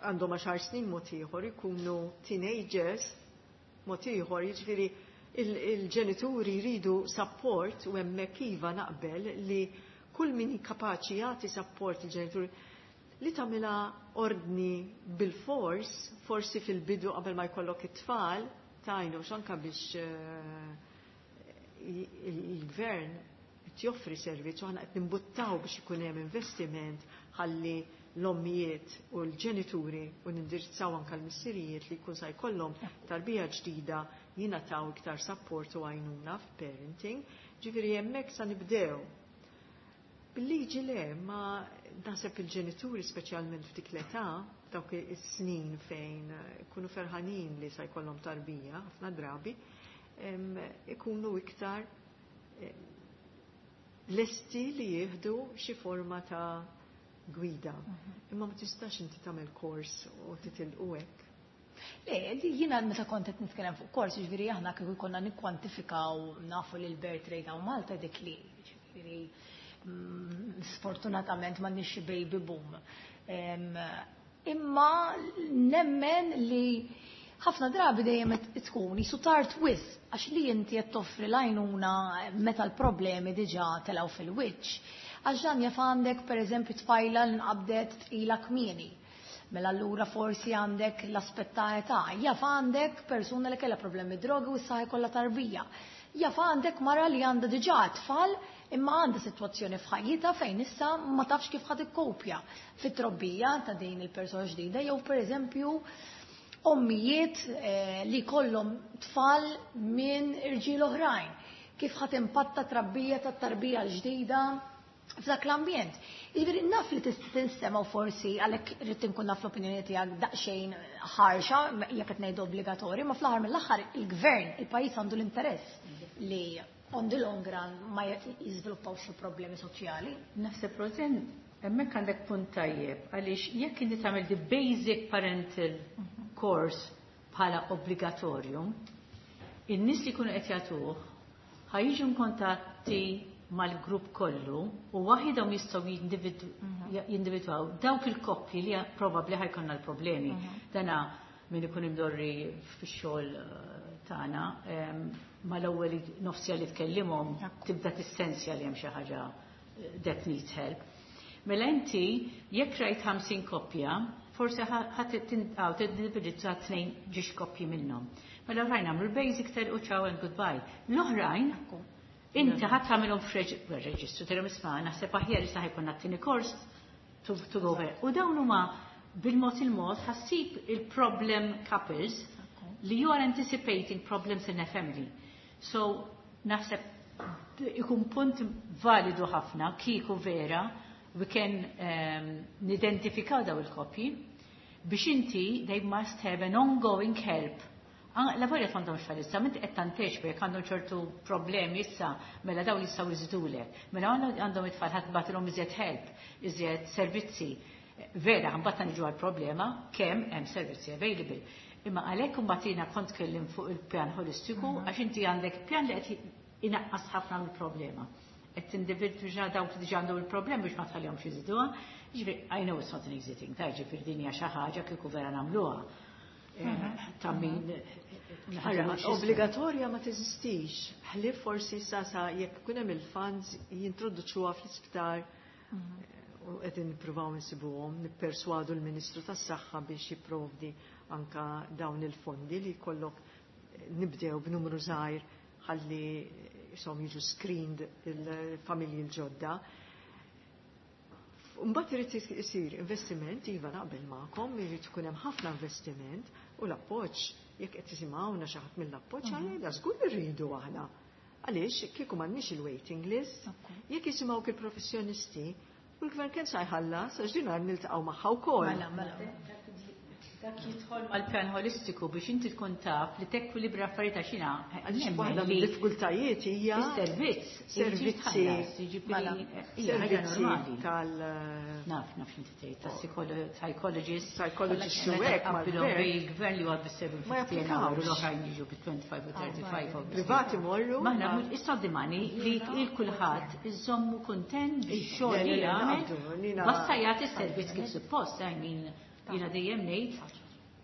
għandhom għaxar snin mod ieħor, ikunu teenagers mod ieħor, jiġifieri il- il-ġenituri jridu support u hemmhekk iva naqbel li kull min kapaċi jagħti support il-ġenituri li tagħmilha ordni bil-fors, forsi fil-bidu qabel ma jkollok it-tfal, tajnu xanka biex eh, il-gvern qed joffri servizz u aħna qed nimbuttaw biex ikun hemm investiment ħalli l-ommijiet u l-ġenituri u nindirizzaw anke l-missirijiet li jkun sa jkollhom tarbija ġdida jingħataw iktar support u għajnuna f'parenting. Ġifieri hemmhekk sa nibdew. Bil-liġi le, ma naħseb il-ġenituri speċjalment f'dik l-età, dawk is-snin fejn ikunu ferħanin li sa jkollhom tarbija, ħafna drabi, em, ikunu iktar em, lesti li jieħdu xi forma ta' gwida. Imma ma tistax inti tagħmel kors u titilqu hekk. Le, li jiena meta kont qed nitkellem fuq kors, jiġifieri aħna kieku konna nikkwantifikaw nafu li l-birth rate hawn Malta dik li, jiġifieri mm, sfortunatament m'għandniex xi baby boom. Em, Imma nemmen li ħafna drabi dejjem qed tkun jisu tard wisq għax li inti qed toffri l-għajnuna meta l-problemi diġà telgħu fil-wiċċ. Għax dan jaf għandek pereżempju tfajla li nqabdet tqila kmieni. Mela allura forsi għandek l-aspett ta' età, jaf għandek persuna li kellha problemi drogi u issa jkollha tarbija. Jaf għandek mara li għandha diġà tfal imma għandha sitwazzjoni f'ħajjitha fejn issa ma tafx kif ħad ikkopja fit-trobbija ta' din il-persuna ġdida jew pereżempju ommijiet eh, li kollhom tfal minn irġiel oħrajn. Kif ħa timpatta trabbija tat-tarbija l-ġdida f'dak l-ambjent. Jiġifieri naf li tista' tinstema' u forsi għalhekk irrid inkun naf l-opinjoni tiegħek daqsxejn ħarxa jekk qed ngħidu obbligatorju, ma fl-aħħar mill-aħħar il-gvern, il-pajjiż għandu l-interess li on the long run ma jiżviluppaw xi problemi soċjali. Naħseb Rosen, hemmhekk għandek punt tajjeb għaliex jekk inti tagħmel the basic parental course bħala obbligatorju, in-nies li jkunu qed jagħtuh ħa jiġu kontatti mal-grupp kollu u waħidhom jistgħu jindividwaw dawk il-koppji li probabbli ħa jkollna l-problemi. Dana min ikun imdorri fix-xogħol tagħna mal-ewwel nofsija li tkellimhom tibda tissensja li hemm xi ħaġa that needs help. Mela inti jekk rajt ħamsin koppja, forsi ħadd tindividizza tnejn ġiex koppji minnhom. Mela l-oħrajn għamlu l-basic telqu ciao and goodbye. L-oħrajn inti ħadd tagħmilhom f'reġistru tilhom isma' naħseb aħjar issa ħa jkollna t-tieni kors to, to go over. U dawn huma bil-mod il-mod ħa ssib il-problem couples li you are anticipating problems in a family. So naħseb ikun punt validu ħafna kieku vera we can um, nidentifikaw daw il-koppji biex inti they must have an ongoing help. La volja m'għandhomx tfal issa, minti qed tanteċ jekk għandhom ċertu problemi issa, mela daw jistgħu jżidulek. Mela għandhom it-tfal ħa tibgħatilhom iżjed help, iżjed servizzi. Vera, mbagħad niġu għall-problema kemm hemm servizzi available. Imma għalhekk imbagħad jiena kont kellim fuq il-pjan holistiku għax inti għandek pjan li qed inaqqas ħafna mill-problema. Qed tindividwa dawk li diġà għandhom il-problema biex ma tħallihomx jiżiduha. Ġifieri, I know it's not an easy thing, ta' ġifieri din hija xi ħaġa kieku vera nagħmluha. Ta' min Obbligatorja ma teżistix. Ħlief forsi sa sa jekk ikun hemm il-funds jintroduċuha fl-isptar u qegħdin nippruvaw insibuhom, nipperswadu l-Ministru tas-Saħħa biex jipprovdi anka dawn il-fondi li jkollok nibdew b'numru żgħir ħalli jisom jiġu screened il-familji l-ġodda. Mbagħad irid isir investiment, iva naqbel magħkom, irid ikun hemm ħafna investiment u l-appoġġ jekk qed tisimgħuna xi ħadd mill-appoġġ għalina żgur irridu aħna. Għaliex kieku m'għandniex il-waiting list, jekk jisimgħu il-professjonisti, u l-gvern kemm sa jħallas għax din niltaqgħu magħha wkoll. Mela, mela. Dak jidħol mal-pjan holistiku biex inti tkun taf li tekwilibra affarijiet għax jiena Għaliex waħda mid-diffikultajiet hija is-servizz, servizzi servizzi normali tal Naf, naf x'inti tgħid, tas-psychologist, psychologist u hekk mal-gvern. Il-gvern li huwa bis-seven Ma japplikawx. u l-oħrajn jiġu bit-twenty-five u thirty-five. Privati morru. Maħna, it's not the money li il-kulħadd iżommu kuntent bix-xogħol li Le, le, le, jagħmel. naqbdu, nina- Basta jagħti s-servizz kif suppost, I mean, jiena dejjem ngħid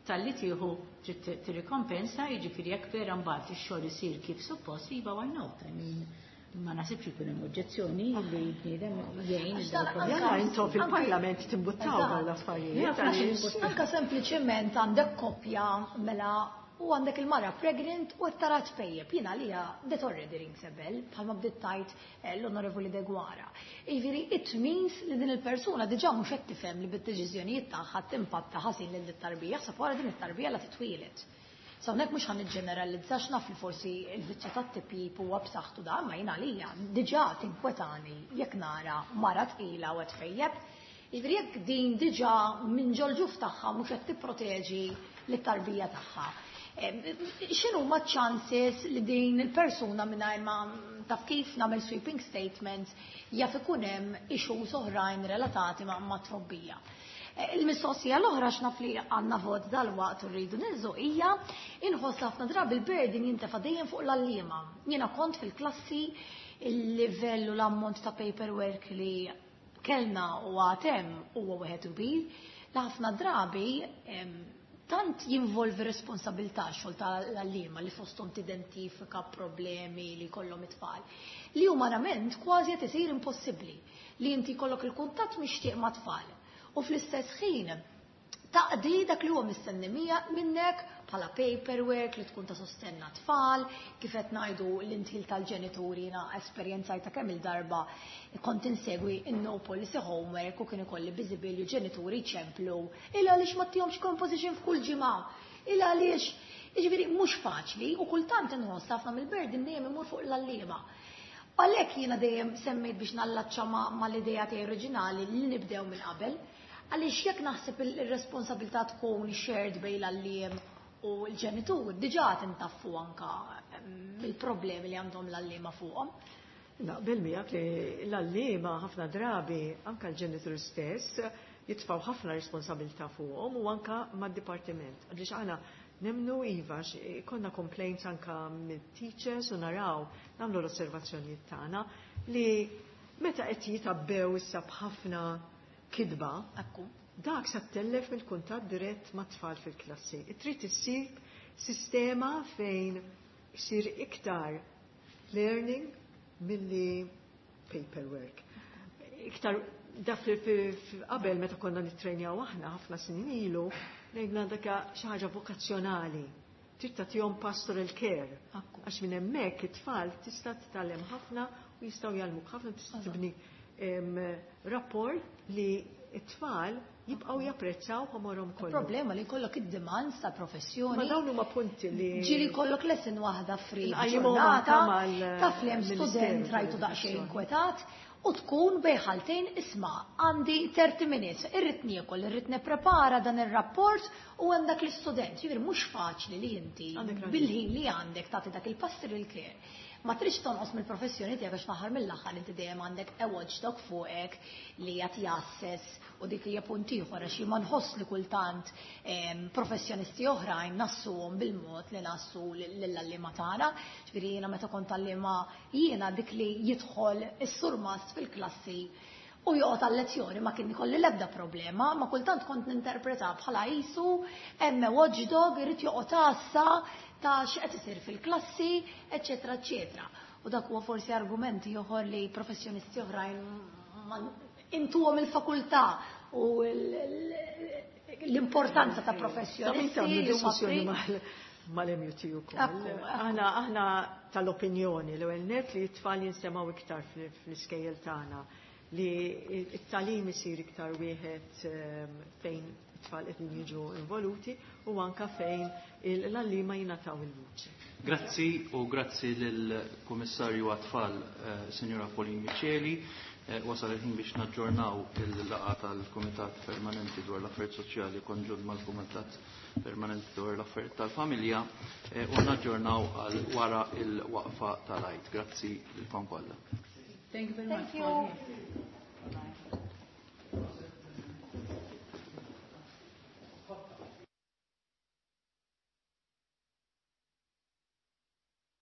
talli tieħu trid tirrikompensa, jiġifieri jekk vera mbagħad ix-xogħol isir kif suppost, iva why not? I mean, ma naħsibx ikun hemm oġġezzjoni li bniedem jgħin Għax dan il-problemi. Jalla intom fil-parlament timbuttaw dawn l-affarijiet. għaliex- Anka sempliċement għandek koppja mela u għandek il-mara pregnant u tara tpejjep. Jiena li that already rings a bell, bħalma bdiet tajt eh, l-Onorevoli Deguara. Jiġifieri, it means li din il-persuna diġà mhux qed tifhem li bid-deċiżjonijiet tagħha timpatta ħażin lil tarbija, ħseb wara din it-tarbija la titwieled. So hawnhekk mhux ħa niġġeneralizzax naf li forsi il-viċċa tat-tipjip huwa b'saħħtu da, ma jiena għalija diġà tinkwetani jekk nara mara tqila u qed tfejjeb. Jiġifieri jekk din diġà minn ġol-ġuf tagħha mhux qed tipproteġi lit-tarbija tagħha. X'inhu ma chances li din il-persuna mingħajr ma taf kif nagħmel sweeping statements jaf ikun hemm issues oħrajn relatati ma' ma' trobbija. Il-mistoqsija l-oħra x'naf li għandna vot dal-waqt u rridu ninżu hija inħoss ħafna drabi il-burden jintefa' dejjem fuq l-għalliema. Jiena kont fil-klassi il-livell u l-ammont ta' paperwork li kellna u għatem huwa wieħed kbir, li ħafna drabi tant jinvolvi responsabilità xogħol tal-għalliema li fosthom tidentifika problemi li jkollhom it-tfal, li umanament kważi qed isir impossibbli li inti jkollok il-kuntatt mixtieq ma' tfal. U fl-istess ħin taqdi dak li huwa mistenni minnek bħala paperwork li tkun ta' sostenna tfal, kif qed ngħidu l-intil tal-ġenituri jiena esperjenzajta kemm il-darba kont insegwi in-no policy homework u kien ikolli biżibilju ġenituri ċemplu il għaliex ma tihomx composition f'kull ġimgħa, il għaliex jiġifieri mhux Mhux faċli u kultant inħoss ħafna mill-burden dejjem imur fuq l-għalliema. Għalhekk jiena dejjem semmejt biex nallaċċa mal-idea tiegħi oriġinali li nibdew minn qabel, għaliex jekk naħseb ir-responsabilità tkun shared bejn l-għalliem u l-ġenitur, diġà tintaffu anka mill-problemi li għandhom l-għalliema fuqhom. Naqbel miegħek li l-għalliema ħafna drabi anka l-ġenitur stess jitfgħu ħafna responsabilità fuqhom u anka mad-dipartiment. Għaliex aħna nemmnu iva, konna complaints anka mit-teachers u naraw nagħmlu l-osservazzjonijiet tagħna li meta qed jitabbew issa b'ħafna kidba, dak sa ttellef mill-kuntatt dirett mat-tfal fil-klassi. Trid issib sistema fejn isir iktar learning milli paperwork. Iktar dak qabel meta konna nittrejnjaw aħna ħafna snin ilu, ngħidna dak xi ħaġa vokazzjonali. Trid tagħtihom pastoral care. Għax minn hemmhekk it-tfal tista' titgħallem ħafna u jistgħu jgħallmuk ħafna, tista' tibni rapport li t-tfal jibqgħu japprezzaw ħomorhom kollu. Il-problema li jkollok id-demands ta' professjoni. Ma dawn huma punti li ġieli jkollok lesson waħda free ġurnata, taf li hemm student rajtu daqsxejn inkwetat u tkun bejħaltejn isma' għandi thirty minutes, irrid niekol, irrid nipprepara dan ir-rapport u hemm dak l-istudent. Jiġifieri mhux faċli li inti bil-ħin li għandek tagħti dak il-pastoral care. Ma tridx tonqos mill-professjoni tiegħek għax fl-aħħar mill-aħħar inti dejjem għandek a watchdog fuqek li qed jasses u dik hija punt ieħor għax ma nħoss li kultant professjonisti oħrajn nassuhom bil-mod li nassu lill-għalliema tagħna. Ġifieri jiena meta kont għalliema jiena dik li jidħol is-surmast fil-klassi u joqgħod għal-lezzjoni ma kien ikolli l-ebda problema, ma kultant kont ninterpreta bħala qisu hemm watchdog irid joqgħod għassa ta' x'qed isir fil-klassi, eċetera, eċetera. U dak huwa forsi argumenti ieħor li professjonisti oħrajn intuhom il-fakultà u l-importanza ta' professjonisti li huma mal-M U T ukoll. Aħna aħna tal-opinjoni l-ewwel net li t-tfal jinstemgħu iktar fl-iskejjel tagħna, li t-tagħlim isir iktar wieħed fejn it-tfal qegħdin jiġu involuti u anka fejn l-għalliema jingħataw il-vuċi. Grazzi u grazzi lill-Kummissarju għat-Tfal, Sinjura Pauline Miceli. Wasal il-ħin biex naġġornaw il-laqgħa tal-Kumitat Permanenti dwar l-Affarijiet Soċjali konġunt mal-Kumitat Permanenti dwar l-Affarijiet tal-Familja u naġġornaw għal wara il-waqfa tal-Għid. Grazzi lilkom kollha. Thank you very much. Thank you.